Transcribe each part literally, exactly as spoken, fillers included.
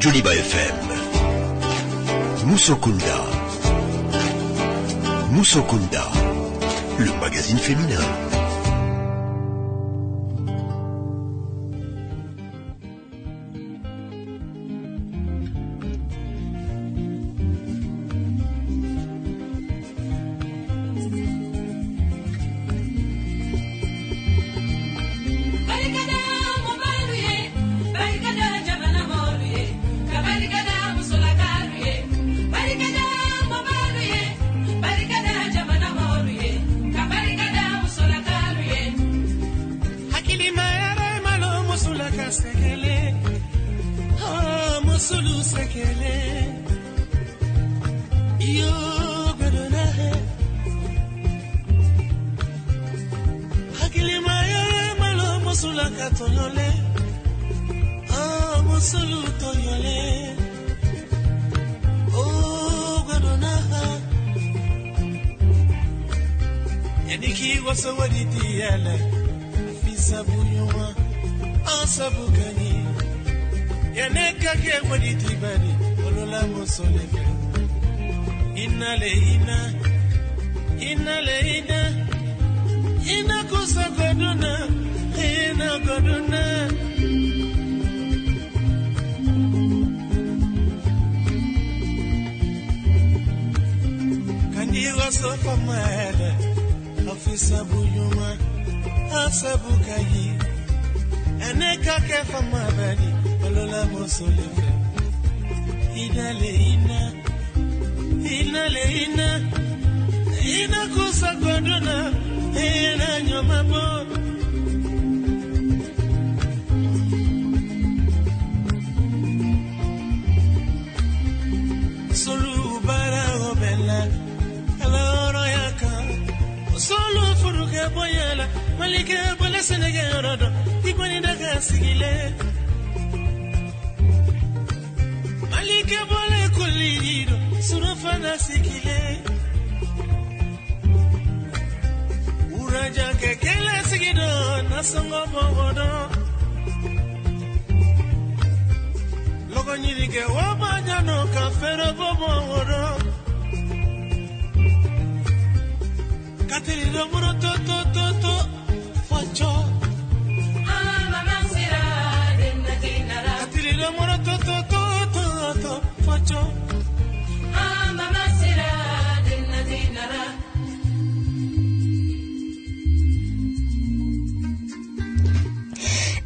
Joliba F M. Musokunda. Musokunda, le magazine féminin.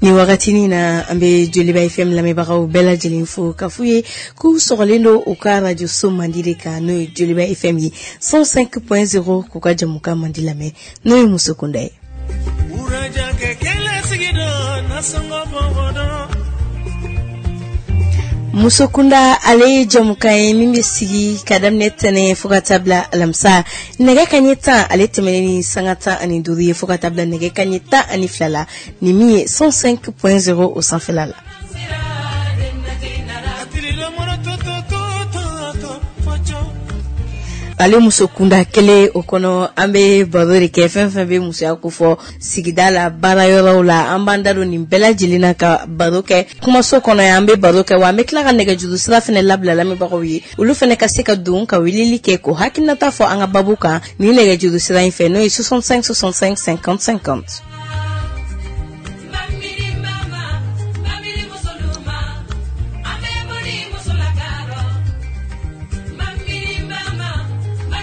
Ni wagatinin na an bɛ Joliba F M lamɛnbagaw bɛɛ lajɛlen fo ka f'u ye k'u sɔgɔlen don u ka radio so mandi de kan, n'o ye Joliba F M ye cent cinq point zéro, k'u ka jamukan mandi lamɛn, n'o ye Muso Kunda ye. Muso Kunda ale ye jamukan ye min bɛ sigi ka daminɛ tɛnɛn fo ka taa bila alamisa nɛgɛ kanɲɛ tan ale tɛmɛnen ni sanga tan ani duuru ye fo ka taa bila nɛgɛ kanɲɛ tan ani fila la, ni min ye cent cinq point zéro o sanfɛla la. Ale muso kunda kelen o kɔnɔ an bɛ baro de kɛ fɛn fɛn bɛ musoya kofɔ sigida la, baara yɔrɔw la, an b'an da don nin bɛɛ lajɛlen na ka baro kɛ kumaso kɔnɔ yan, an bɛ baro kɛ wa an bɛ tila ka nɛgɛjuru sira fana labila lamɛnbagaw ye, olu fana ka se ka don ka weleli kɛ k'o hakilinata fɔ an ka babu kan nin nɛgɛjuru sira in fɛ, n'o ye soixante-cinq soixante-cinq cinquante cinquante.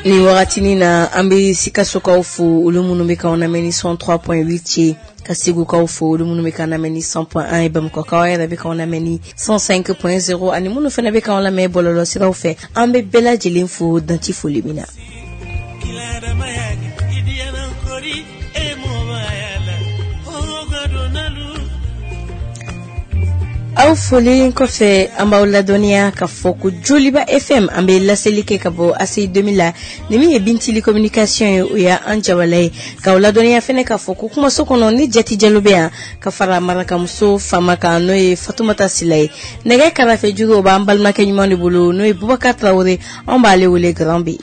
Ni wagatinin na an bɛ Sikasokaw fo, olu minnu bɛ k'anw lamɛn ni cent trois point huit ye, ka Segukaw fo, olu minnu bɛ k'an lamɛn ni cent point un ye, Bamakɔkaw yɛrɛ bɛ k'anw lamɛn ni cent cinq point zéro, ani minnu fana bɛ k'anw lamɛn bɔlɔlɔsiraw fɛ, an bɛ bɛɛ lajɛlen fo danti foli min na. Aw foli kɔfɛ an b'aw ladɔnniya ka fɔ ko Joliba F M an bɛ laseli kɛ ka bɔ A C I deux mille la, ni min ye Bintili communication ye, o y'an jabala ye, k'aw ladɔnniya fɛnɛ k'a fɔ ko kumaso kɔnɔ ni Jati Jalo bɛ yan ka fara marakamuso Fama kan, n'o ye Fatumata Sila ye. Nɛgɛ karafe juru o b'an balimakɛ ɲuman de bolo, n'o ye Bubakar Tarawele, anw b'ale wele Grand B.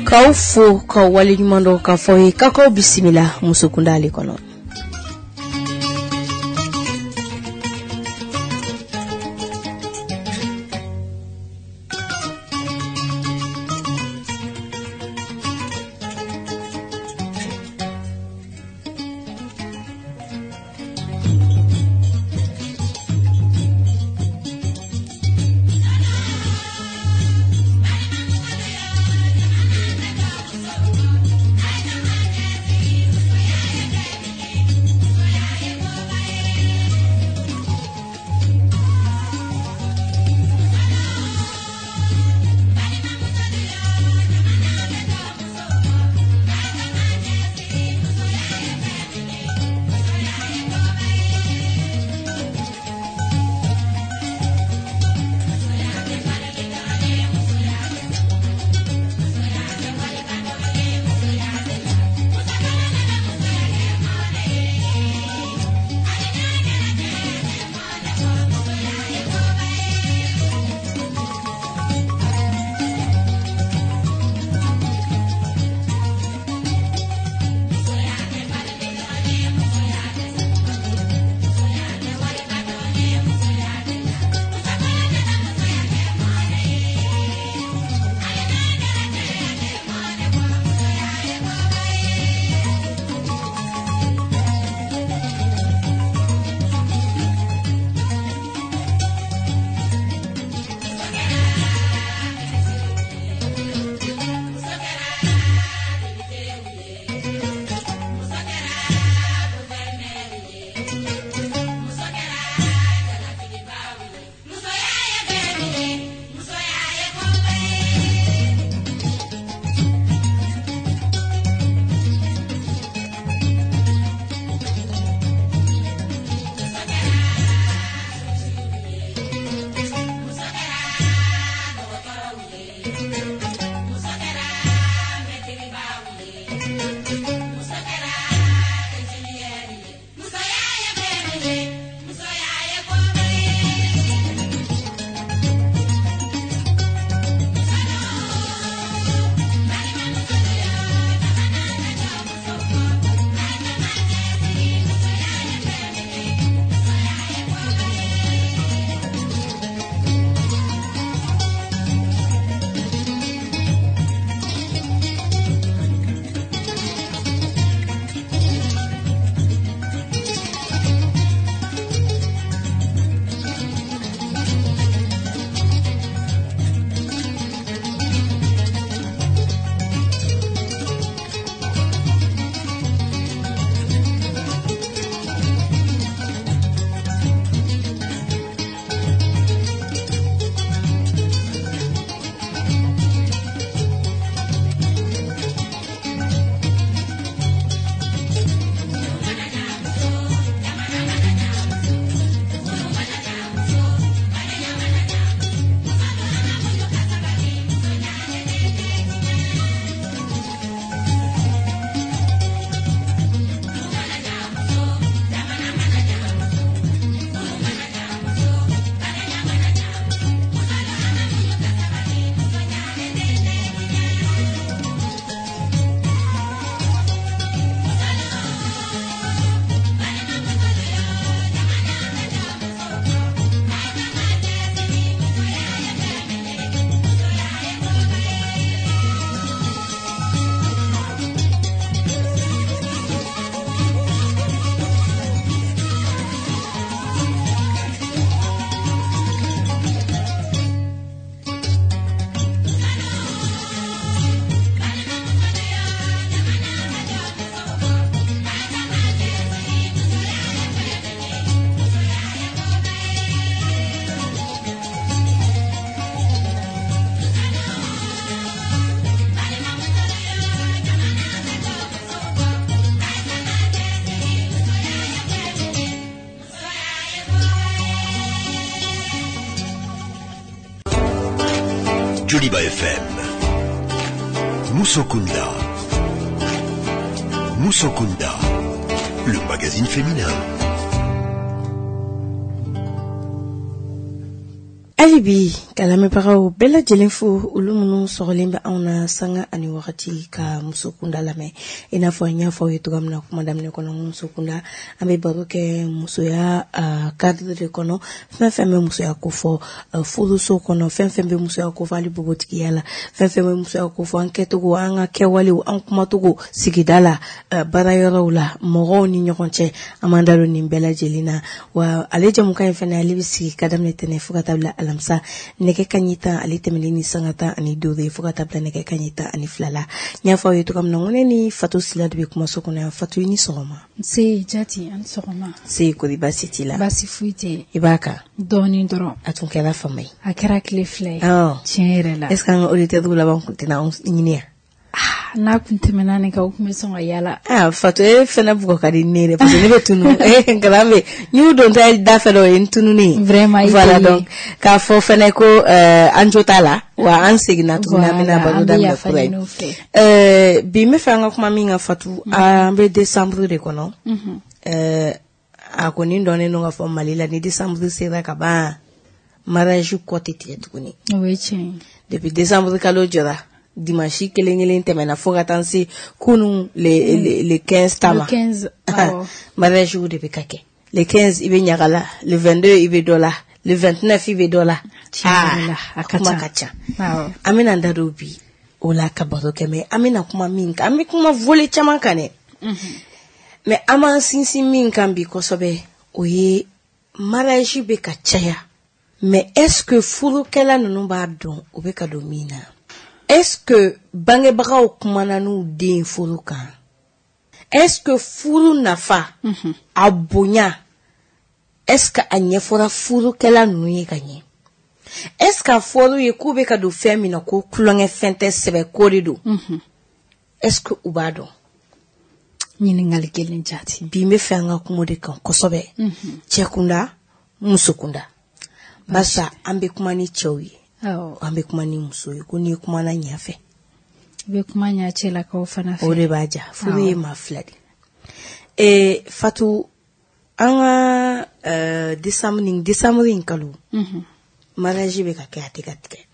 K'aw fo k'aw waleɲuman dɔn k'a fɔ ye k'aw bisimila Musokunda ale kɔnɔ. Joliba F M, Musokunda, Musokunda, le magazine féminin. Hali bi Ka lamɛnbagaw bɛɛ lajɛlen fo, olu minnu sɔgɔlen bɛ anw na sanga ani wagati ka muso kunda lamɛn. I n'a fɔ n y'a fɔ aw ye cogoya min na kuma daminɛ kɔnɔ, muso kunda an bɛ baro kɛ musoya cadre de kɔnɔ, fɛn fɛn bɛ musoya kofɔ furuso kɔnɔ, fɛn fɛn bɛ musoya kofɔ hali npogotigiya la, fɛn fɛn bɛ musoya kofɔ an kɛcogo, an ka kɛwalew, an kumacogo sigida la, baarayɔrɔw la, mɔgɔw ni ɲɔgɔn cɛ, an b'an da don nin bɛɛ lajɛlen na. Wa ale jɛmukan in fɛnɛ, ale bɛ sigi ka daminɛ tɛnɛn fo ka taa bila alamisa nɛgɛ kanɲɛ tan ale tɛmɛnen ni sanga tan ani duuru ye fo ka taa bila nɛgɛ kanɲɛ tan ani fila la. N y'a fɔ aw ye cogoya min na, n ko ne ni Fatou Sylla de bɛ kumaso kɔnɔ yan. Fatou, i ni sɔgɔma. Nse Jati, an sɔgɔma. Se kori, baasi t'i la? Baasi foyi tɛ yen. I b'a kan? Dɔɔnin dɔrɔn. A tun kɛra fama ye. A kɛra tile fila ye. Tiɲɛ yɛrɛ la. Est ce que an ka auditeurs laban tun tɛna anw ɲini yan? N'a kun tɛmɛna nin kan, u kun bɛ sɔn ka yala. Ah Fatou, e fɛnɛ bugɔ ka di ne yɛrɛ parce que ne bɛ tunu. Nkalan bɛ n y'u don ta da fɛ dɔ, o ye n tununen ye. Vraiment. Voilà, donc k'a fɔ fɛnɛ ko an jo t'a la wa, an seginna tuguni, an bɛna baro daminɛ kura ye. Bi n bɛ fɛ an ka kuma min kan, Fatou, an bɛ décembre de kɔnɔ. A kɔni dɔnnen don k'a fɔ Mali la, ni décembre sera ka ban, mariage kɔ tɛ tigɛ tuguni. O ye tiɲɛ ye. Depuis décembre kalo jɔra, dimanche kelen kelen tɛmɛna fo ka taa se kunun le le le quinze ta ma. Le quinze, awɔ. Mariage de bɛ ka kɛ. Le quinze i bɛ ɲaga la, le vingt-deux i bɛ dɔ la, le vingt-neuf i bɛ dɔ la. Tiɲɛ yɛrɛ la, a ka kuma ca. ka ca. Awɔ. An bɛna an da don bi o la ka baro kɛ, mais an bɛna kuma min kan, an bɛ kuma volet caman kan dɛ. Mais an b'an sinsin min kan bi kosɛbɛ, o ye mariage bɛ ka caya. Mais est-ce que furukɛla ninnu b'a dɔn u bɛ ka don min na? Est-ce que bangebagaw kumana n'u den furu kan? Est-ce que furu nafa, a bonya, est-ce que a ɲɛfɔra furukɛla ninnu ye ka ɲɛ? Est-ce que a fɔr'u ye k'u bɛ ka don fɛn min na, ko tulonkɛ fɛn tɛ, sɛbɛ ko de don? Est-ce que u b'a dɔn? Ɲininkali kelen, Jati. Bi n bɛ fɛ an ka kuma o de kan kosɛbɛ. Cɛ kunda, muso kunda. Barisa an bɛ kuma ni cɛw ye. Awɔ. An bɛ kuma ni muso ye, ko n'i kumana ɲɛ fɛ, I bɛ kuma ɲɛ cɛlakaw fana fɛ. O de b'a ja. Furu ye maa fila de. Ee Fatou, an ka euh, décembre nin décembre in kalo, mariage bɛ ka kɛ, a tɛ ka tigɛ.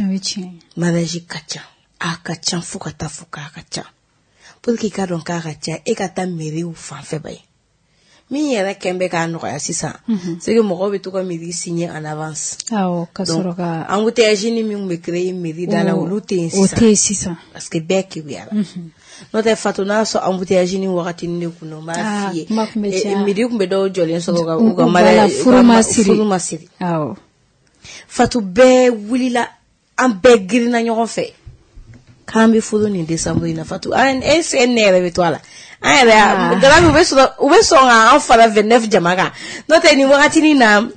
O ye tiɲɛ ye. Mariage ka ca, a ka ca fo ka taa fo k'a ka ca. Pour que i ka dɔn k'a ka ca, e ka taa mairie fan fɛ ba ye. Min yɛrɛ kɛn bɛ k'a nɔgɔya sisan, c'est que mɔgɔw bɛ to ka mairie signer en avance. Awɔ, ka sɔrɔ ka embouteillage ni min bɛ créer mairie da la, olu tɛ yen o sisan. tɛ yen sisan. Parce que bɛɛ kebuyara. N'o tɛ Fatou, n'a sɔrɔ embouteillage ni wagatinin de kun don, n b'a Ah, f'i ye. kuma kun bɛ caya. Mairie kun bɛ dɔw jɔlen sɔrɔ ka u ka Voilà, mariage furu ma siri. Furu ma siri. Awɔ. Fatou, bɛɛ wulila, an bɛɛ girinna ɲɔgɔn fɛ k'an bɛ furu nin décembre in na. Fatou, an e se ne yɛrɛ bɛ to a la. An yɛrɛ Ah. dara u bɛ sɔrɔ u bɛ sɔn k'an fara vingt-neuf jama kan. N'o tɛ nin wagatinin na, n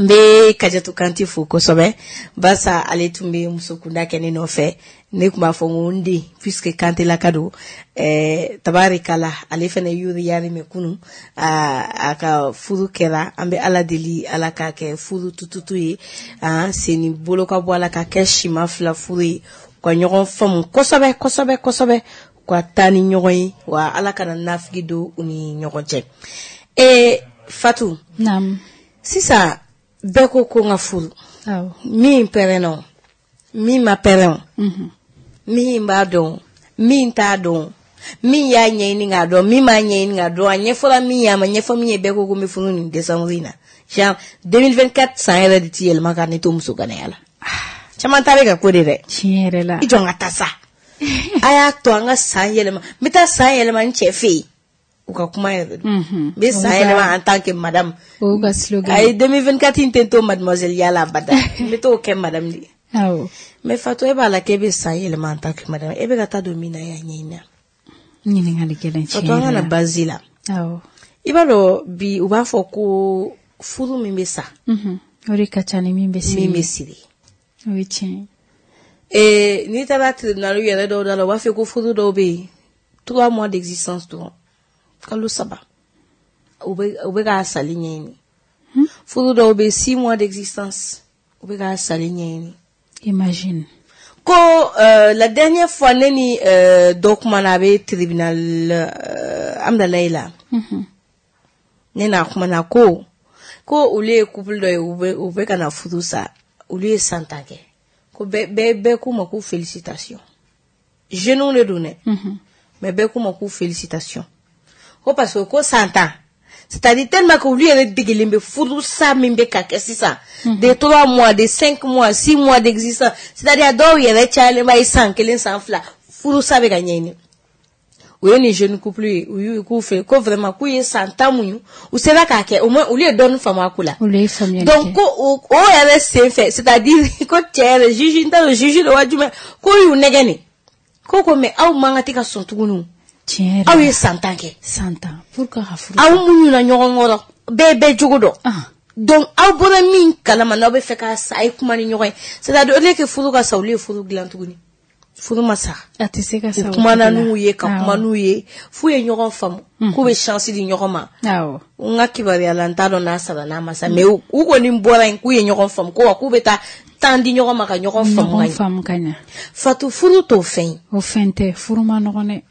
bɛ Kajatu Kante fo kosɛbɛ, barisa ale tun bɛ muso kunda kɛ ne nɔfɛ. Ne tun b'a fɔ n ko n den, puisque Kantelaka don. ɛɛ tabarikala, ale fana yuri yari mɛ kunun a a ka furu kɛra. An bɛ Ala deli, Ala k'a kɛ furu tututu ye, an sen ni bolo ka bɔ a la, ka kɛ sima fila furu ye, u ka ɲɔgɔn faamu kosɛbɛ kosɛbɛ kosɛbɛ, u ka taa ni ɲɔgɔn ye, wa Ala kana nafigi don u ni ɲɔgɔn cɛ. Ee Fatou, Naamu. sisan bɛɛ ko ko n ka furu. Awɔ. Min pɛrɛnna o, min ma pɛrɛn o, min b'a dɔn, min t'a dɔn, min y'a ɲɛɲini k'a dɔn, min m'a ɲɛɲini k'a dɔn, a ɲɛfɔra min ye, a ma ɲɛfɔ min ye, bɛɛ ko ko n bɛ furu nin décembre in na. Genre deux mille vingt-quatre san yɛrɛ de ti yɛlɛma ka ne to muso ganaya la. Caman ta bɛ ka ko de dɛ. Tiɲɛ yɛrɛ la. I jɔ n ka taa sa, a y'a to an ka san yɛlɛma, n bɛ taa san yɛlɛma n cɛ fɛ yen. U ka kuma yɛrɛ don. N bɛ san yɛlɛma en tant que madame. O y'u ka slogan. Ayi, deux mille vingt-quatre in tɛ n to mademoiselle yala abada, n bɛ t'o kɛ madame de ye. Awɔ. Mais Fatou, e b'a la k'e bɛ san yɛlɛma en tant que madame, e bɛ ka taa don min na, e y'a ɲɛɲini. Ɲininkali gɛlɛn, tiɲɛ Fatou, an ka yɛrɛ na la. base la. Awɔ. I b'a dɔn bi, u b'a fɔ ko furu min bɛ sa, Mhm. O de ka ca ni min bɛ siri. Min bɛ siri. O ye tiɲɛ ye. Ee n'i taara tribunal yɛrɛ dɔw da la, u b'a fɔ ko furu dɔw bɛ yen, trois mois d'existence dɔrɔn, kalo saba, u bɛ u bɛ k'a sali ɲɛɲini. Furu dɔw bɛ yen, six mois d'existence, u bɛ k'a sali ɲɛɲini. Imagine. Ko euh, la dernière fois, ne ni euh, dɔ kumana, a bɛ tribunal euh, Amdalayi la. Mhm. Ne n'a kumana ko ko olu ye couple dɔ ye, u bɛ u bɛ ka na furu sa. Olu ye san tan kɛ. Ko bɛɛ bɛɛ bɛɛ k'u ma ko félicitation. Jeunes de don dɛ. Mais bɛɛ k'u ma ko félicitation. Ko parce que ko san tan. C'est-à-dire tellement que olu yɛrɛ degelen bɛ furu sa min bɛ ka kɛ sisan. De trois mois, de cinq mois, six mois d'existence. C'est-à-dire a dɔw yɛrɛ cayalenba ye san kelen san fila furu sa bɛ ka ɲɛɲini. U ye nin jeune couple ye, u y'u k'u fɛ ko vraiment k'u ye san tan muɲu, u sera k'a kɛ au moins olu ye dɔɔnin faamu a ko la. Olu ye faamuyali kɛ. Donc ko o o yɛrɛ sen fɛ, c'est-à-dire ko cɛ yɛrɛ juge n t'a dɔn juge de wa jumɛn k'o y'u nɛgɛ nin. Ko ko mais aw man kan tɛ ka sɔn tuguni. Tiɲɛ yɛrɛ Aw la. ye san tan kɛ. San tan pourquoi ka furu Aw muɲuna ɲɔgɔn kɔrɔ, bɛɛ bɛɛ jogo dɔn. Ah. Donc aw bɔra min kalama n'aw bɛ fɛ k'a sa, a ye kuma ni ɲɔgɔn ye. C'est-à-dire au lieu que furu ka sa, olu ye furu dilan tuguni. Furu ma sa. A tɛ se ka sa U o kumana cogo la. n'u ye ka kuma Awɔ. n'u ye f'u ye ɲɔgɔn faamu k'u bɛ chance di ɲɔgɔn ma. Awɔ. N ka kibaruya la n t'a dɔn n'a sara n'a ma sa, mais u u kɔni bɔra yen k'u ye ɲɔgɔn faamu ko wa k'u bɛ taa temps di ɲɔgɔn ma ka ɲɔgɔn faamu ka Ɲɔgɔn ɲɛ. faamu ka ɲɛ. Fatu, furu t'o fɛn ye. O fɛn tɛ, furu ma nɔgɔn dɛ.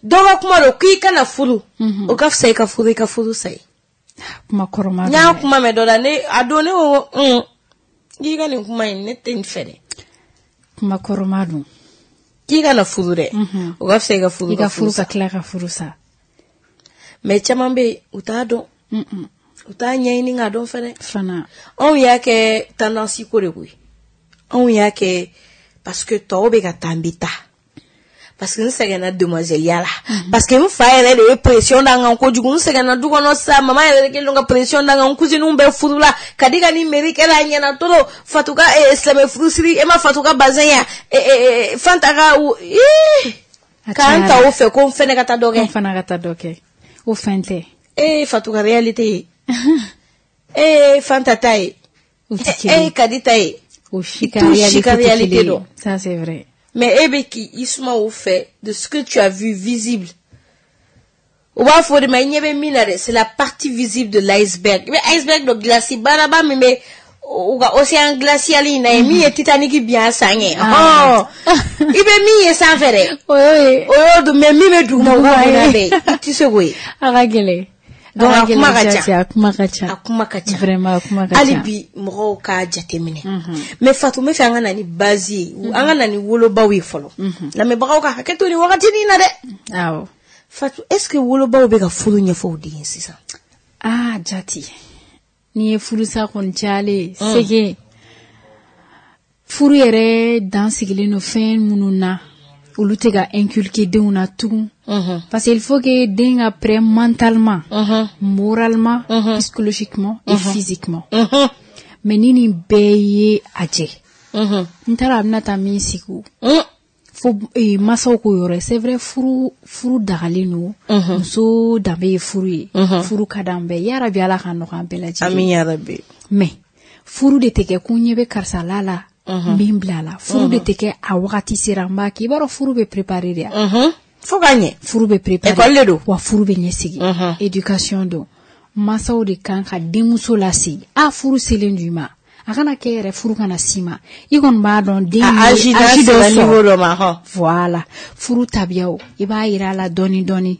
Dɔ ka kuma don k'i kana furu, o ka fisa i ka furu i ka furu sa ye. Kuma kɔrɔma N don y'a dɛ. kuma mɛn dɔ la, ne a don ne ko ko un k'i ka nin kuma in ne tɛ nin fɛ dɛ. Kuma kɔrɔma don. K'i kana furu dɛ, o ka fisa i ka furu I ka furu sa. ka tila ka furu sa. Mais caman bɛ yen, u t'a dɔn, Mm-mm. u t'a ɲɛɲini k'a dɔn fɛnɛ. Fana. Anw y'a kɛ tendance ko de koyi. Anw y'a kɛ parce que tɔw bɛ ka taa, n bɛ taa. Parce que n sɛgɛnna demoiselle ya la. Parce que n fa yɛrɛ de ye pression da n kan kojugu. N sɛgɛnna du kɔnɔ sa, mama yɛrɛ de kɛlen don ka pression da n kan. N cousines bɛɛ furu la. Ka di ka ni mairie kɛra a ɲɛna trop. Fatou ka eh, silamɛ furusiri, e ma Fatou ka bazin ya. Eh, eh, eh, Fanta ka u ii A k'an ta cayara. o fɛ ko n fɛnɛ ka taa dɔ Ko kɛ. n fana ka taa dɔ kɛ. O fɛn tɛ. E Fatou ka réalité ye. E Fanta ta ye. U tɛ E kelen ye. Kadi ta ye. O si ka T'u si réalité ka tɛ réalité kelen ye. dɔn. Ça c'est vrai. Mais e bɛ k'i suma o fɛ de ce que tu as vu visible. U b'a fɔ o de ma i ɲɛ bɛ min na dɛ, c'est la partie visible de l'iceberg. I bɛ iceberg dɔ glace baraba min bɛ u ka océan glacial in na ye min ye Titanic bin a san ɲɛ. Ah. Ɔhɔn. I bɛ min ye sanfɛ dɛ. O y'o ye. O y'o dun, mais min bɛ duguma o ka Duguma bon n'a ye. bɛɛ ye. I tɛ se k'o ye. A ka gɛlɛn. Donc a kuma ka gɛlɛn ca. Jati, a kuma ka ca. A kuma ka ca. Vraiment a kuma ka ca. Hali bi mɔgɔw k'a jateminɛ. Mais Fatou, n bɛ fɛ an ka na ni base ye, an ka na ni wolobaw ye fɔlɔ. Lamɛnbagaw ka hakɛ to nin wagatinin na dɛ. Awɔ. Fatou, est-ce que wolobaw bɛ ka furu ɲɛfɔ u den ye sisan? Ah Jati, n'i ye furusa kɔni cayalen ye, c'est que furu yɛrɛ dan sigilen don fɛn minnu na, olu tɛ ka inculquer denw na tugun. Parce qu'il faut que den ka prêt mentalement, moralement, psychologiquement et physiquement. Mais ni nin bɛɛ ye a jɛ, n t'a dɔn a bɛna taa min sigi o. Fo eh, masaw k'o yɔrɔ ye. C'est vrai, furu furu dagalen don, muso danbe ye furu ye, furu ka d'an bɛɛ ye, yarabi Ala ka nɔgɔya an bɛɛ lajɛlen. Amin ya Rabbi. Mais furu de tɛ kɛ ko n ɲɛ bɛ karisa la la, n bɛ n bila a la. Furu de tɛ kɛ a wagati sera n b'a kɛ. I b'a dɔn furu bɛ préparer de ya. Fo ka ɲɛ. Furu bɛ préparer. École de don. Wa furu bɛ ɲɛsigi. Éducation don. Masaw de kan ka denmuso lasigi. A furu selen don i ma. A kana kɛ yɛrɛ furu kana s'i ma. I kɔni b'a dɔn den A ye âge n'a âge dɔ sera sɔrɔ. niveau dɔ ma hɔn. Voilà. Furu tabiyaw, i b'a yira a la dɔɔni dɔɔni.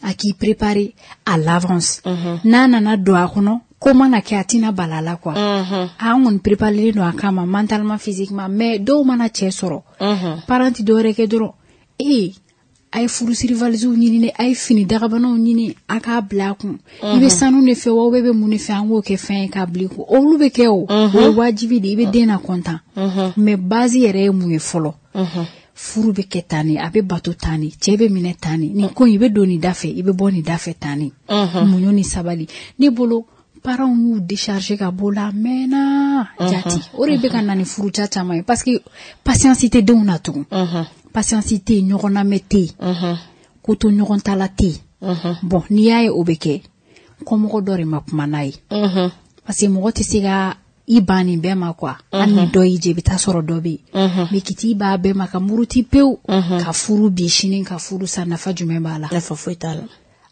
A k'i préparer à l'avance. N'a nana don a kɔnɔ, ko mana kɛ a tɛna bala a la quoi. An kɔni préparelen don a kama mentalement, physiquement. Mais dɔw mana cɛ sɔrɔ, parent ti dɔwɛrɛ kɛ dɔrɔn, ee a ye furusiri valisew ɲini dɛ, a ye fini dagabanaw ɲini, a k'a bila a kun. I bɛ sanu de fɛ wa, ou bɛ mun de fɛ, an k'o kɛ fɛn ye k'a bila i kun. Olu bɛ kɛ o, o ye wajibi de ye, i bɛ den na content. Mais base yɛrɛ ye mun ye fɔlɔ? Furu bɛ kɛ tan de, a bɛ bato tan de, cɛ bɛ minɛ tan de, nin ko in i bɛ don nin da fɛ, i bɛ bɔ nin da fɛ tan de. Muɲu ni sabali. Ne bolo parents y'u décharger ka bɔ la a mɛnna Jati. O de bɛ ka na ni furuca caman ye parce que patience tɛ denw na tugun. Patience tɛ yen, ɲɔgɔn lamɛn tɛ yen, ko to ɲɔgɔn ta la tɛ yen. Bon, n'i y'a ye o bɛ kɛ, kɔmɔgɔ dɔ de ma kuma n'a ye. Parce que mɔgɔ tɛ se ka i ban nin bɛɛ ma quoi. Hali ni dɔ y'i jɛ, i bɛ taa sɔrɔ dɔ bɛ yen. Mais k'i t'i ban bɛɛ ma ka muruti pewu, ka furu bi sini ka furu sa, nafa jumɛn b'a la? Nafa foyi t'a la.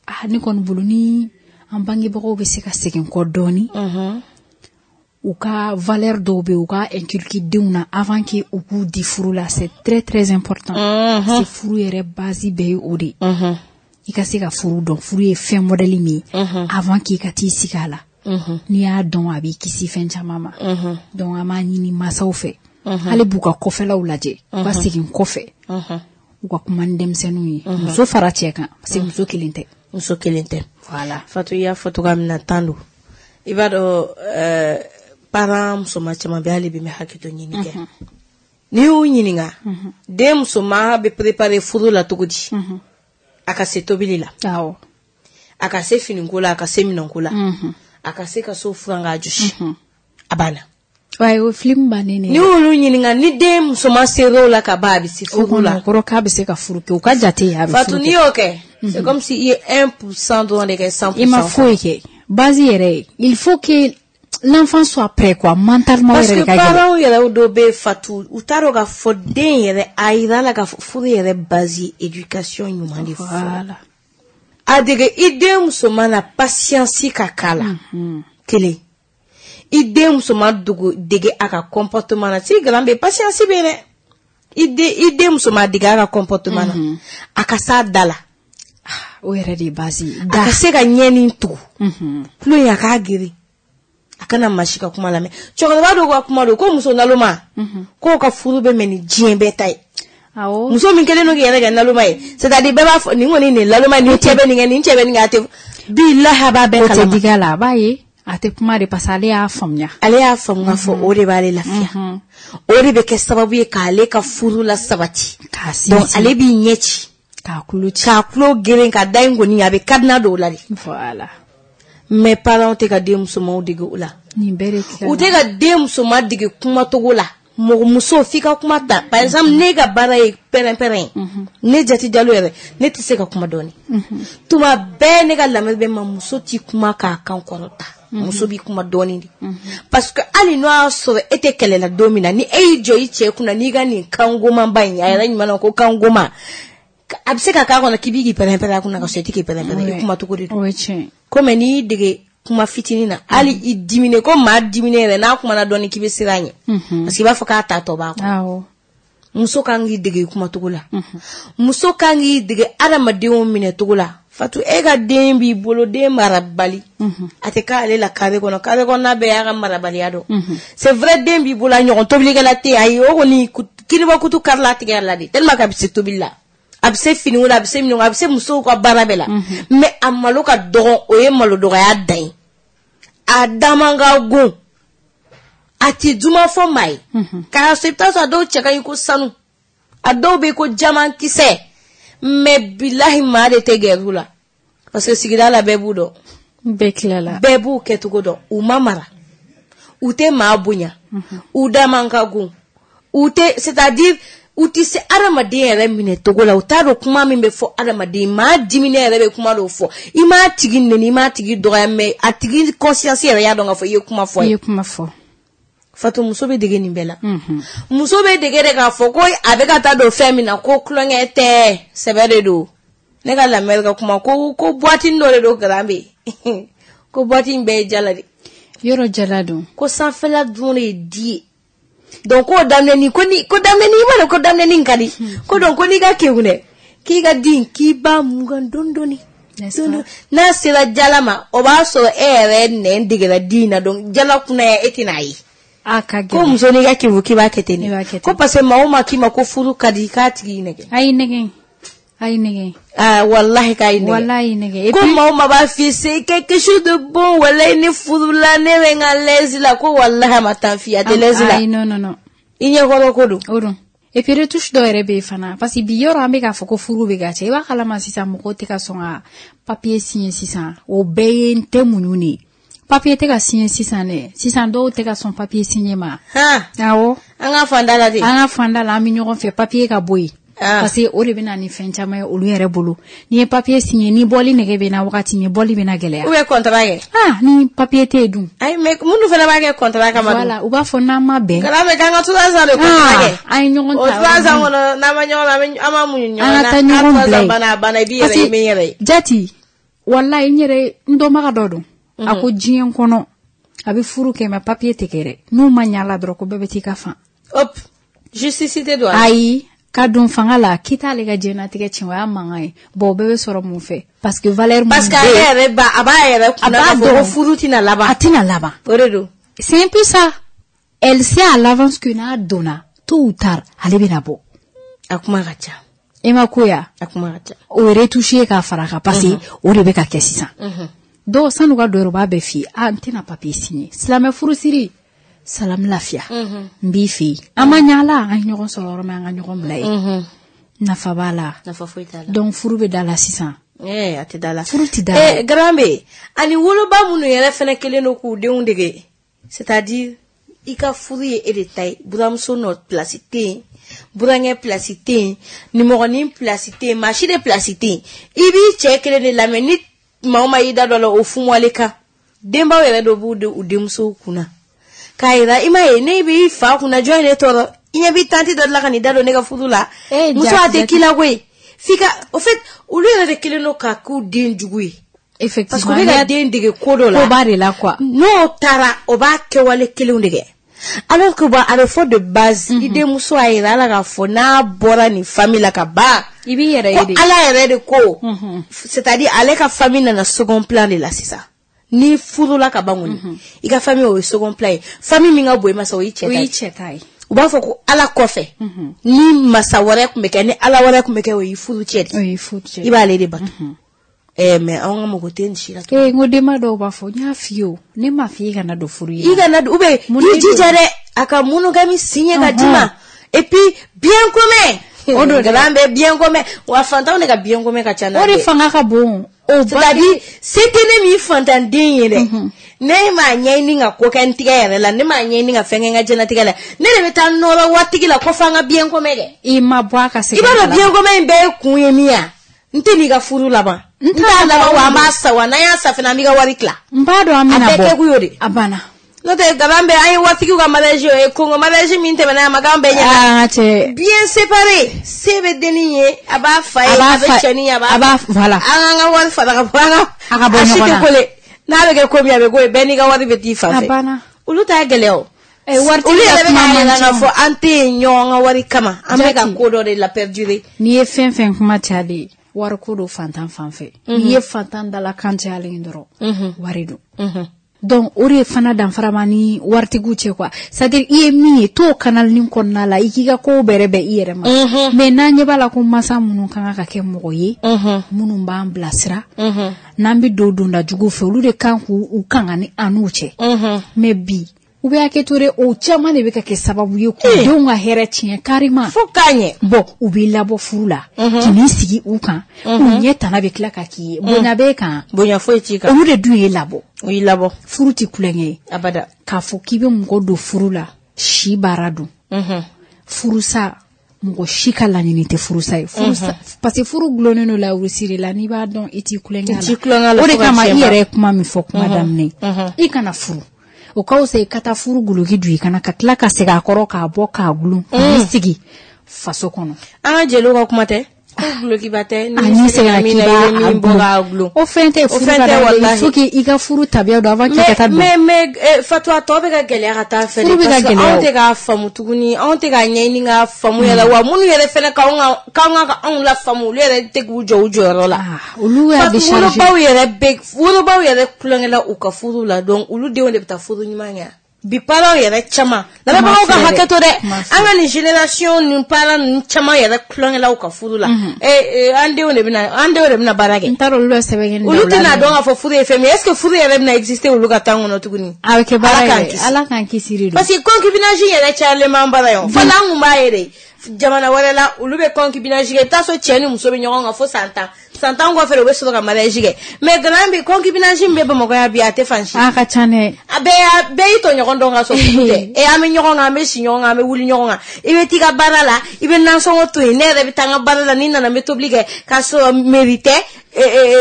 Ah, ne kɔni bolo ni an bangebagaw bɛ se ka segin kɔ dɔɔni, u ka valeur dɔw bɛ yen, u ka inculquer denw na avant que u k'u di furu la, c'est très très important. Parce que furu yɛrɛ base bɛɛ ye o de ye. I ka se ka furu dɔn, furu ye fɛn modèle min ye, avant k'i ka t'i sigi a la. N'i y'a dɔn a b'i kisi fɛn caman ma. Donc an b'a ɲini masaw fɛ. Hali b'u ka kɔfɛlaw lajɛ. U ka segin kɔfɛ. U ka kuma ni denmisɛnninw ye. Muso fara cɛ kan parce que muso kelen tɛ. Muso kelen tɛ. Voilà. Fatou i y'a fɔ cogoya min na tan don. I b'a dɔn ɛɛ parents musoman caman bɛ hali bi n bɛ hakɛto ɲini kɛ. N'i y'u ɲininka den musoman bɛ préparer furu la cogo di? A ka se tobili la. Awɔ. A ka se finiko la, a ka se minɛnko la. A ka se ka so furan k'a jɔsi. A banna. Wa o film bannen ne. N'i y'olu ɲininka ni den musoman ser'o la ka ban a bɛ se furu la. O kɔrɔ k'a bɛ se ka furu kɛ o ka jate a bɛ furu kɛ. Fatou n'i y'o kɛ c'est comme si i ye un pour cent dɔrɔn de kɛ cent pour cent. I ma foyi kɛ base yɛrɛ il faut que l'enfant soit prêt quoi mentalement parce que parents yɛrɛ dɔw bɛ Fatou u t'a dɔn k'a fɔ den yɛrɛ a yira la k'a fɔ furu yɛrɛ base ye éducation ɲuman de fɔlɔ. A dege i den musoman na patience ka k'a la kelen. I den musoman dogo dege a ka comportement na si garan bɛ patience bɛ dɛ. I den i den musoman dege a ka comportement na a ka s'a da la. O yɛrɛ de ye base ye. A ka se ka ɲɛni tugu. Tulo in a k'a girin. A kana maa si ka kuma lamɛn. Cɛkɔrɔba dɔw ka kuma don ko muso naloma k'o ka furu bɛ mɛn ni diɲɛ bɛɛ ta ye. Awɔ. Muso min kɛlen don k'i yɛrɛ kɛ naloma ye c'est à dire bɛɛ b'a fɔ nin kɔni nin naloma ye nin cɛ bɛ nin kɛ nin cɛ bɛ nin kɛ a tɛ bilahi a b'a bɛɛ kalama. O tɛ digi a la a b'a ye a tɛ kuma de parce que ale y'a faamuya. Ale y'a faamu k'a fɔ o de b'ale lafiya. O de bɛ kɛ sababu ye k'ale ka furu la sabati. K'a sinsin. Donc ale b'i ɲɛ ci. K'a tulo ci. K'a tulo geren ka da in kɔni a bɛ cadenas don o la de. Voilà. Mais parents tɛ ka den musomanw dege o la. Nin bɛɛ de tila. U tɛ ka den musoman dege kumacogo la. Mɔgɔ muso f'i ka kuma ta. Par exemple ne ka baara ye pɛrɛn-pɛrɛn ye. Ne Jati Jalo yɛrɛ ne tɛ se ka kuma dɔɔni. Tuma bɛɛ ne ka lamɛn bɛ ma muso t'i kuma k'a kan kɔrɔta. Muso b'i kuma dɔɔni de. Parce que hali n'o y'a sɔrɔ e tɛ kɛlɛ la don min na ni e y'i jɔ i cɛ kunna n'i ka nin kan gomanba in a yɛrɛ ɲuman na ko kan goma a bɛ se ka k'a kɔnɔ k'i b'i k'i pɛrɛn-pɛrɛn a kunna ka sɔrɔ i tɛ k'i pɛrɛn-pɛrɛn i kuma cogo de don. O ye tiɲɛ ye. Komi n'i y'i dege kuma fitinin na hali i diminen ko maa diminen yɛrɛ n'a kumana dɔɔni k'i bɛ siran a ɲɛ. Parce que i b'a fɔ k'a ta tɔ b'a kɔnɔ. Awɔ. Muso kan k'i dege kumacogo la. Muso kan k'i dege adamadenw minɛcogo la. Fatou e ka den b'i bolo den marabali. A tɛ k'ale la carré kɔnɔ carré kɔnɔna bɛɛ y'a ka marabaliya dɔn. C'est vrai den b'i bolo a ɲɔgɔn tobilikɛla tɛ yen ayi o kɔni kiniba kutu karila a tigɛ la de tellement que a bɛ se tobili la. A bɛ se finiko la a bɛ se minɛnko a bɛ se musow ka baara bɛɛ la. Mais a malo ka dɔgɔn o ye malo dɔgɔya dan ye. A da man ka go. A tɛ duman fɔ maa ye. K'a sɔrɔ i bɛ taa sɔrɔ a dɔw cɛ ka ɲi ko sanu. A dɔw bɛ ko jaman kisɛ. Mais bilahi maa de tɛ gɛrɛ u la. Parce que sigida la bɛɛ b'u dɔn. Bɛɛ tilala. Bɛɛ b'u kɛcogo dɔn. U ma mara. U tɛ maa bonya. U da man ka go. U tɛ c'est à dire u tɛ se adamaden yɛrɛ minɛ cogo la u t'a dɔn kuma min bɛ fɔ adamaden maa diminen yɛrɛ bɛ kuma dɔw fɔ i m'a tigi nɛni i m'a tigi dɔgɔya mais a tigi conscience yɛrɛ y'a dɔn k'a fɔ i ye kuma fɔ a ye. I ye kuma fɔ. Fatou muso bɛ dege nin bɛɛ la. Muso bɛ dege de k'a fɔ ko a bɛ ka taa don fɛn min na ko tulonkɛ tɛ sɛbɛ de don. Ne ka lamɛnni ka kuma ko ko boîte dɔ de don garan bɛ yen ko boîte in bɛɛ ye jala de. Yɔrɔ jala don. Ko sanfɛla dun de ye di ye. Donc ko daminɛni ko ni ko daminɛni i b'a dɔn ko daminɛni ka di ko donc ko n'i ka kegun dɛ k'i ka di k'i b'a mugan dɔɔni dɔɔni n'a sera jala ma o b'a sɔrɔ e yɛrɛ nɛn degera di in na donc jala kunna e tɛna ye. A ka gɛlɛn. Ko muso n'i ka kegun k'i b'a kɛ ten de ko parce que maa o maa k'i ma ko furu ka di k'a tigi y'i nɛgɛ. A y'i nɛgɛ. A y'i nɛgɛ. Ah wallahi k'a y'i nɛgɛ. Wallahi y'i nɛgɛ. Ko maa o maa b'a f'i ye c'est quelque chose de bon wallahi ne furula ne bɛ n ka l'aise la ko wallahi a ma taa f'i ye a tɛ l'aise la. Ayi non non non. I ɲɛkɔrɔ ko don. O don. Et puis retouche dɔw yɛrɛ bɛ yen fana parce que bi yɔrɔ an bɛ k'a fɔ ko furu bɛ ka cɛ i b'a kalama sisan mɔgɔw tɛ ka sɔn ka papier signer sisan o bɛɛ ye n tɛ muɲu de ye. Papier tɛ ka signer sisan dɛ sisan dɔw tɛ ka sɔn papier signer ma. Han. Awɔ. An ka fan da la de. An ka fan da la an bɛ ɲɔgɔn fɛ papier ka bɔ yen. Ah. Parce que o de bɛ na ni fɛn caman ye olu yɛrɛ bolo n'i ye papier signer ni bɔli nege bɛ na wagati min bɔli bɛ na gɛlɛya. Ou bien contrat kɛ. Ah ni papier tɛ yen dun. Ayi mais minnu fana b'a kɛ contrat kama dun. Voilà u b'a fɔ n'an ma bɛn. Kana mɛ k'an ka trois ans de contrat kɛ. An ye ɲɔgɔn ta o trois ans kɔnɔ n'an ma ɲɔgɔn an ma muɲu ɲɔgɔn na. An ka taa ɲɔgɔn bila yen. Banna a banna i b'i yɛrɛ ye i bɛ n yɛrɛ ye. Jati walayi n yɛrɛ n dɔnbaga dɔ don. A ko diɲɛ kɔnɔ a bɛ furu kɛ mais papier tɛ kɛ dɛ n'u ma ɲɛ a la dɔrɔn ko bɛɛ bɛ t'i ka fan. Hop justice tɛ don a la. Ayi. Ka don fanga la k'i t'ale ka diɲɛnatigɛ tiɲɛ, o y'a mankan ye. Bon, o bɛɛ bɛ sɔrɔ mun fɛ? Parce que valeur mun Parce que ale yɛrɛ ba a b'a yɛrɛ kunna k'a fɔ ko furu tɛna laban. A tɛna laban. O de don. C'est un peu ça. Elle sait à l'avance que n'a donna, tôt ou tard, ale bɛna bɔ. A kuma ka ca. E ma ko ya? A kuma ka ca. O ye retouché k'a fara a kan parce que o de bɛ ka kɛ sisan. Dɔw san'u ka don yɛrɛ, u b'a bɛɛ f'i ye. Ah, n tɛna papier signer. Silamɛ furusiri. Salam lafiya. N b'i fɛ yen. An ma ɲa la, an ye ɲɔgɔn sɔrɔ yɔrɔ min, an ka ɲɔgɔn bila yen. Nafa b'a la. Nafa foyi t'a la. Donc furu bɛ da la sisan. Eh, a tɛ da la. Furu tɛ da la. Eh, Garambe, ani woloba minnu yɛrɛ fɛnɛ kelen don k'u denw dege. C'est-à-dire, i ka furu ye e de ta ye. Buramuso nɔ place tɛ yen. Burankɛ place tɛ yen. Nimɔgɔnin place tɛ yen. Maa si de place tɛ yen. I b'i cɛ kelen de lamɛn ni maa o maa y'i da dɔ la, o fumuwale kan. Denbaw yɛrɛ dɔ b'u u denmusow kunna. K'a yira i ma ye ne b'i fa kunna, jɔn ye ne tɔɔrɔ? I ɲɛ b'i tanti dɔ de la ka n'i da don ne ka furu la. Muso a tɛ k'i la koyi. F'i ka, au fait, olu yɛrɛ de kelen don ka k'u den jugu ye. Effectivement. Parce que u bɛ ka den dege ko dɔ la. Ko ba de la quoi. N'o taara, o b'a kɛwale kelenw de kɛ. Alors que bon, a bɛ fɔ de base, i denmuso a yira ala k'a fɔ n'a bɔra nin famille la ka ban. I b'i yɛrɛ ye de. Ko ala yɛrɛ de ko. C'est-à-dire ale ka famille nana second plan de la sisan. Ni furula ka ban kɔni, i ka famille o ye second plan ye. Famille min ka bon i ma sa, o y'i cɛ ta ye. O y'i cɛ ta ye. U b'a fɔ ko ala kɔfɛ, ni masa wɛrɛ tun bɛ kɛ, ni ala wɛrɛ tun bɛ kɛ, o y'i furu cɛ de. O y'i furu cɛ. I b'ale de bato. Eh, mais anw ka mɔgɔ tɛ nin si la. Eh, n ko denba dɔw b'a fɔ, n y'a f'i ye o, ne m'a f'i ye kana don furu ye. I kana don, ou bien i jija dɛ, a ka monogame signer ka d'i ma. Et puis bien commun. O don garan bɛ bien commun. Wa fantanw de ka bien commun ka ca n'a bɛɛ. O de fanga ka bon. C'est-à-dire, se tɛ ne min fantanden ye dɛ. Ne m'a ɲɛɲini ka ko kɛ n tigɛ yɛrɛ la, ne m'a ɲɛɲini ka fɛn kɛ n ka diɲɛlatigɛ la. Ne de bɛ taa nɔrɔ waritigi la ko f'an ka bien commun kɛ. I ma bɔ a ka segin. I b'a dɔn bien commun in bɛɛ ye kun ye min ye wa? N tɛ n'i ka furu laban. N t'a laban wa an b'a sa wa n'an y'a sa fana an b'i ka wari tila. N b'a dɔn an bɛna bɔ. A bɛɛ kɛ kun y'o de. A banna. N'o tɛ garan bɛɛ an ye waritigiw ka mariage ye, Congo mariage min tɛmɛna a ma k'an bɛɛ ɲɛna. Ah cɛ. Bien séparé, se bɛ dennin ye, a b'a fa ye, a bɛ cɛnin ye, a b'a. A b'a voilà. An k'an ka wari fara ka bɔ an ka. A ka bɔ ɲɔgɔn na. A si tɛ kole. N'a bɛ kɛ ko min a bɛ k'o ye, bɛɛ n'i ka wari bɛ t'i fan fɛ. A banna. Olu t'a gɛlɛya o. Eh, waritigi olu yɛrɛ ka bɛ kuma k'a man yira ca. k'a fɔ an tɛ yen ɲɔgɔn ka wari kama. An bɛ ka ko dɔ de la perdurer. N'i ye fɛn fɛn kuma cayalen ye, wariko don fantan fan fɛ. N'i ye fantan dala kan cayalen ye dɔrɔn, wari don. Donc o de fana danfara ma ni waritigiw cɛ quoi. C'est-à-dire i ye min ye t'o canal nin kɔnɔna la, i k'i ka kow bɛrɛ bɛn i yɛrɛ ma. Mais n'an ɲɛ b'a la ko masa minnu kan ka kɛ mɔgɔ ye, minnu b'an bilasira, n'an bɛ don donda jugu fɛ, olu de kan k'u u kanga ni an n'u cɛ. Mais bi u bɛ hakɛ to dɛ, o caman de bɛ ka kɛ sababu ye k'u denw ka hɛrɛ tiɲɛ carrément. Fo k'a ɲɛ. Bon, u b'i labɔ furu la, k'i n'i sigi u kan, u ɲɛ tana bɛ tila ka k'i ye. Bonya b'e kan. Bonya foyi t'i kan. Olu de dun y'e labɔ. O y'i labɔ. Furu tɛ kulonkɛ ye. Abada. K'a fɔ k'i bɛ mɔgɔ don furu la, si baara don. Furusa, mɔgɔ si ka laɲini tɛ furusa ye. Furusa, parce que furu gulonnen don lawurusi de la, n'i b'a dɔn i t'i kulonkɛ la. I t'i kulonkɛ la. O de kama i yɛrɛ ye kuma min fɔ kuma daminɛ, i kana furu. O ka fisa i ka taa furu guloki don i kana ka tila ka segin a kɔrɔ k'a bɔ k'a gulon k'i sigi faso kɔnɔ. An ka jeliw ka kuma tɛ. Ko gulokiba tɛ. N'i seginna k'i b'a min bɔ k'a gulon. O fɛn tɛ furu ka da il faut que i ka furu tabiya dɔn avant k'i ka taa don. Mais mais Fatou tɔ bɛ ka gɛlɛya ka taa fɛ. Furu bɛ ka gɛlɛya. Anw tɛ k'a faamu tuguni, anw tɛ k'a ɲɛɲini k'a faamu yɛrɛ wa minnu yɛrɛ fɛnɛ k'anw ka k'an ka anw la faamu, olu yɛrɛ tɛ k'u jɔ u jɔyɔrɔ la. Olu y'a décharger. Wolobaw yɛrɛ bɛ wolobaw yɛrɛ kulonkɛ u ka furu la, donc olu denw de bɛ taa furu ɲuman kɛ. Bi parents yɛrɛ caman, lamɛnbagaw ka hakɛ to dɛ, an ka nin génération nin parents ninnu caman yɛrɛ kulonkɛla u ka furu la. Eh, an denw de bɛna an denw de bɛna baara kɛ. N t'a dɔn olu bɛ sɛbɛn kɛ nin Olu tɛna dɔn k'a fɔ furu ye fɛn min ye. Est-ce que furu yɛrɛ bɛna exister olu ka temps kɔnɔ tuguni? A bɛ kɛ baara ye, Ala k'an kisi de don. Parce que concubinage yɛrɛ cayalen b'an bara yan. Fɔlɔ an kun b'a ye de jamana wɛrɛ la, olu bɛ concubinage kɛ, i bɛ taa sɔrɔ cɛ ni muso bɛ ɲɔgɔn kan fo san tan. San tan kɔfɛ de u bɛ sɔrɔ ka mariage kɛ. Mais grand bi concubinage min bɛ Bamakɔ yan bi, a tɛ fan si. A ka ca dɛ. A bɛɛ bɛɛ y'i tɔɲɔgɔn dɔn ka sɔrɔ furu tɛ. E an bɛ ɲɔgɔn kan, an bɛ si ɲɔgɔn kan, an bɛ wuli ɲɔgɔn kan. I bɛ t'i ka baara la, i bɛ nasɔngɔ to yen, ne yɛrɛ bɛ taa n ka baara la, n'i nana n bɛ tobili kɛ k'a sɔrɔ mairie tɛ,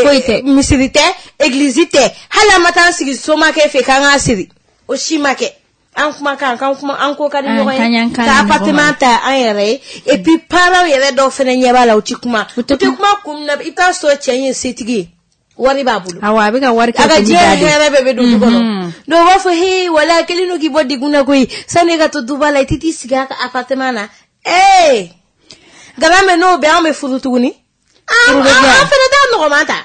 foyi tɛ, misiri tɛ, église tɛ, hali an ma taa an sigi somakɛ fɛ k'an k'a siri, o si ma kɛ. An kumakan k'an kuma an ko ka di ɲɔgɔn ye, ka appartement ta an yɛrɛ ye. Et puis parents yɛrɛ dɔw fɛnɛ ɲɛ b'a la, u ti kuma, u ti kuma kun min na, i bɛ taa sɔrɔ cɛ in ye setigi ye, wari b'a bolo, awɔ a bɛ ka wari kɛ, a ka diɲɛ hɛrɛ bɛɛ bɛ don du kɔnɔ. Donc u b'a fɔ he wala a kɛlen don k'i bɔ degun na koyi, sanni e ka to duba la i tɛ t'i sigi a ka appartement na. Ee Garamɛ n'o bɛ an bɛ furu tuguni. An an fana t'a nɔgɔman ta.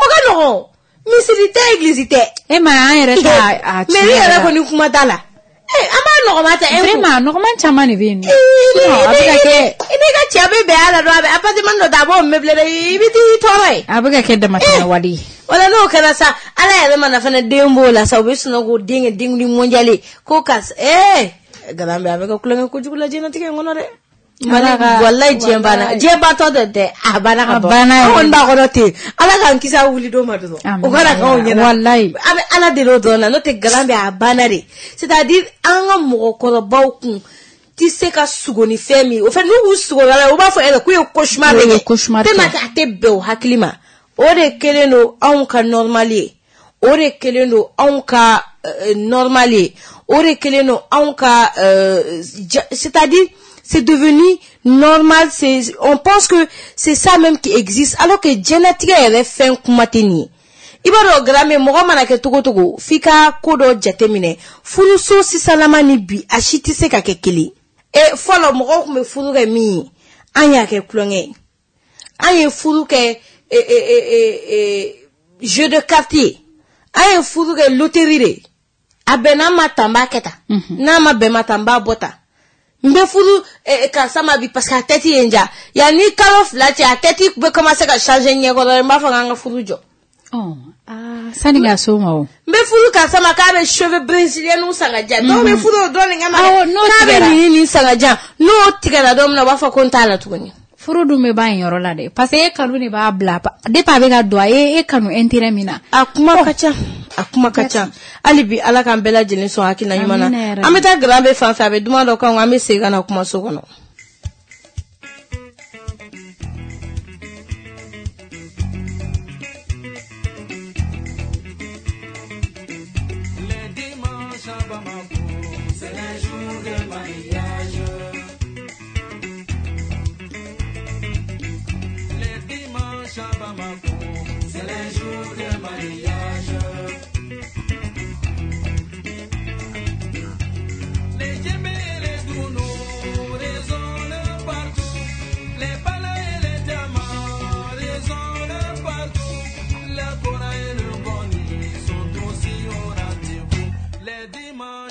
O ka nɔgɔn. Misiri tɛ, église tɛ. E ma an yɛrɛ ta a. Mais ne yɛrɛ kɔni kuma t'a la. An b'a nɔgɔman ta. Vraiment nɔgɔman caman de bɛ yen nɔ. Sinon a bɛ ka kɛ. I n'i ka cɛ bɛ bɛn a la dɔrɔn a bɛ appartement dɔ ta a b'o meublé dɛ i bɛ t'i tɔɔrɔ yen. A bɛ ka kɛ damatɛmɛ wale ye. Wala n'o kɛra sa Ala yɛrɛ mana fana den b'o la sa u bɛ sunɔgɔ k'o den kɛ denkundi mondial ye ko karisa ee Garamɛ a bɛ ka kulonkɛ kojugu la diɲɛlatigɛ in kɔnɔ dɛ. Walayi diɲɛ banna diɲɛ bantɔ tɛ dɛ a banna ka ban an kɔni b'a kɔnɔ ten Ala k'an kisi a wuli don ma dɔrɔn o kana k'anw ɲɛna walayi an bɛ Ala deli o dɔrɔn na n'o tɛ Garamɛ a banna de c'est à dire an ka mɔgɔkɔrɔbaw kun tɛ se ka sugo ni fɛn min o fɛn n'u k'u sugo la u b'a fɔ e yɛrɛ k'u ye cauchemar de kɛ tellement que a tɛ bɛn o hakili ma o de kɛlen don anw ka normal ye o de kɛlen don anw ka normal ye o de kɛlen don anw ka c'est à dire c'est devenu normal, c'est, on pense que c'est ça même qui existe, alors que diɲɛlatigɛ yɛrɛ fɛn kuma tɛ nin ye. I b'a dɔn Garamɛ mɔgɔ mana kɛ togo togo f'i ka ko dɔ jateminɛ furuso sisanlama ni bi a si tɛ se ka kɛ kelen. E fɔlɔ mɔgɔw tun bɛ furu kɛ min ye an y'a kɛ kulonkɛ ye an ye furu kɛ e, e, e, e, jeu de quartier an ye furu kɛ loterie de a bɛn n'a ma ta n b'a kɛ tan n'a ma bɛn ma ta n b'a bɔ tan. N bɛ furu karisa ma bi parce que a tête ye n ja yanni kalo fila cɛ a tête bɛ commencer ka changer ɲɛkɔrɔ n b'a fɔ k'an ka furu jɔ. Sani ka s'o ma o. N bɛ furu karisa ma k'a bɛ cheveux brésiliens san ka diyan dɔw bɛ furu o dɔrɔn de kama k'a bɛ nin nin san ka diyan n'o tigɛra don min na u b'a fɔ ko n t'a la tuguni. Furu dun bɛ ban yen yɔrɔ la dɛ parce que e kanu de b'a bila depuis a bɛ ka don a ye e kanu intérêt min na. A kuma ka ca. A kuma ka ca hali bi Ala k'an bɛɛ lajɛlen sɔn hakilina ɲuman na an bɛ taa Garamɛ fan fɛ a bɛ duman dɔ kan an bɛ segin ka na kumaso kɔnɔ.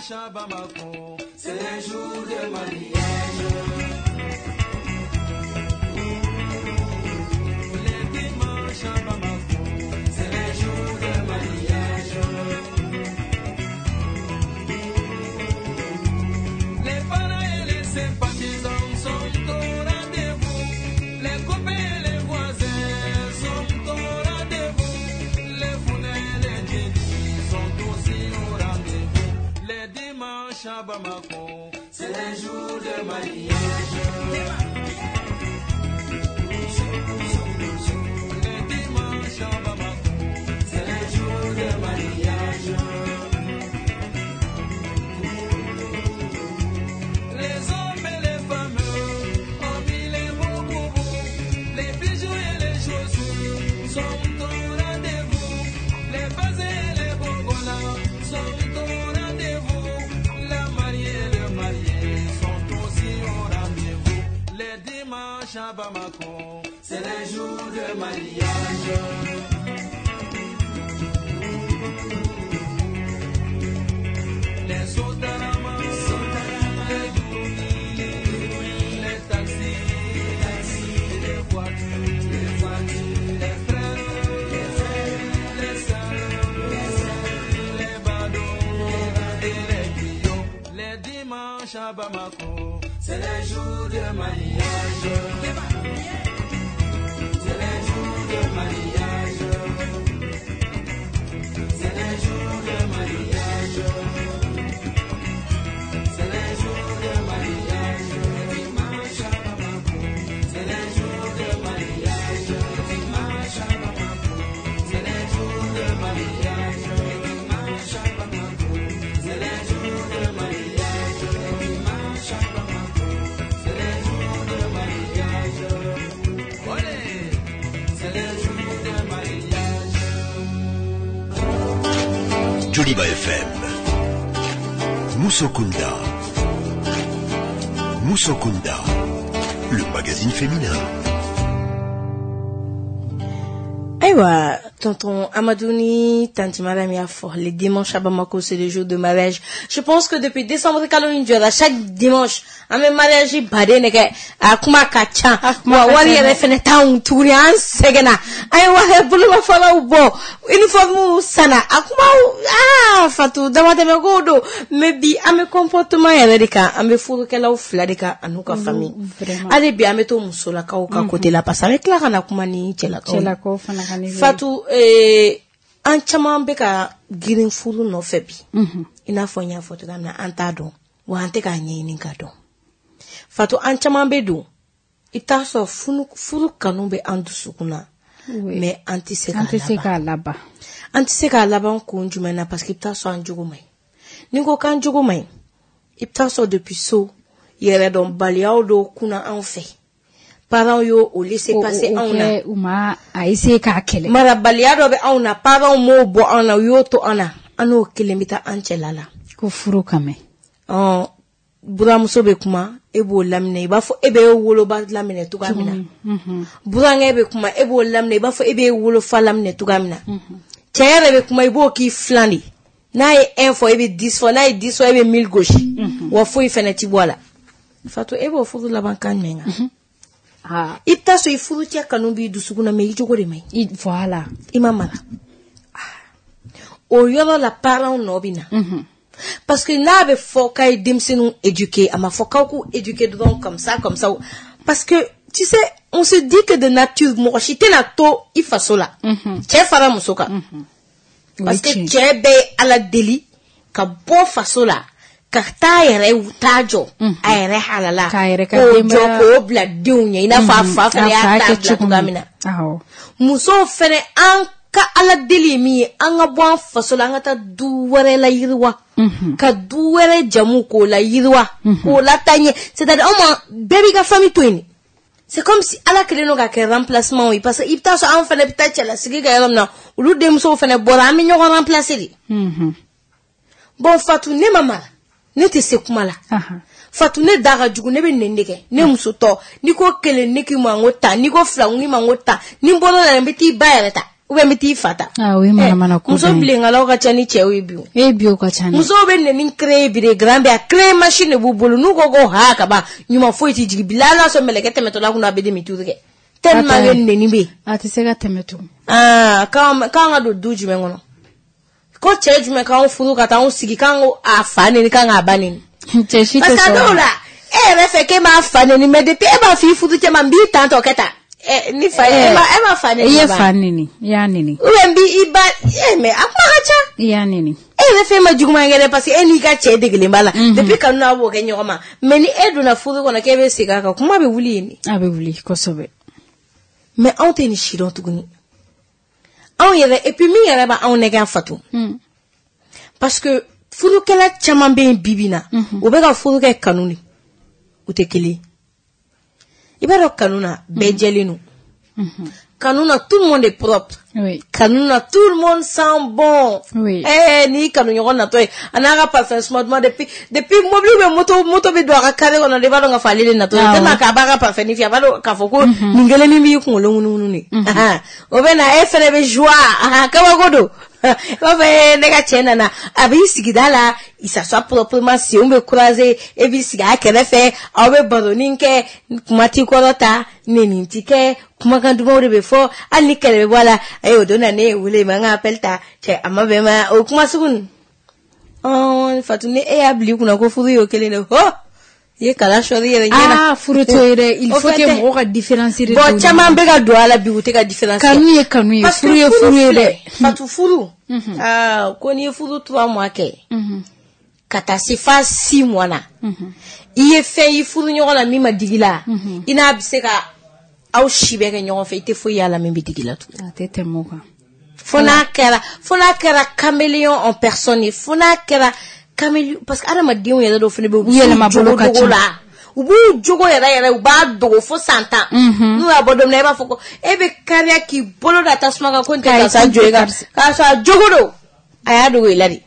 À Bamako, c'est les jours de mariage. Les dimanches à Bamako, c'est les jours de mariage. Les parents et les sympathisants sont au rendez-vous. Les copains et les voisins sont au rendez-vous. Les founais et les djédis sont aussi au rendez-vous. Les dimanches à Bamako, c'est les jours de mariage. Les dimanches à Bamako, c'est les jours de mariage. Les hommes et les femmes ont mis les beaux boubous, les bijoux et les chaussures sont au rendez-vous. Les baisers et les bongolas sont au rendez-vous. La mariée et le marié sont aussi au rendez-vous. Les dimanches à Bamako, c'est les jours de mariage. Les sotarama, les douni, les taxis, les voitures, les voitures, les frères, les frères, les sœurs, les badauds et les griots. Les dimanches à Bamako, c'est les jours de mariage. C'est les jours de mariage. C'est les jours de mariage. C'est les jours de mariage. Dimanche à Bamako, c'est les jours de mariage. Dimanche à Bamako, c'est les jours de mariage. Dimanche à Bamako, c'est les jours de mariage. Dimanche à Bamako, c'est les jours de mariage. Olé, c'est les jours de mariage. Joliba F M. Moussokunda. Moussokunda. Le magazine féminin. Ayiwa, tonton Amadou ni tantie Madame y'a fɔ, le dimanche à Bamako, c'est le jour de mariage. Je pense que depuis décembre kalo in jɔra, chaque dimanche an bɛ mariage baden de kɛ. A kuma ka ca, wa wari yɛrɛ fɛnɛ t'anw tuguni, an sɛgɛnna, an ye wari bolomafaraw bɔ, uniforme sanna, a kumaw aa Fatou damatɛmɛ kow don. Mais bi an bɛ comportement yɛrɛ de kan, an bɛ furukɛlaw fila de kan an'u ka famille. Hali bi an bɛ to musolakaw ka côté la, parce que an bɛ tila ka na kuma ni cɛlakaw ye. Cɛlakaw fana ka niveau. Fatou, eh, an caman bɛ ka girin furu nɔfɛ bi. I n'a fɔ n y'a fɔ cogoya min na, an t'a dɔn, wa an tɛ k'a ɲɛɲini k'a dɔn. Fatou, an caman bɛ don, i bɛ t'a sɔrɔ furu furu kanu bɛ an dusukun na, mais an tɛ se An tɛ se k'a k'a laban. An tɛ se k'a laban kun jumɛn na? Parce que i bɛ t'a sɔrɔ an jogo man ɲi. Ni n ko k'an jogo man ɲi, i bɛ t'a sɔrɔ depuis so, yɛrɛdɔnbaliyaw dɔw kunna anw fɛ. Parents y'o o laisser passer anw na. U ma a essayer k'a kɛlɛ. Marabaliya dɔ bɛ anw na, parents m'o bɔ anw na, u y'o to an na. An n'o kelen bɛ taa an cɛla la. Ko furu ka mɛn. Ɔn, buramuso bɛ kuma, e b'o laminɛ, i b'a fɔ e bɛ e woloba laminɛ cogoya min na. Burankɛ bɛ kuma, e b'o laminɛ, i b'a fɔ e bɛ e wolofa laminɛ cogoya min na. Cɛ yɛrɛ bɛ kuma, i b'o k'i filan de. N'a ye un fɔ, e bɛ dix fɔ, n'a ye dix fɔ, e bɛ mille gosi. Wa foyi fɛnɛ ti bɔ a la. Fatou, e b'o furu laban kan jumɛn kan? Ah. I bɛ taa sɔrɔ i furu cɛ kanu b'i dusukun na, mais i jogo de man ɲi. Voilà. I ma mara. O yɔrɔ la, parents nɔ bɛ na. Parce que n'a bɛ fɔ k'a ye denmisɛnninw éduquer, a ma fɔ k'aw k'u éduquer dɔrɔn comme ça, comme ça. Parce que, tu sais, on se dit que de nature, mɔgɔ si tɛna to i faso la. Cɛ fara muso kan. Parce que cɛ bɛɛ ye Ala deli ka bɔ faso la, ka taa yɛrɛ taa jɔ a yɛrɛ halala, k'o jɔ k'o bila denw ɲɛ, i n'a fɔ a fa fana y'a ta bila cogoya min na. Musow fɛnɛ, an ka Ala deli ye min ye, an ka bɔ an faso la, an ka taa du wɛrɛ la yiriwa, ka du wɛrɛ jamu k'o la yiriwa, k'o lataa ɲɛ. C'est-à-dire anw ma bɛɛ b'i ka famille to yen. C'est comme si Ala kɛlen don ka kɛ remplacement ye, parce que i bɛ taa sɔrɔ anw fɛnɛ bɛ taa cɛlasigi kɛ yɔrɔ min na, olu denmusow fɛnɛ bɔra, an bɛ ɲɔgɔn remplacer de. Bon, Fatou, ne ma mara, ne tɛ se kuma la. Fatou, ne da ka jugu, ne bɛ nɛni de kɛ. Ne muso tɔ, n'i ko kelen, ne k'i ma n ko tan, n'i ko fila, n k'i ma n ko tan, ni n bɔr'o la, n bɛ t'i ba yɛrɛ ta, ou bien n bɛ t'i fa ta. Ah oui, manamana ko. Muso bilenkalaw ka ca ni cɛw ye bi o. E bi o ka ca. Musow bɛ nɛni créer bi de, grand bɛ a créer machine de b'u bolo, n'u ko ko ha ka ban, ɲuman foyi tɛ jigin. Bi la hali n'a sɔrɔ mɛlɛkɛ tɛmɛtɔla kunna, a bɛ demi tour kɛ. Tellement que nɛni bɛ yen. A tɛ se ka tɛmɛ tugun. Aa, k'an ka don du jumɛn kɔnɔ? Ko cɛ jumɛn k'anw furu ka taa anw sigi k'an ko a fa neni, k'an k'a ba neni? Cɛ si tɛ Parce que a sɔn. dɔw la, e yɛrɛ fɛ k'e m'a fa neni, mais depuis e b'a fɔ i furu cɛ ma, n b'i tan tɔ kɛ tan. Ɛ, ni fa ye, e ma e ma fa neni. I ye fa neni, i y'a neni. Ou bien n b'i ba, eh mais a kuma ka ca. I y'a neni. E yɛrɛ fɛn ma juguman kɛ dɛ, parce que e n'i ka cɛ degelen b'a la. Depuis kanu n'a b'o kɛ ɲɔgɔn ma. Mais ni e donna furu kɔnɔ k'e bɛ segin a kan, kuma bɛ wuli yen de. A bɛ wuli kosɛbɛ. Mais anw tɛ nin si dɔn tuguni. Anw yɛrɛ, et puis min yɛrɛ b'anw nɛgɛ Fatou. Parce que furukɛla caman bɛ yen bi bi in na, u bɛ ka furu kɛ kanu de. U tɛ kelen. I b'a dɔn kanu na, bɛɛ jɛlen don. Kanu na, tout le monde est propre. Oui. Kanu na, tout le monde sent bon. Oui. Eh, ni kanu ɲɔgɔn natɔ ye, a n'a ka parfum suma duman, depuis depuis mobili bɛ moto moto bɛ don a ka carré kɔnɔ de, i b'a dɔn k'a fɔ ale de natɔ ye. Tellement k'a b'a ka parfum ni fiyɛ, a b'a dɔn k'a fɔ ko nin kelen min b'i kunkolo ŋunuŋunu de. O bɛ na, e fɛnɛ bɛ joie, kabako don. I b'a fɔ ne ka cɛ nana, a b'i sigida la, il s'assoit proprement, senw bɛ croiser, e b'i sigi a kɛrɛfɛ, aw bɛ baronin kɛ, kuma t'i kɔrɔ ta, nɛni ti kɛ, kumakan dumanw de bɛ fɔ, hali ni kɛlɛ bɛ bɔ a la, ayi o don na ne ye wele, ma n ka appel ta, cɛ a ma bɛn ma, o kuma sugu ninnu. Ɔn, Fatou, ni e y'a bila i kunna ko furu y'o kelen de, ho, i ye kala sɔrɔ i yɛrɛ ɲɛ na. Ah, furu t'o ye dɛ, il faut que mɔgɔw ka différence de. Bon, caman bɛ ka don a la bi, u tɛ ka différence. Kanu ye kanu ye, furu ye furu ye dɛ. Fatou, furu, aa, ko n'i ye furu trois mois kɛ, ka taa se f'a six mois na, i ye fɛn y'i furu ɲɔgɔn na min ma digi la, i n'a bɛ se ka aw si bɛɛ kɛ ɲɔgɔn fɛ, i tɛ foyi y'a la min bɛ digi la tugun. A tɛ tɛmɛ o kan. Fo n'a kɛra, fo n'a kɛra caméléon en personne ye, fo n'a kɛra caméléon, parce que adamadenw yɛrɛ dɔw fana bɛ yen, u yɛlɛma bolo ka ca la. U b'u jogo yɛrɛ yɛrɛ, u b'a dogo fo san tan. N'u y'a bɔ don min na, e b'a fɔ ko e bɛ kariya k'i bolo da tasuma kan ko n tɛ karisa jo ye kan, k'a sɔrɔ a jogo don, a y'a dogo i la de.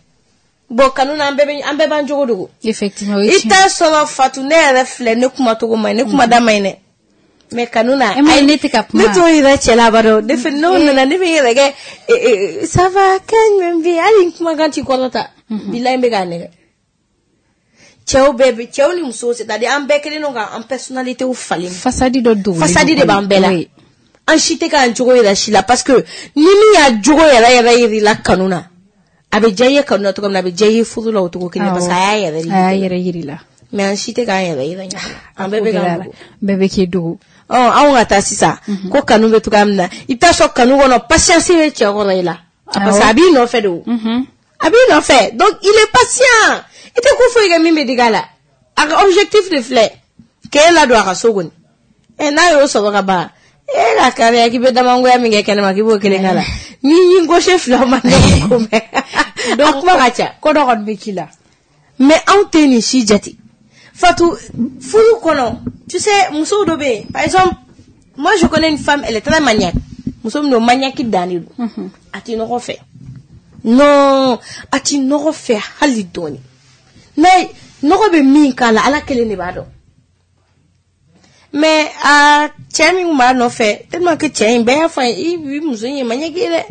Bon, kanu na, an bɛɛ bɛ an bɛɛ b'an jogo dogo. Effectivement, o ye I tiɲɛ. t'a sɔrɔ Fatou, ne yɛrɛ filɛ, ne kuma cogo man ɲi, ne kuma da man ɲi dɛ. Mais kanu na e ma ne tɛ ka kuma ne t'o yira cɛ la ba dɔn ne fɛ n'o nana ne bɛ n yɛrɛ kɛ ça va kan jumɛn bɛ yen hali n kumakan t'i kɔrɔta bilahi n bɛ k'a nɛgɛ cɛw bɛɛ bɛ cɛw ni musow c'est à dire an bɛɛ kelen don k'an personnalité falen fasadi dɔ dogolen fasadi de b'an bɛɛ la an si tɛ k'an jogo yira si la parce que ni min y'a jogo yɛrɛ yɛrɛ yir'i la kanu na a bɛ diya i ye kanu na cogo min na a bɛ diya i ye furu la o cogo kelen parce que a y'a yɛrɛ a y'a yɛrɛ yir'i la mais an si tɛ k'an yɛrɛ yira ɲɔgɔn na an bɛɛ bɛ k'an dogo bɛɛ bɛ k'i dogo ɔ anw ka taa sisan ko kanu bɛ cogoya min na i bɛ taa sɔrɔ kanu kɔnɔ patience bɛ cɛ kɔrɔ i la parce que a b'i nɔfɛ de o a b'i nɔfɛ donc il est patient i tɛ ko foyi kɛ min bɛ digi a la a ka objectif de filɛ k'e ladon a ka so kɔni ɛ n'a y'o sɔrɔ ka ban e ka kariya k'i bɛ damangoya min kɛ kɛnɛma k'i b'o kelen k'a la n'i y'i gauche fila ma ne ko mɛn a kuma ka ca ko dɔ kɔni bɛ k'i la mais anw tɛ nin si jate Fatou furu kɔnɔ tu sais musow dɔ bɛ yen par exemple moi je connais une femme elle est très maniaque muso min don maniaque dan de don a tɛ nɔgɔ fɛ non a tɛ nɔgɔ fɛ hali dɔɔni n'a nɔgɔ bɛ min k'a la ala kelen de b'a dɔn mais a cɛ min kun b'a nɔfɛ tellement que cɛ in bɛɛ y'a fɔ a ye i muso in ye maniaque ye dɛ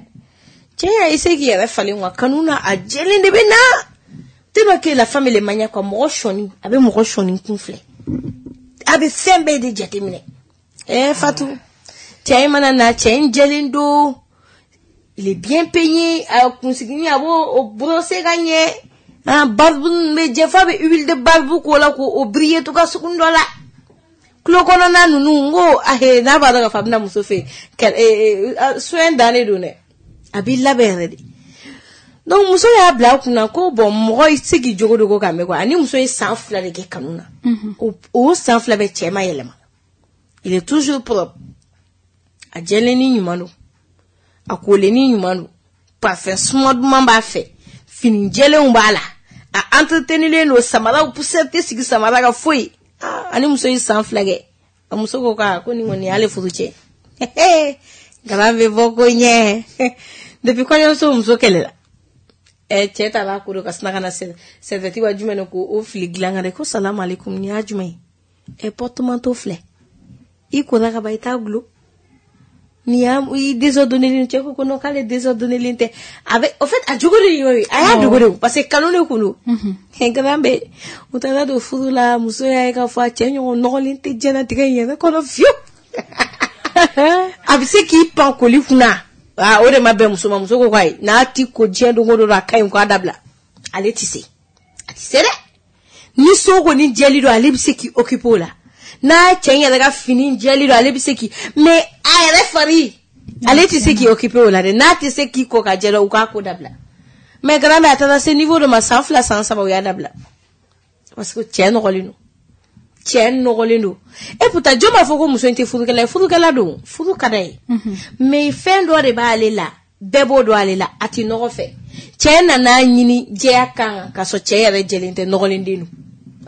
cɛ y'a essayé k'i yɛrɛ falen quoi kanu na a jɛlen de bɛ na tellement que la femme elle est maniaque quoi mɔgɔ sɔnni a bɛ mɔgɔ sɔnni kun filɛ a bɛ fɛn bɛɛ de jateminɛ eh Fatou cɛ in mana na cɛ in jɛlen don il est bien peigné a kunsiginin a b'o o brosser ka ɲɛ ah barbe bɛ jɛ f'a bɛ huile de barbe k'o la k'o briller to ka sugun dɔ la tulo kɔnɔna ninnu n ko ahe n'a b'a dɔn k'a fɔ a bɛna muso fɛ yen soin dannen don dɛ a b'i labɛn yɛrɛ de donc muso y'a bila a kunna ko bon mɔgɔ i tɛ se k'i jogo dogo ka mɛn quoi ani muso ye san fila de kɛ kanu na o san fila bɛ cɛ ma yɛlɛma il est toujours propre a jɛlen ni ɲuman don a kolen ni ɲuman don parfum suma duman b'a fɛ fini jɛlenw b'a la a entretenilen don samaraw poussière tɛ sigi samara kan foyi ani muso ye san fila kɛ a muso ko k'a ko nin kɔni y'ale furu cɛ garan bɛ bɔ ko ɲɛ depuis kɔɲɔmuso muso kɛlɛla ɛ cɛ taara ko ka sina ka na serviette wa jumɛn de ko o fili dilan kan dɛ ko salamu aleykum nin y'a jumɛn ye ɛ porte-manteau filɛ i kora ka ban i t'a gulon nin y'a i désordonné cɛ ko ko non k'ale désordonné tɛ a bɛ au fait a jogo de y'o ye a y'a dogo de parce que kanu de kun don garan bɛ u taara don furu la muso y'a ye k'a fɔ a cɛ ɲɔgɔn nɔgɔlen tɛ diɲɛlatigɛ in yɛrɛ kɔnɔ fiyewu a bɛ se k'i pan koli kunna aa o de ma bɛn muso ma muso ko k'ayi n'a ti ko diɲɛ don o don a ka ɲi k'a dabila ale ti se a ti se dɛ ni so kɔni jɛli don ale bɛ se k'i occuper o la n'a cɛ in yɛrɛ ka fini jɛli don ale bɛ se k'i mais a yɛrɛ fari ale tɛ se k'i occuper o la dɛ n'a tɛ se k'i ko ka jɛ u k'a ko dabila mais grand a taara se niveau dɔ ma san fila san saba u y'a dabila parce que cɛ nɔgɔlen don cɛ nɔgɔlen don et pourtant jɔn b'a fɔ ko muso in tɛ furukɛla ye furukɛla don furu ka d'a ye mais fɛn dɔ de b'ale la bɛɛ b'o dɔn ale la a tɛ nɔgɔ fɛ cɛ nana ɲini jɛya kan ka sɔrɔ cɛ yɛrɛ jɛlen tɛ nɔgɔlen den don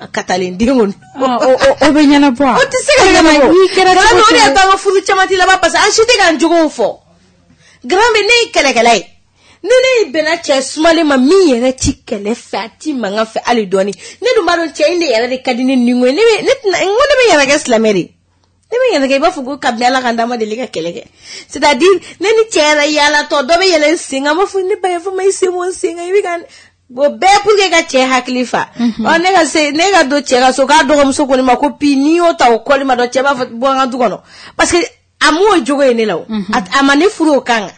a katalen den kɔni o bɛ ɲɛnabɔ o tɛ se ka ɲɛnabɔ n'i kɛra cogo o de y'a to an ka furu caman tɛ laban parce que an si tɛ k'an jogow fɔ grand bɛ ne ye kɛlɛkɛla ye ni ne bɛnna cɛ sumalen ma min yɛrɛ ti kɛlɛ fɛ a ti mankan fɛ hali dɔɔni ne dun b'a dɔn cɛ in de yɛrɛ de ka di ne ni ko ye ne bɛ ne tɛna n ko ne bɛ yɛrɛ kɛ silamɛ de ne bɛ yɛrɛ kɛ i b'a fɔ ko kabini ala ka n d'a ma deli ka kɛlɛ kɛ c'est à dire ne ni cɛ yɛrɛ yaalatɔ dɔ bɛ yɛlɛ n sen kan n b'a fɔ ne ba yafa ma i sen bɔ n sen kan i bɛ ka o bɛɛ pour que ka cɛ hakili fa ɔ ne ka se ne ka don cɛ ka so k'a dɔgɔmuso ko ne ma ko pi n'i y'o ta o kɔli ma dɔn cɛ b'a fɔ bɔ n ka du kɔnɔ parce que a m'o jogo ye ne la o a ma ne furu o kan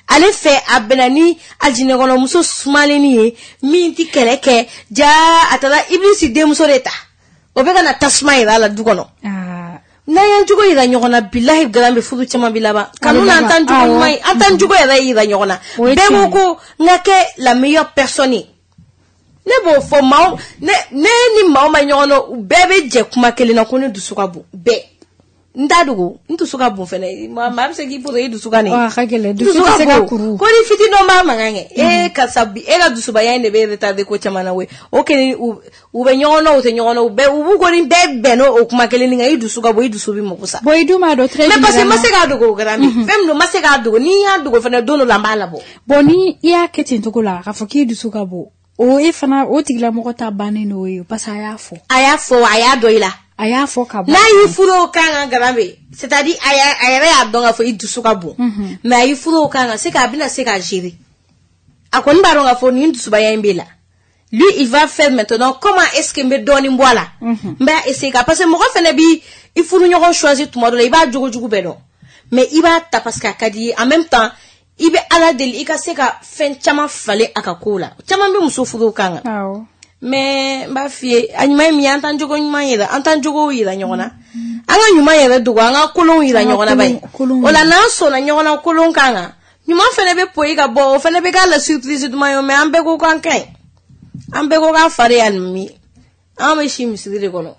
ale fɛ a bɛnna ni alijinɛkɔnɔmuso sumalenni ye min ti kɛlɛ kɛ jaa a taara ibilisi denmuso de ta o bɛ ka na tasuma yira a la du kɔnɔ n'an y'an jogo yira ɲɔgɔn na bilahi garan bɛ furu caman bi laban kanu na an t'an jogo ɲuman ye an t'an jogo yɛrɛ yira ɲɔgɔn na bɛɛ ko ko n ka kɛ la meilleure personne ye ne b'o fɔ maaw ne ne ni maaw ma ɲɔgɔn dɔn bɛɛ bɛ jɛ kuma kelen na ko ne dusu ka bon bɛɛ n t'a dogo n dusu ka bon fɛnɛ maa bɛ se k'i poto i dusu ka nin a ka gɛlɛn dusu tɛ se ka kuru ko ni fitinin dɔ b'a mankan kɛ e karisa bi e ka dusubaya in de bɛ retardé ko caman na koyi o kelen u u bɛ ɲɔgɔn na u tɛ ɲɔgɔn na u bɛɛ u b'u kɔni bɛɛ bɛn n'o kuma kelen nin kan i dusu ka bon i dusu bɛ mako sa. Bon i dun b'a dɔn très mais parce que n ma se k'a dogo o kɛra min fɛn min don n ma se k'a dogo ni n y'a dogo fɛnɛ don dɔ la n b'a labɔ. Bon ni i y'a kɛ ten cogo la k'a fɔ k'i dusu ka bon o e fana o tigilamɔgɔ ta bannen n'o ye parce que a y'a fɔ. A y'a fɔ a y'a dɔn i la. A y'a fɔ ka bɔ. N'a y'i furu o kan kan Garambe, c'est-à-dire a yɛrɛ y'a dɔn k'a fɔ i dusu ka bon. Mais a y'i furu o kan kan, c'est k'a bɛna se k'a gérer. A kɔni b'a dɔn k'a fɔ nin dusubaya in b'e la. Lui, il va faire maintenant comment est-ce que n bɛ dɔɔnin bɔ a la. N b'a essayer ka parce que mɔgɔ fɛnɛ bi i furu ɲɔgɔn choisir tuma dɔ la, i b'a jogo jugu bɛɛ dɔn. Mais i b'a ta parce que a ka di i ye. En même temps, i bɛ Ala deli i ka se ka fɛn caman falen a ka kow la. Caman bɛ muso furu o kan kan. Awɔ. Mais n b'a f'i ye, a ɲuman ye min ye, an t'an jogo ɲuman yira, an t'an jogow yira ɲɔgɔn na. An ka ɲuman yɛrɛ dogo, an ka kolonw yira ɲɔgɔn na bayi. O la n'an sɔnna ɲɔgɔn na kolon kan kan, ɲuman fɛnɛ bɛ poyi ka bɔ, o fɛnɛ bɛ k'a la surprise duman ye, mais an bɛɛ ko k'an ka ɲi. An bɛɛ ko k'an fari ye alimami. An bɛ si misiri de kɔnɔ.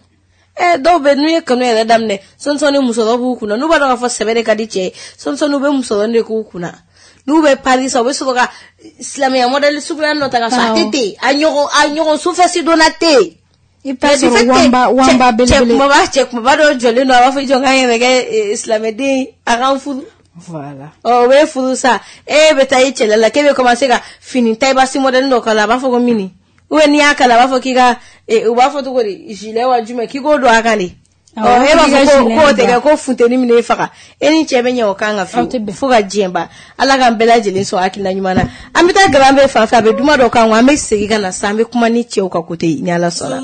Eh, dɔw bɛ n'u ye kanu yɛrɛ daminɛ, sɔnsɔnni musɔrɔ b'u kunna. N'u b'a dɔn k'a fɔ sɛbɛ de ka di cɛ ye, sɔnsɔnni u bɛ musɔrɔ de k'u kunna. N'u bɛ Paris sa, u bɛ sɔrɔ ka silamɛya modèle suguya dɔ ta ka sɔrɔ a tɛ ten, a ɲɔgɔn a ɲɔgɔn sufɛsi donna tɛ yen. I bɛ taa sɔrɔ wanba wanba belebele. Cɛ kumaba cɛ kumaba dɔ jɔlen don, a b'a fɔ i jɔ k'an yɛrɛ kɛ silamɛden, a k'an furu. Voilà. Ɔ o bɛ furu sa, e bɛ taa i cɛla la, k'e bɛ commencer ka fini taille-basse modèle dɔ k'a la, a b'a fɔ ko mini. Ou bien n'i y'a kala, a b'a fɔ k'i ka u b'a fɔ cogo di, gilet wa jumɛn, k'i k'o don a kan de. Ɔ e b'a fɔ ko k'o tɛ kɛ ko funteni minɛ e faga. E ni cɛ bɛ ɲɛ o kan ka fiyewu fo ka diɲɛ ban. Ala k'an bɛɛ lajɛlen sɔn hakilina ɲuman na. An bɛ taa Garambe fan fɛ, a bɛ duma dɔ kan, an bɛ segin ka na sisan, an bɛ kuma ni cɛw ka côté ni Ala sɔnna.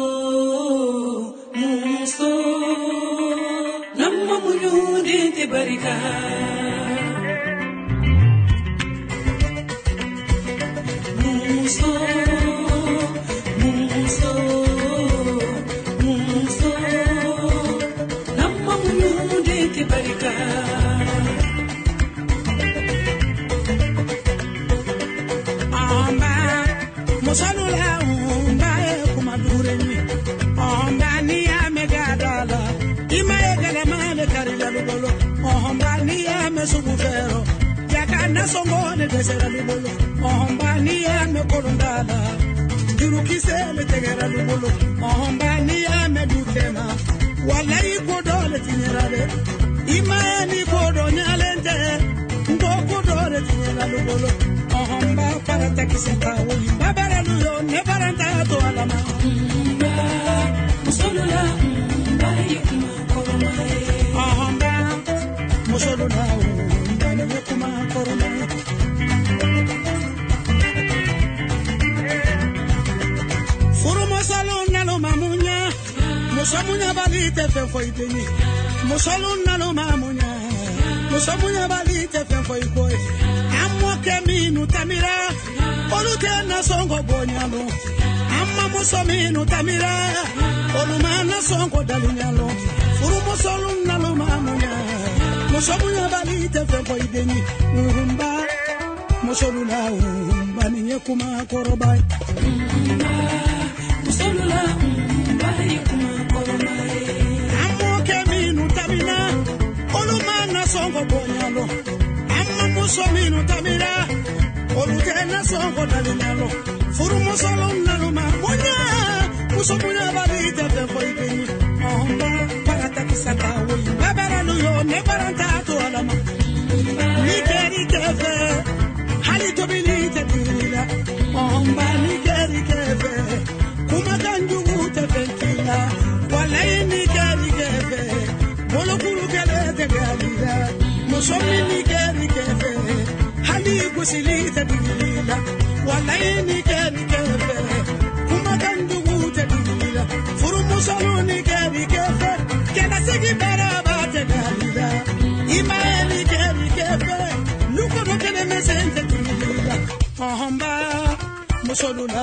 Musolula,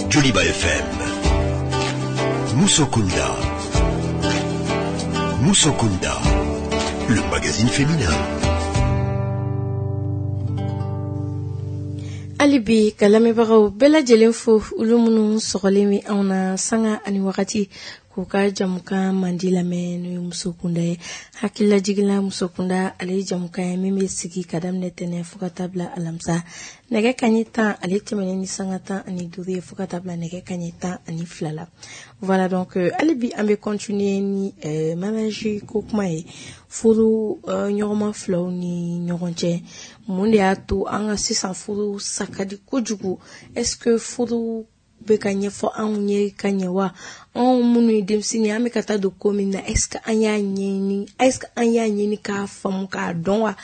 Joliba F M. Musokunda. Musokunda, le magazine féminin. Hali bi ka lamɛnbagaw bɛɛ lajɛlen fo olu minnu sɔgɔlen bɛ anw na sanga ani wagati k'u ka jamukan mandi lamɛn n'o ye Musokunda ye. Hakililajigin Musokunda ale ye jamukan ye min bɛ sigi ka daminɛ tɛnɛn fo ka taa bila alamisa nɛgɛ kanɲɛ tan ale tɛmɛnen ni sanga tan ani duuru ye fo ka taa bila nɛgɛ kanɲɛ tan ani fila la. Voilà donc hali bi an bɛ continuer ni euh, mariage ko kuma ye, furu euh, ɲɔgɔnma filaw ni ɲɔgɔn cɛ. Mun de y'a to an ka sisan furu sa ka di kojugu? Est-ce que furu bɛ ka ɲɛfɔ anw ye ka ɲɛ wa? Anw minnu ye denmisɛnnin ye, an bɛ ka taa don ko min na, est-ce que an y'a ɲɛɲini, est-ce que an y'a ɲini k'a faamu k'a dɔn wa?